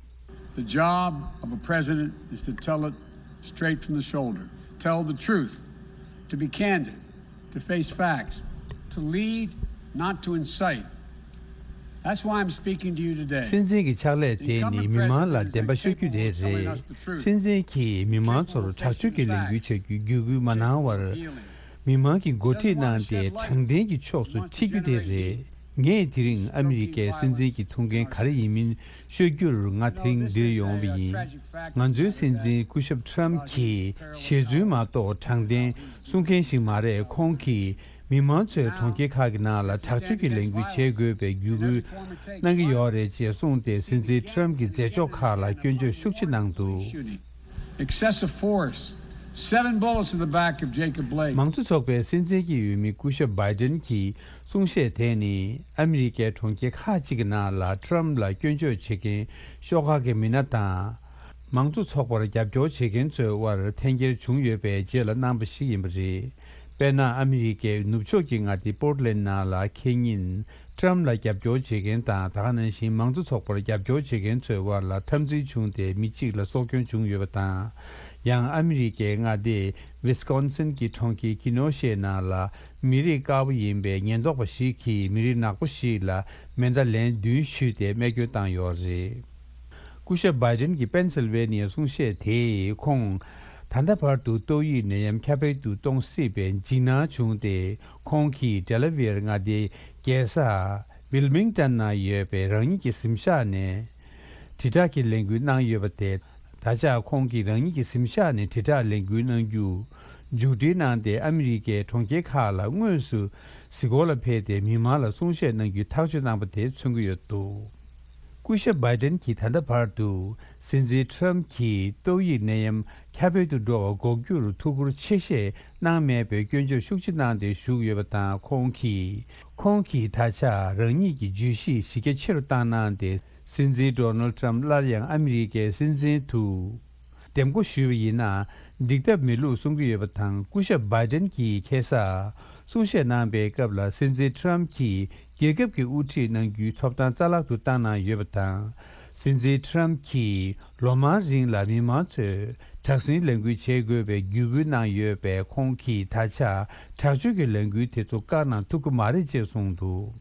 The job of a president is to tell it straight from the shoulder, tell the truth, to be candid, to face facts, to lead, not to incite. That's why I'm speaking to you today. སྲིད་འཛིན་གྱི་ཕྱག་ལས་དེ་ནི་མི་མང་ལ་བདེན་པ་ཤོད་རྒྱུ་དེ་རེད། སྲིད་འཛིན་གྱིས་མི་མང་ཚོར་དྲག་སྤྱོད་ཀྱི་ལས་འགུལ་བྱ་རྒྱུའི་བརྒྱུད་སྐུལ་མ་གནང་བར། མི་མང་གི་འགོ་ཁྲིད་གནང་སྟེ་དྲང་བདེན་གྱི་ཕྱོགས་སུ་ཁྲིད་རྒྱུ་དེ་རེད། ངས་དེ་རིང་ཨ་མི་རི་ཀའི་སྲིད་འཛིན་གྱི་ཐུགས་འགན་ག་རེ་ཡིན་མིན་ཤོད་རྒྱུར་ང་དེ་རིང་འདིར་ཡོང་བ་ཡིན། ང་ཚོའི་སྲིད་འཛིན་སྐུ་ཞབས་ཊམ་གྱིས་ཞེ་ཚུལ་མ་གཏོགས་དྲང་བདེན་གསུང་མཁན་ཞིག་མ་རེད། ཁོང་གིས་མི་མང་ཚོས་གྲོང་ཁྱེར་ཁག་གི་ནང་ལ་དྲག་སྤྱོད་ཀྱི་ལས་འགུལ་བྱེད་དགོས་པའི་བརྒྱུད་སྐུལ་གནང་གི་ཡོད་རེད་ཅེས་གསུངས་ཏེ། སྲིད་འཛིན་ཊམ་གྱི་མཛད་ཕྱོགས་ཁག་ལ་སྐྱོན་བརྗོད་ཤུགས་ཆེ་གནང་འདུག། Excessive force. Seven bullets in the back of Jacob Blake. མང་གཙོ་ཚོགས་པའི་སྲིད་འཛིན་གྱི་འོས་མི་སྐུ་ཞབས་བྷའི་ཌེན་གྱི་གསུང་བཤད་དེ་ནི་ཨ་མི་རི་ཀའི་གྲོང་ཁྱེར་ཁག་ཅིག་གི་ནང་ལ་ཊམ་ལ་སྐྱོན་བརྗོད་བྱེད་མཁན་ཤོག་ཁག་གི་མི་སྣ་དང་། མང་གཙོ་ཚོགས་པར་རྒྱབ་སྐྱོར་བྱེད་མཁན་ཚོའི་དབར་འཐེན་འཁྱེར་བྱུང་ཡོད་པའི་རྗེས་ལ་གནང་པ་ཞིག་ཡིན་པ་རེད། དཔེར་ན། ཨ་མི་རི་ཀའི་ནུབ་ཕྱོགས་ཀྱི་མངའ་སྡེ་པོར་ཊ་ལེན་ཌ་ནང་ལ་ཁེ་ཉིན་ཊམ་ལ་རྒྱབ་སྐྱོར་བྱེད་མཁན་དང་། ད་ག་ནང་བཞིན་མང་གཙོ་ཚོགས་པར་རྒྱབ་སྐྱོར་བྱེད་མཁན་ཚོའི་དབར་ལ་འཐབ་འཛིང་བྱུང་སྟེ་མི་གཅིག་ལ་སྲོག་སྐྱོན་བྱུང་ཡོད་པ་དང་། ཡང་ཨ་མི་རི་ཀའི་མངའ་སྡེ་ཝི་སི་ཀོན་སིན་གྱི་གྲོང་ཁྱེར་ཀི་ནོ་ཤེ་ནང་ལ་མི་རིགས་དཀར་པོ་ཡིན་པའི་ཉེན་རྟོག་པ་ཞིག་གིས་མི་རིགས་ནག་པོ་ཞིག་ལ་མེ་མདའ་ལན་བདུན་གཞུས་ཏེ་རྨས་སྐྱོན་བཏང་ཡོད་རེད། སྐུ་ཞབས་བྷའི་ཌེན་གྱི་པེན་སིལ་ཝེ་ནི་ཡའི་གསུང་བཤད་དེས་ཁོང་། ད་ལྟ་བར་དུ་ཏོག་དབྱིབས་ནད་ཡམས་ཁྱབ་སྤེལ་དུ་གཏོང་སྲིད་པའི་འཇིགས་སྣང་བྱུང་སྟེ། ཁོང་གིས་ཌེ་ལ་ཝེར་མངའ་སྡེའི་རྒྱལ་ས་ཝིལ་མིང་ཊོན་ན་ཡོད་པའི་རང་ཉིད་ཀྱི་གཟིམ་ཤག་ནས། དྲིལ་བསྒྲགས་ཀྱི་ལས་འགུལ་གནང་ཡོད་པ་དེ། ད་ཆ་ཁོང་གིས་རང་ཉིད་ཀྱི་གཟིམ་ཤག་ནས་དྲིལ་བསྒྲགས་ལས་འགུལ་གནང་རྒྱུ། མཇུག་སྒྲིལ་གནང་སྟེ། ཨ་མི་རི་ཀའི་གྲོང་ཁྱེར་ཁག་ལ་དངོས་སུ་གཟིགས་སྐོར་ལ་ཕེབས་ཏེ། མི་མང་ལ་གསུང་བཤད་གནང་རྒྱུའི་ཐག་གཅོད་གནང་པ་དེ་མཚོན་གྱི་ཡོད་འདུག། སྐུ་ཞབས་བྷའི་ཌེན་གྱིས་ད་ལྟ་བར་དུ་སྲིད་འཛིན་ཊམ་གྱིས་ཏོག་དབྱིབས་ནད་ཡམས་ཁྱབ་སྤེལ་དུ་འགྲོ་བ་འགོག་རྒྱུར་ཐུགས་ཁུར་ཆེ་བཞེས་གནང་མེད་པའི་སྐྱོན་བརྗོད་ཤུགས་ཆེ་གནང་སྟེ་བཞུགས་ཡོད་པ་དང་། ཁོང་གིས། ཁོང་གིས་ད་ཆ་རང་ཉིད་ཀྱི་བརྗོད་གཞི་གཞི་རྒྱ་ཆེ་རུ་བཏང་གནང་སྟེ། སྲིད་འཛིན་ཌོ་ནལ་ཊམ་སླར་ཡང་ཨ་མི་རི་ཀའི་སྲིད་འཛིན་དུ་འདེམས་བསྐོ་ཞུས་པ་ཡིན་ན་འགྲིག་ཐབས་མེད་ལུགས་གསུང་གི་ཡོད་པ་དང་། སྐུ་ཞབས་བྷའི་ཌེན་གྱིས་ཁ་སང་གསུང་བཤད་གནང་པའི་སྐབས་ལ། སྲིད་འཛིན་ཊམ་གྱིས་རྒྱལ་ཁབ་ཀྱི་དབུ་ཁྲིད་གནང་རྒྱུའི་ཐོབ་ཐང་རྩ་བརླག་ཏུ་བཏང་གནང་ཡོད་པ་དང་། སྲིད་འཛིན་ཊམ་གྱིས་ལོ་མང་རིང་ལ་མི་མང་ཚོས་དྲག་ཟིང་ལས་འགུལ་བྱེད་དགོས་པའི་བརྒྱུད་སྐུལ་གནང་ཡོད་པས། ཁོང་གིས་ད་ཆ་དྲག་སྤྱོད་ཀྱི་ལས་འགུལ་དེ་ཚོ་བཀག་གནང་ཐུབ་ཀྱི་མ་རེད་ཅེས་གསུངས་འདུག།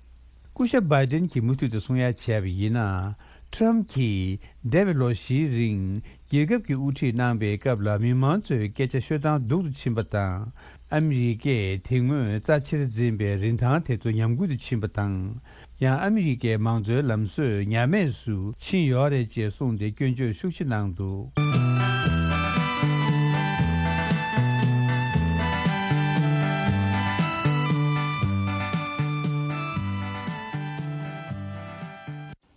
སྐུ་ཞབས་བྷའི་ཌེན་གྱིས་མུ་མཐུད་དུ་གསུང་ཡ་བྱས་པ་ཡིན་ན། ཊམ་གྱིས་འདས་པའི་ལོ་བཞིའི་རིང་། རྒྱལ་ཁབ་ཀྱི་དབུ་ཁྲིད་གནང་པའི་སྐབས་ལ་མི་མང་ཚོས་སྐད་ཆ་ཤོད་སྟངས་སྡུག་ཏུ་ཕྱིན་པ་དང་། ཨ་མི་རི་ཀས་དེ་སྔོན་རྩ་ཆེར་འཛིན་པའི་རིན་ཐང་དེ་ཚོ་ཉམས་རྒུད་དུ་ཕྱིན་པ་དང་། ཡང་ཨ་མི་རི་ཀའི་མང་གཙོའི་ལམ་སྲོལ་ཉམས་དམས་སུ་ཕྱིན་ཡོད་རེད་ཅེས་གསུངས་ཏེ་སྐྱོན་བརྗོད་ཤུགས་ཆེ་གནང་འདུག།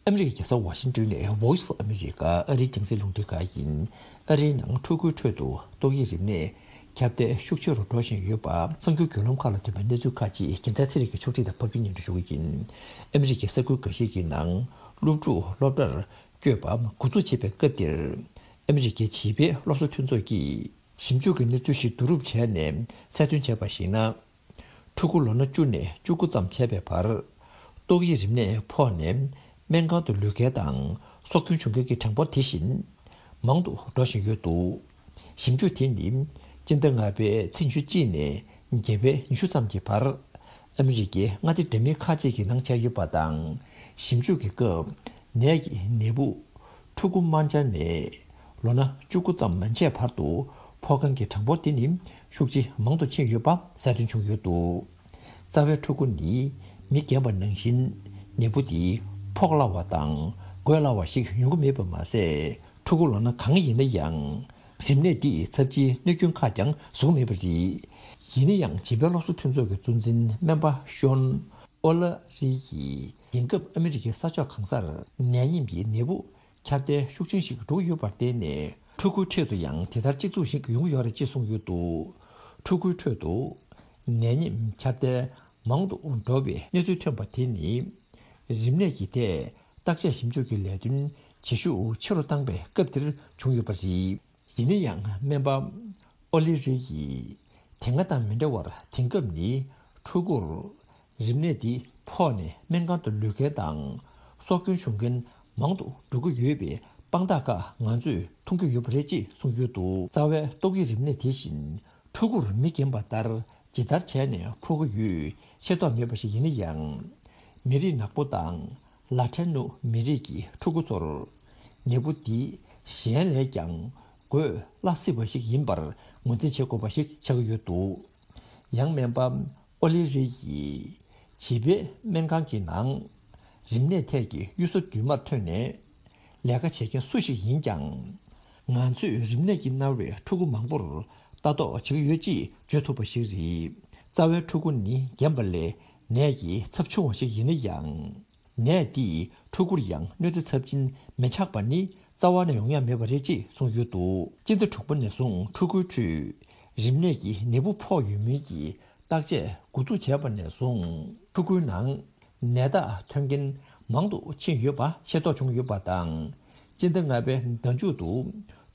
ཨ་མི་རི་ཀའི་རྒྱལ་ས་ཝ་ཤིང་ཏོན་ནས་Voice of America ཨ་རིའི་རྒྱང་སྲིང་རླུང་འཕྲིན་ཁང་ཡིན། ཨ་རིའི་ནང་ཕྲུ་གུའི་ཁྲོད་དུ་ཏོག་དབྱིབས་རིམས་ནད་ཁྱབ་གདལ་ཤུགས་ཆེ་རུ་འགྲོ་བཞིན་ཡོད་པ། གསར་འགྱུར་བརྒྱུད་ལམ་ཁག་ལ་ཐོན་པའི་གནས་ཚུལ་ཁག་ཅིག་རྒྱལ་མཚན་ཚེ་རིང་གིས་ཕྱོགས་སྒྲིག་དང་ཕབ་སྒྱུར་སྙན་སྒྲོན་ཞུ་གི་ཡིན། ཨ་མི་རི་ཀའི་ས་ཁུལ་འགའ་ཤས་ཀྱི་ནང་སློབ་ཕྲུག་སློབ་གྲྭར་བསྐྱོད་པ་འགོ་འཛུགས་བྱེད་པའི་སྐབས་འདིར། ཨ་མི་རི་ཀའི་བྱིས་པའི་སློབ་གསོ་མཐུན་ཚོགས་ཀྱིས་ཞིབ་འཇུག་གི་གནས་ཚུལ་ཞིག་བསྡུ་རུབ་བྱས་ནས་གསལ་སྟོན་བྱས་པར་གཞིགས་ན། ཕྲུ་གུ་ལོ་ན་བཅུ་ནས་བཅུ་དགུ་ཙམ་བྱས་པའི་བར། ཏོག་དབྱིབས་རིམས་ནད་ཕོག་ནས་སྨན་ཁང་དུ་ལུས་མཁན་དང་སྲོག་སྐྱོན་བྱུང་མཁན་གྱི་གྲངས་འབོར་དེ་བཞིན་མང་དུ་འགྲོ་བཞིན་ཡོད་འདུག། ཞིབ་འཇུག་དེ་ནི་སྤྱི་ཟླ་ལྔ་པའི་ཚེས་ཉི་ཤུ་གཅིག་ནས་བརྒྱད་པའི་ཉི་ཤུ་ཙམ་གྱི་བར། ཨ་མི་རི་ཀའི་མངའ་སྡེ་འདྲ་མིན་ཁག་ཅིག་གི་ནང་བྱས་ཡོད་པ་དང་། ཞིབ་འཇུག་གི་སྐབས་ནད་ཀྱི་ནད་འབུ། ཕྲུ་གུ་དམར་འབྱར་ནས་ལོ་ན་བཅུ་དགུ་ཙམ་མན་ཆད་བར་དུ་ཕོག་མཁན་གྱི་གྲངས་འབོར་དེ་ནི་ཤུགས་ཆེ་མང་དུ་ཕྱིན་ཡོད་པ་གསལ་སྟོན་བྱུང་ཡོད་འདུག། རྩ་བའི་ཕྲུ་གུ་ནི་མི་རྒན་པ་ནང་བཞིན་ནད་འབུ་དེ་ཕོག་སླ་བ་དང་འགོས་སླ་བ་ཞིག་ཡོང་གི་མེད་པ་མ་ཟད། ཕྲུ་གུ་ལོ་ན་གང་ཡིན་ན་ཡང་རིམས་ནད་འདིས་ཚབས་ཆེའི་གནོད་སྐྱོན་ཁག་ཀྱང་བཟོ་གི་མེད་པ་རེད། ཡིན་ན་ཡང་བྱིས་པའི་སློབ་གསོ་མཐུན་ཚོགས་ཀྱི་གཙོ་འཛིན་སྨན་པ་ཤོན་ཨོ་ལ་རི་ཡིས་དེང་སྐབས་ཨ་མི་རི་ཀའི་ས་ཕྱོགས་གང་སར་ནད་ཡམས་ཀྱི་ནད་འབུ་ཁྱབ་གདལ་ཤུགས་ཆེན་ཞིག་འགྲོ་གི་ཡོད་པར་བརྟེན་ནས། ཕྲུ་གུའི་ཁྲོད་དུ་ཡང་དེ་ལྟར་གཅིག་མཚུངས་ཤིག་ཡོང་གི་ཡོད་རེད་ཅེས་གསུངས་ཡོད་འདུག། ཕྲུ་གུའི་ཁྲོད་དུ་ནད་ཡམས་ཁྱབ་གདལ་མང་དུ་འགྲོ་བའི་གནས་ཚུལ་ཐོན་པ་དེ་ནི། རིམས་ནད་ཀྱི་ཐད་བརྟག་དཔྱད་ཞིབ་འཇུག་གི་ལས་དོན་བྱེད་ཤུགས་ཆེ་རུ་བཏང་པའི་སྐབས་འདིར་བྱུང་ཡོད་པ་རེད། ཡིན་ན་ཡང་སྨན་པ་ཨོ་ལི་རི་ཡིས། དེ་སྔ་དང་མི་འདྲ་བར་དེང་སྐབས་ནི་ཕྲུ་གུར་རིམས་ནད་འདི་ཕོག་ནས་སྨན་ཁང་དུ་ལུས་མཁན་དང་སྲོག་སྐྱོན་བྱུང་མཁན་མང་དུ་འགྲོ་གི་ཡོད་པའི་དཔང་རྟགས་ཁག་ང་ཚོས་མཐོང་གི་ཡོད་པ་རེད་ཅེས་གསུངས་ཡོད་འདུག། རྩ་བའི་ཏོག་དབྱིབས་རིམས་ནད་དེ་བཞིན་ཕྲུ་གུར་མི་རྒན་པ་ལྟར་ཇི་ལྟར་བྱས་ནས་ཕོག་གི་ཡོད་ཤེས་རྟོགས་མེད་པ་ཞིག་ཡིན་ན་ཡང་། མི་རིགས་ནག་པོ་དང་། ལ་ཏིན་ནོ་མི་རིགས་ཀྱི་ཕྲུ་གུ་ཚོར་ནད་འབུ་འདི་གཞན་ལས་ཀྱང་འགོས་སླ་སྲིད་པ་ཞིག་ཡིན་པར་ངོས་འཛིན་བྱེད་དགོས་པ་ཞིག་ཆགས་ཀྱི་ཡོད་འདུག། ཡང་སྨན་པ་ཨོ་ལི་རི་ཡིས་བྱིས་པའི་སྨན་ཁང་གི་ནང་རིམས་ནད་ཐད་ཀྱི་གཡུལ་ས་མདུན་མར་ཐོན་ནས་ལས་ཀ་བྱེད་མཁན་སུ་ཞིག་ཡིན་ཀྱང་། ང་ཚོས་རིམས་ནད་ཀྱིས་མནར་བའི་ཕྲུ་གུ་མང་པོར་ལྟ་རྟོག་བྱེད་ཀྱི་ཡོད་ཅེས་བརྗོད་ཐུབ་པ་ཞིག་རེད། རྩ་བའི་ཕྲུ་གུ་ནི་རྒན་པ་ལས་ནད་ཀྱི་ཚབས་ཆུང་བ་ཞིག་ཡིན་ན་ཡང་། ནད་འདིས་ཕྲུ་གུར་ཡང་གནོད་འཚེ་ཚབས་ཆེན་མི་ཆགས་པ་ནི་རྩ་བ་ནས་ཡོང་ཡ་མེད་པ་རེད་ཅེས་གསུངས་ཡོད་འདུག། སྤྱི་ཟླ་དྲུག་པ་ནས་བཟུང་ཕྲུ་གུའི་ཁྲོད་རིམས་ནད་ཀྱི་ནད་འབུ་ཕོག་ཡོད་མིན་གྱི་བརྟག་དཔྱད་འགོ་འཛུགས་བྱས་པ་ནས་བཟུང་ཕྲུ་གུའི་ནང་ནད་རྟགས་ཐོན་མཁན་མང་དུ་ཕྱིན་ཡོད་པ་ཤེས་རྟོགས་བྱུང་ཡོད་པ་དང་། སྤྱི་ཟླ་ལྔ་པའི་ཟླ་མཇུག་ཏུ་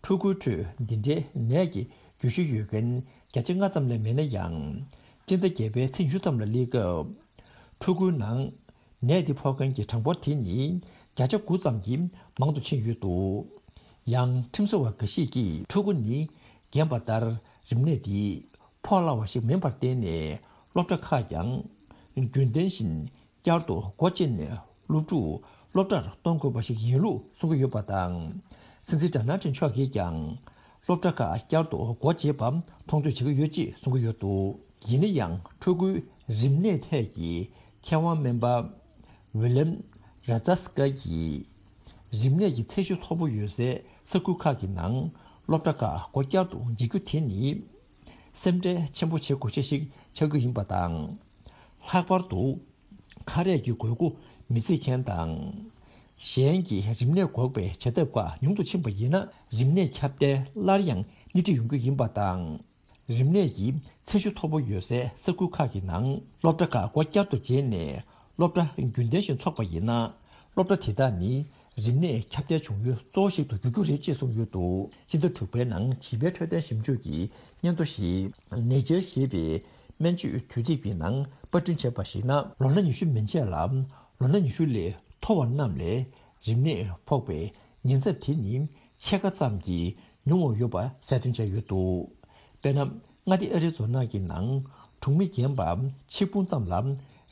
ཕྲུ་གུའི་ཁྲོད་འདི་འདྲའི་ནད་ཀྱི་རྒྱུ་ཤེས་ཡོད་མཁན་བརྒྱ་ཆ་ལྔ་ཙམ་ལས་མེད་ན་ཡང་། སྤྱི་ཟླ་བརྒྱད་པའི་ཚེས་ཉི་ཤུ་ཙམ་ལ་སླེབས་སྐབས། ཕྲུ་གུའི་ནང་ནད་འདི་ཕོག་མཁན་གྱི་གྲངས་འབོར་དེ་ནི་བརྒྱ་ཆ་དགུ་ཙམ་གྱིས་མང་དུ་ཕྱིན་ཡོད་འདུག། ཡང་ཁྲིམས་བཟོ་བ་འགའ་ཞིག་གིས་ཕྲུ་གུ་ནི་རྒན་པ་ལྟར་རིམས་ནད་འདི་ཕོག་སླ་བ་ཞིག་མིན་པར་བརྟེན་ནས་སློབ་གྲྭ་ཁག་ཀྱང་རྒྱུན་ལྡན་བཞིན་བསྐྱར་དུ་སྒོ་ཕྱེ་ནས་སློབ་ཕྲུག་སློབ་གྲྭར་གཏོང་དགོས་པ་ཞིག་ཡིན་ལུགས་གསུང་གི་ཡོད་པ་དང་། སྲིད་འཛིན་ཌོ་ནལ་ཊྲམ་མཆོག་གིས་ཀྱང་སློབ་གྲྭ་ཁག་བསྐྱར་དུ་སྒོ་འབྱེད་པ་མཐོང་ཐོས་བྱེད་ཀྱི་ཡོད་ཅེས་གསུང་གི་ཡོད་འདུག། ཡིན་ན་ཡང་ཕྲུ་གུའི་རིམས་ནད་ཐད་ཀྱི་མཁས་དབང་སྨན་པ་ཝི་ལེམ་ར་ཛ་སི་ཀ་གིས། རིམས་ནད་ཀྱི་ཚད་གཞི་མཐོ་པོ་ཡོད་སའི་ས་ཁུལ་ཁག་གི་ནང་སློབ་གྲྭ་ཁག་སྒོ་བསྐྱར་དུ་འབྱེད་རྒྱུ་དེ་ནི་སེམས་ཁྲལ་ཆེན་པོ་བྱེད་དགོས་ཆེད་ཞིག་ཆགས་ཀྱི་ཡིན་པ་དང་། ལྷག་པར་དུ་ཁ་རས་ཀྱི་དགོས་མཁོ་མི་བརྩི་མཁན་དང་། གཞན་གྱི་རིམས་ནད་འགོག་པའི་བྱ་ཐབས་ཁག་ཉུང་དུ་ཕྱིན་པ་ཡིན་ན། རིམས་ནད་ཁྱབ་གདལ་སླར་ཡང་སྣེ་ཁྲིད་ཡོང་རྒྱུ་ཡིན་པ་དང་། རིམས་ནད་ཀྱི་ཚད་གཞི་མཐོ་པོ་ཡོད་སའི་ས་ཁུལ་ཁག་གི་ནང་སློབ་གྲྭ་ཁག་སྒོ་བསྐྱར་དུ་འབྱེད་ནས་སློབ་གྲྭ་རྒྱུན་ལྡན་བཞིན་འཚོགས་པ་ཡིན་ན། སློབ་གྲྭ་དེ་དག་ནི་རིམས་ནད་ཁྱབ་གདལ་བྱུང་ཡུལ་གཙོ་བོ་ཞིག་ཏུ་འགྱུར་རྒྱུ་རེད་ཅེས་གསུངས་ཡོད་འདུག། སྤྱི་ཟླ་དྲུག་པའི་ནང་བྱིས་པའི་འཕྲོད་བསྟེན་ཞིབ་འཇུག་གི་སྙན་ཐོ་ཞིག་Nature ཞེས་པའི་སྨན་བཅོས་དུས་དེབ་ཀྱི་ནང་པར་སྐྲུན་བྱས་པར་གཞིགས་ན། ལོ་ན་ཉི་ཤུ་མན་ཆད་ལ་ལོ་ན་ཉི་ཤུ་ལས་མཐོ་བ་རྣམས་ལས་རིམས་ནད་ཕོག་པའི་ཉེན་ཚབས་དེ་ནི་ཕྱེད་ཀ་ཙམ་གྱིས་ཉུང་བ་ཡོད་པ་གསལ་སྟོན་བྱས་ཡོད་འདུག། དཔེར་ན། མངའ་སྡེ་ཨ་རི་ཛོ་ན་གི་ནང་གྲོང་མི་རྒན་པ་ཆིག་འབུམ་ཙམ་ལ་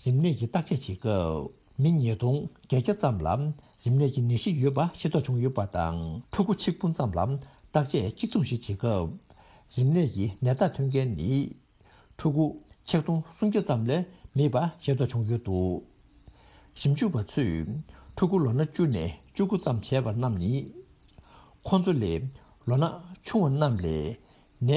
རིམས་ནད་ཀྱི་བརྟག་དཔྱད་བྱེད་སྐབས། མི་ཉིས་སྟོང་བརྒྱད་བརྒྱ་ཙམ་ལ་རིམས་ནད་ཀྱི་ནད་གཞི་ཡོད་པ་ཤེས་རྟོགས་བྱུང་ཡོད་པ་དང་། ཕྲུ་གུ་ཆིག་འབུམ་ཙམ་ལ་ བརྟག་དཔྱད་གཅིག་མཚུངས་ཤིག་བྱེད་སྐབས། རིམས་ནད་ཀྱི་ནད་རྟགས་ཐོན་མཁན་ནི། ཕྲུ་གུ་ཆིག་སྟོང་སུམ་བརྒྱ་ཙམ་ལས་མེད་པ་ཤེས་རྟོགས་བྱུང་ཡོད་འདུག་ཞིབ་འཇུག་པ་ཚོས་ཕྲུ་གུ་ལོ་ན་བཅུ་ནས་བཅུ་དགུ་ཙམ་བྱས་པ་རྣམས་ནི། ཁོང་ཚོ་ལས་ལོ་ན་ཆུང་བ་རྣམས་ལས་ནད་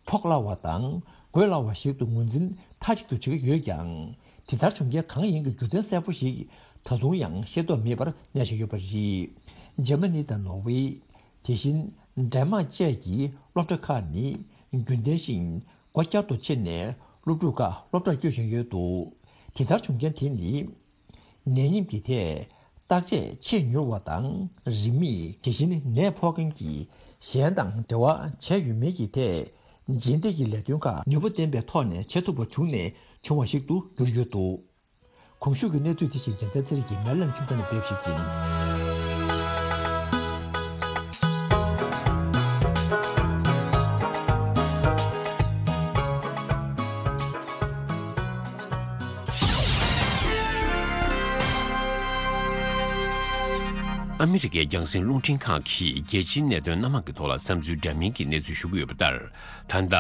ཕོག་སླ་བ་དང་འགོས་སླ་བ་ཞིག་ཏུ་ངོས་འཛིན་མཐའ་གཅིག་ཏུ་བྱེད་ཀྱི་ཡོད་ཀྱང་། དེ་ལྟར་བྱུང་རྐྱེན་གང་ཡིན་གྱི་རྒྱུ་མཚན་གསལ་པོ་ཞིག་ད་དུང་ཡང་ཤེས་རྟོགས་མེད་པར་གནས་བཞིན་ཡོད་པ་རེད། འཇར་མ་ནི་དང་ནོར་ཝེ། དེ་བཞིན་ཌེན་མཱག་བཅས་ཀྱི་སློབ་གྲྭ་ཁག་ནི་རྒྱུན་ལྡན་བཞིན་སྒོ་བསྐྱར་དུ་ཕྱེ་ནས་སློབ་ཕྲུག་ཁག་སློབ་གྲྭར་བསྐྱོད་བཞིན་ཡོད་འདུག་དེ་ལྟར་བྱུང་རྐྱེན་དེ་ནི། ནད་ཉིམ་གྱི་ཐད་བརྟག་དཔྱད་ཆེས་མྱུར་བ་དང་རིན་མེད། དེ་བཞིན་ནད་ཕོག་མཁན་གྱི་གཞན་དང་འབྲེལ་བ་བྱས་ཡོད་མེད་ཀྱི་ཐད་རྗེས་འདེད་ཀྱི་ལས་དོན་ཁག་ནུས་པ་ལྡན་པའི་ཐོག་ནས་བྱེད་ཐུབ་པ་བྱུང་ནས་བྱུང་བ་ཞིག་ཏུ་གྱུར་ཡོད་འདུག་གོང་ཞུས་ཀྱི་གནས་ཚུལ་དེ་བཞིན་རྒྱལ་མཚན་ཚེ་རིང་གིས་མེ་ལན་ཁྱིམ་ཚང་ནས་སྤེལ་ཞིག་ཡིན། ཨ་མི་རི་ཀའི་རྒྱང་སྲིང་རླུང་འཕྲིན་ཁང་གིས་རྒྱལ་སྤྱིའི་གནད་དོན་སྣ་མང་གི་ཐོག་ལ་བསམ་ཚུལ་འདྲ་མིན་གྱི་གནས་ཚུལ་ཞུ་གི་ཡོད་པ་ལྟར། ད་ལྟ་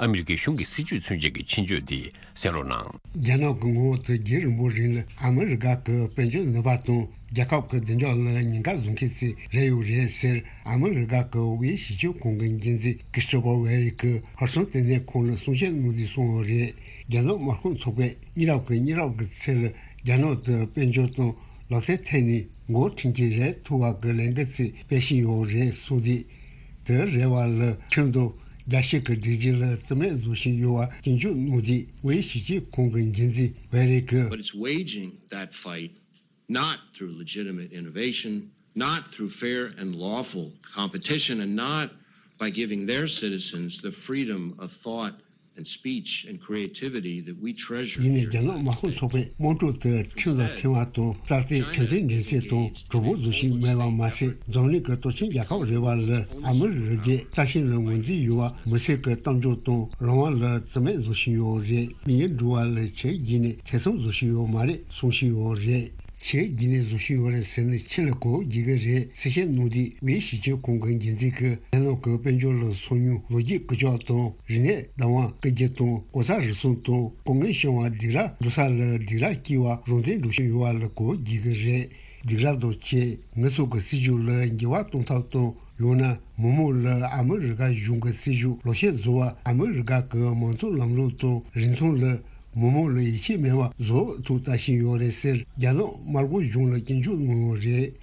ཨ་མི་རི་ཀའི་གཞུང་གི་སྲིད་ཇུས་མཚོན་བྱེད་ཀྱི་ཆེད་བརྗོད་འདི་གསན་རོགས་གནང་། རྒྱ་ནག་གི་ངོ་བོ་དེ་རྒྱུན་རིང་པོ་རིང་ལ་ཨ་མི་རི་ཀ་གི་དཔལ་འབྱོར་ནུས་པ་དང་རྒྱལ་ཁབ་ཀྱི་བདེ་འཇགས་ལ་ཉེན་ཁ་བཟོ་མཁན་ཞིག་རེད་ཡོད་རེད་ཟེར། ཨ་མི་རི་ཀ་གི་དབུས་ཞིབ་དཔྱོད་ཁང་གི་འགན་འཛིན་ཀི་སི་ཊོ་ཕར་ཝེ་རི་གིས་ཧར་སང་དེ་ནས་ཁོང་ལ་གསུང་བཤད་གནང་དུས་གསུངས་པ་རེད། རྒྱ་ནག་དམར་ཤོག་ཚོགས་པས་མི་རབས་ཀྱི་མི་རབས་ཀྱི་ཚེ་ལ་རྒྱ་ནག་ཏུ་དཔལ་འབྱོར་དང་ལག་རྩལ་ཐད་ནས་འགོ་ཁྲིད་ཀྱི་རེད་ཐུབ་པ་གི་ལས་འགུལ་ཅིག་སྤེལ་བཞིན་ཡོད་རེད་གསུངས་ཏེ། དེ་རེ་བ་ལ་ཁྲིམས་དང་རྒྱལ་སྤྱི་གི་སྒྲིག་གཞི་ལ་བརྩི་མེད་བཟོ་བཞིན་ཡོད་པ་སྐྱོན་བརྗོད་གནང་སྟེ། དབུས་ཞིབ་དཔྱོད་ཁང་གི་འགན་འཛིན་ཝེ་རི་གིས། But it's waging that fight not through legitimate innovation, not through fair and lawful competition, and not by giving their citizens the freedom of thought and speech and creativity that we treasure ཡིན་ནའི་རྒྱ་ནག་དམར་ཤོག་ཚོགས་པས་དམངས་ཁྲོད་དུ་ཁྲིམས་ལ་མཐུན་པ་དང་རྩ་གཏོར་ཁྲིམས་མཐུན་འགྲན་རྩོད་དང་གྲོགས་པོ་བཟོ་བཞིན་མེད་པ་མ་ཟད། འཛམ་གླིང་གི་སྟོབས་ཆེན་རྒྱལ་ཁབ་རེ་བ་ལ་ཨ་མི་རི་ཀས་རྩ་ཆེན་ལ་ངོས་འཛིན་ཡོད་པ་མི་སེར་གྱི་གཏམ་བརྗོད་དང་རང་དབང་ལ་བརྩི་མེད་བཟོ་བཞིན་ཡོད་རེད། མི་ཡི་འགྲོ་བ་ལ་ཆེས་བརྒྱུད་ནས་ཐེ་ཚོམ་བཟོ་བཞིན་ཡོད་མ་རེད་གསུང་བཞིན་ཡོད་རེད། ཆེས་བརྒྱུད་ནས་བཟོ་བཞིན་ཡོད་རེད་ཟེར་ནས་ཕྱི་ལ་གོ་བརྒྱུད་ཀྱི་རེད་གསལ་བཤད་གནང་དུས། དབུས་ཞིབ་དཔྱོད་ཁང་གི་འགན་འཛིན་གྱིས་རྒྱ་ནག་གི་དཔལ་འབྱོར་ལ་སོ་ཉུལ་ལོ་རྒྱུས་རྐུ་འཁྱེར་དང་རིག་གནས་བདག་དབང་རྐུ་རྒྱུ་དང་ལྐོག་ཟ་རུལ་སུངས་དང་ལྐོག་རྔན་བྱུང་བ་སྡིགས་ར་འགྲོ་ས་ལ་སྡིགས་ར་སྐྱེལ་བ་རང་བཙན་འགྲོ་བཞིན་ཡོད་པ་ལ་གོ་བརྒྱུད་ཀྱི་རེད། སྡིགས་ར་དང་བཅས་ངེད་ཚོ་གི་སྲིད་བྱུས་ལ་འགྱུར་བ་གཏོང་ཐབས་དང་། ཡང་ན་མི་མང་ལ་ཨ་མི་རི་ཀ་གཞུང་གི་སྲིད་བྱུས་ལག་ཆ་བཟོ་བ། ཨ་མི་རི་ཀ་གི་མང་གཙོ་ལམ་ལུགས་དང་རིག་མཐུན་ལ་མི་མང་ལ་ཡིད་ཆེས་མེད་པ་བཟོ་ཐུབ་ལྟ་བཞིན་ཡོད་རེད་ཟེར། རྒྱ་ནག་དམར་པོ་གཞུང་ལ་སྐྱོན་བརྗོད་གནང་ཡོད་རེད།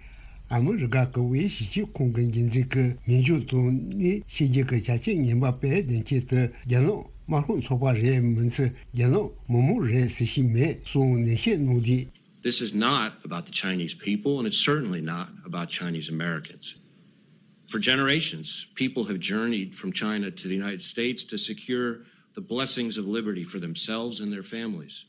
ཨ་མི་རི་ཀ་གི་དབུས་ཞིབ་དཔྱོད་ཁང་གི་འགན་འཛིན་གྱིས་ཉེས་འགྱུར་དང་གནས་ཤེས་རྒྱུ་གི་བྱ་སྤྱོད་ངན་པ་སྤེལ་བསྡད་མཁན་དེ་རྒྱ་ནག་དམར་ཤོག་ཚོགས་པ་རེད་མིན་ཚེ། རྒྱ་ནག་མི་མང་རེད་ཟེར་བཞིན་མེད་གསུངས་ནན་བཤད་གནང་དུས། This is not about the Chinese people, and it's certainly not about Chinese Americans. For generations, people have journeyed from China to the United States to secure the blessings of liberty for themselves and their families.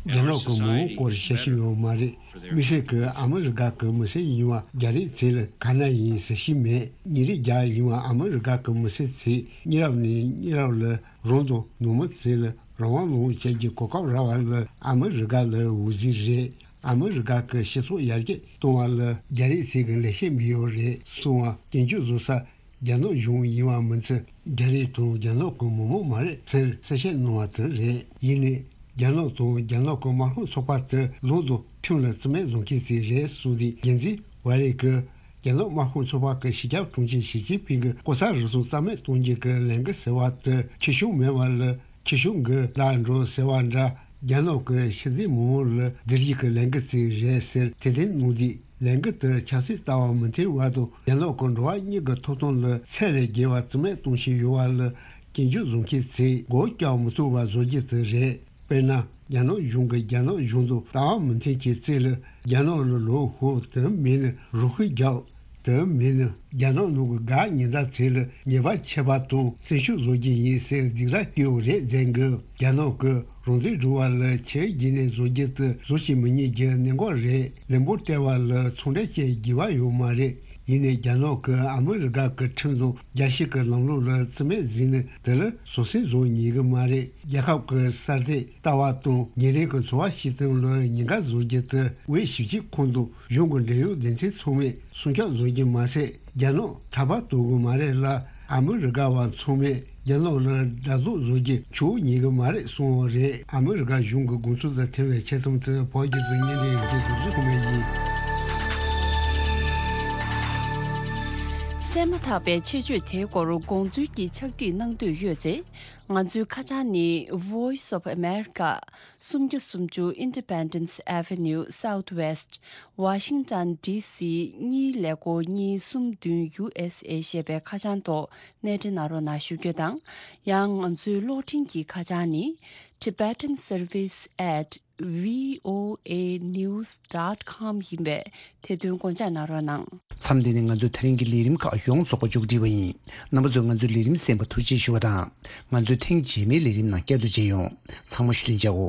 རྒྱ་ནག་གི་མི་དབང་སྐོར་བཤད་ཤེས་ཡོད་མ་རེད། མི་སེར་གྱིས་ཨ་མི་རི་ཀ་གི་མི་སེར་ཡིན་པ་རྒྱ་རིགས་ཚོ་ལ་ག་ན་ཡིན་ཟེར་ཤེས་མེད། ཉིན་རེ་རྒྱ་ཡིན་པ་ཨ་མི་རི་ཀ་གི་མི་སེར་ཚོས་མི་རབས་ནས་མི་རབས་ལ་རང་དང་ནང་མི་ཚོ་ལ་རང་དབང་ལོངས་སྤྱད་ཀྱི་གོ་སྐབས་རག་པ་ལ་ཨ་མི་རི་ཀ་ལ་འོད་ཟེར་རེད། ཨ་མི་རི་ཀ་གི་སྤྱི་ཚོགས་ཡར་རྒྱས་གཏོང་བ་ལ་རྒྱ་རིགས་ཚོ་གི་ལས་བྱེད་མི་ཡོད་རེད་གསུངས་པ་སྐྱོན་བརྗོད་བཟོ་ས། རྒྱ་ནག་གཞུང་ཡིན་པ་མིན་ཚེ་རྒྱ་རིགས་དང་རྒྱ་ནག་གི་མི་མང་མ་རེད་ཟེར་གསལ་བཤད་གནང་བ་དེ་རེད། ཡིན་ནའི་རྒྱ་ནག་དང་རྒྱ་ནག་གི་དམར་ཤོག་ཚོགས་པ་དེ་ལོག་ཏུ་ཁྲིམས་ལ་བརྩི་མེད་བཟོ་མཁན་ཞིག་རེད་གསུངས་ཏེ། འགན་འཛིན་ཝ་རེ་གིས་རྒྱ་ནག་དམར་ཤོག་ཚོགས་པ་གི་སྤྱི་ཁྱབ་དྲུང་ཆེ་ཞི་ཅིན་ཕིང་གི་ལྐོག་ཟ་རུལ་སུངས་རྩ་མེད་གཏོང་རྒྱུ་གི་ལས་འགུལ་ཟེར་བ་དེ་ཁྱི་ཤུག་མེད་པ་ལ། ཁྱི་ཤུག་གི་ལ་འགྲོ་ཟེར་བ་འདྲ། རྒྱ་ནག་གི་ཕྱི་སྡོད་མི་མང་ལ་བསྡུར་རྒྱུ་གི་ལས་འགུལ་ཅིག་རེད་ཟེར་དེ་དེ་གནང་དུས། ལས་འགུལ་དེ་ཆབ་སྲིད་ལྟ་བ་མི་མཐུན་པ་དང་རྒྱ་ནག་གི་འགྲོ་བ་མིའི་ཐོབ་ཐང་ལ་ཚད་ལས་བརྒལ་བ་རྩིས་མེད་གཏོང་བཞིན་ཡོད་པ་ལ་སྐྱོན་བརྗོད་བཟོ་མཁན་ཚོས་མགོ་བཀྱག་མི་ཐུབ་པ་བཟོ་རྒྱུ་དེ་རེད། དཔེར་ན། རྒྱ་ནག་གཞུང་གིས་རྒྱ་ནག་གཞུང་དང་ལྟ་བ་མི་མཐུན་མཁན་ཚོ་ལ་རྒྱ་ནག་ལ་ལོག་ཤོག་དེ་མིན་ན་རོགས་སྐྱོར་རྒྱག་དེ་མིན་ན་རྒྱ་ནག་ནང་གི་དགའ་ཉེ་འདྲ་ཚོ་ལ་ཉེས་པ་ཆད་པ་དང་བཙན་ཤུགས་བཟོ་རྒྱུ་ཡིན་ཟེར་སྡིགས་ར་སྐྱོན་རེད་མཛད་གི། རྒྱ་ནག་གི་རང་བཙན་སྒྲུབ་པ་ལ་ཆེས་རྒྱུན་ནས་བཟོ་རྒྱུ་དེ་བཟོ་བྱེད་མི་ཉན་རྒྱུ་གནད་འགག་རེད། ལན་པོ་སྤྲད་པ་ལ་ཚོང་འབྲེལ་བཅད་དགོས་པ་ཡོད་མ་རེད། ཡིན་ནའི་རྒྱ་ནག་གིས་ཨ་མི་རི་ཀ་གི་ཁྲིམས་དང་རྒྱལ་སྤྱི་གི་ལམ་ལུགས་ལ་བརྩི་མེད་བཟོས་ནས་དེ་ལ་བཟོད་བསྲན་བཟོ་ཉན་གི་མ་རེད། རྒྱལ་ཁབ་ཀྱི་གསར་གཏོད་ལྟ་བ་དང་ཉིན་རེ་གི་འཚོ་བ་སྐྱིད་སྟངས་ལ་ཉེན་ཁ་བཟོ་རྒྱུ་དེ་དབུས་ཞིབ་དཔྱོད་ཁང་དང་གཞུང་གི་འབྲེལ་ཡོད་སྡེ་ཚན་ཚང་མས་སྲུང་སྐྱོབ་བཟོ་རྒྱུ་མ་ཟད། རྒྱ་ནག་ཐར་པ་དོར་གི་མ་རེད་ལ། ཨ་མི་རི་ཀ་བ་ཚང་མས་རྒྱ་ནག་ལ་དགྲ་ལོག་བཟོ་རྒྱུ་ཆོག་ཉེས་ཀྱི་མ་རེད་གསུངས་པ་རེད། ཨ་མི་རི་ཀ་གཞུང་གི་དགོངས་ཚུལ་དང་འཁྲིལ་བའི་ཆེད་རྩོམ་དེ་བོད་སྐད་དུ་སྙན་སྒྲོན་ཡོད་རྒྱུ་དུ་གཟིགས་གོ་མེད་ཡིན། གསན་མ་ཐག་པའི་ཆེད་བརྗོད་དེའི་སྐོར་དགོངས་ཚུལ་གྱི་ཕྱག་བྲིས་གནང་འདོད་ཡོད་ཚེ། ང་ཚོའི་ཁ་བྱང་ནི། Voice of America། སུམ་བརྒྱ་སུམ་ཅུ་Independence Avenue Southwest། Washington D C གཉིས་ཀླད་ཀོར་གཉིས་གསུམ་བདུན་U S A ཞེས་པའི་ཁ་བྱང་ཐོག་གནས་འདྲི་གནང་རོགས་གནང་ཞུ་རྒྱུ་དང་། ཡང་ང་ཚོའི་གློག་འཕྲིན་གྱི་ཁ་བྱང་ནི། Tibetan Service at V O A news dot com ཡིན་པས། དེ་དོན་དགོངས་འཇགས་གནང་རོགས་གནང་། མཚམས་འདི་ནས་ང་ཚོའི་ད་རིང་གི་ལས་རིམ་ཁག་ཡོངས་རྫོགས་པ་མཇུག་སྒྲིལ་བ་ཡིན། རྣམ་པ་ཚོས་ང་ཚོའི་ལས་རིམ་གསན་པར་ཐུགས་རྗེ་ཞུ་བ་དང་། ང་ཚོའི་ཐེངས་རྗེས་མའི་ལས་རིམ་ནང་བསྐྱར་དུ་མཇལ་ཡོང་། ཚང་མ་ཞུ་དོན་བྱའོ།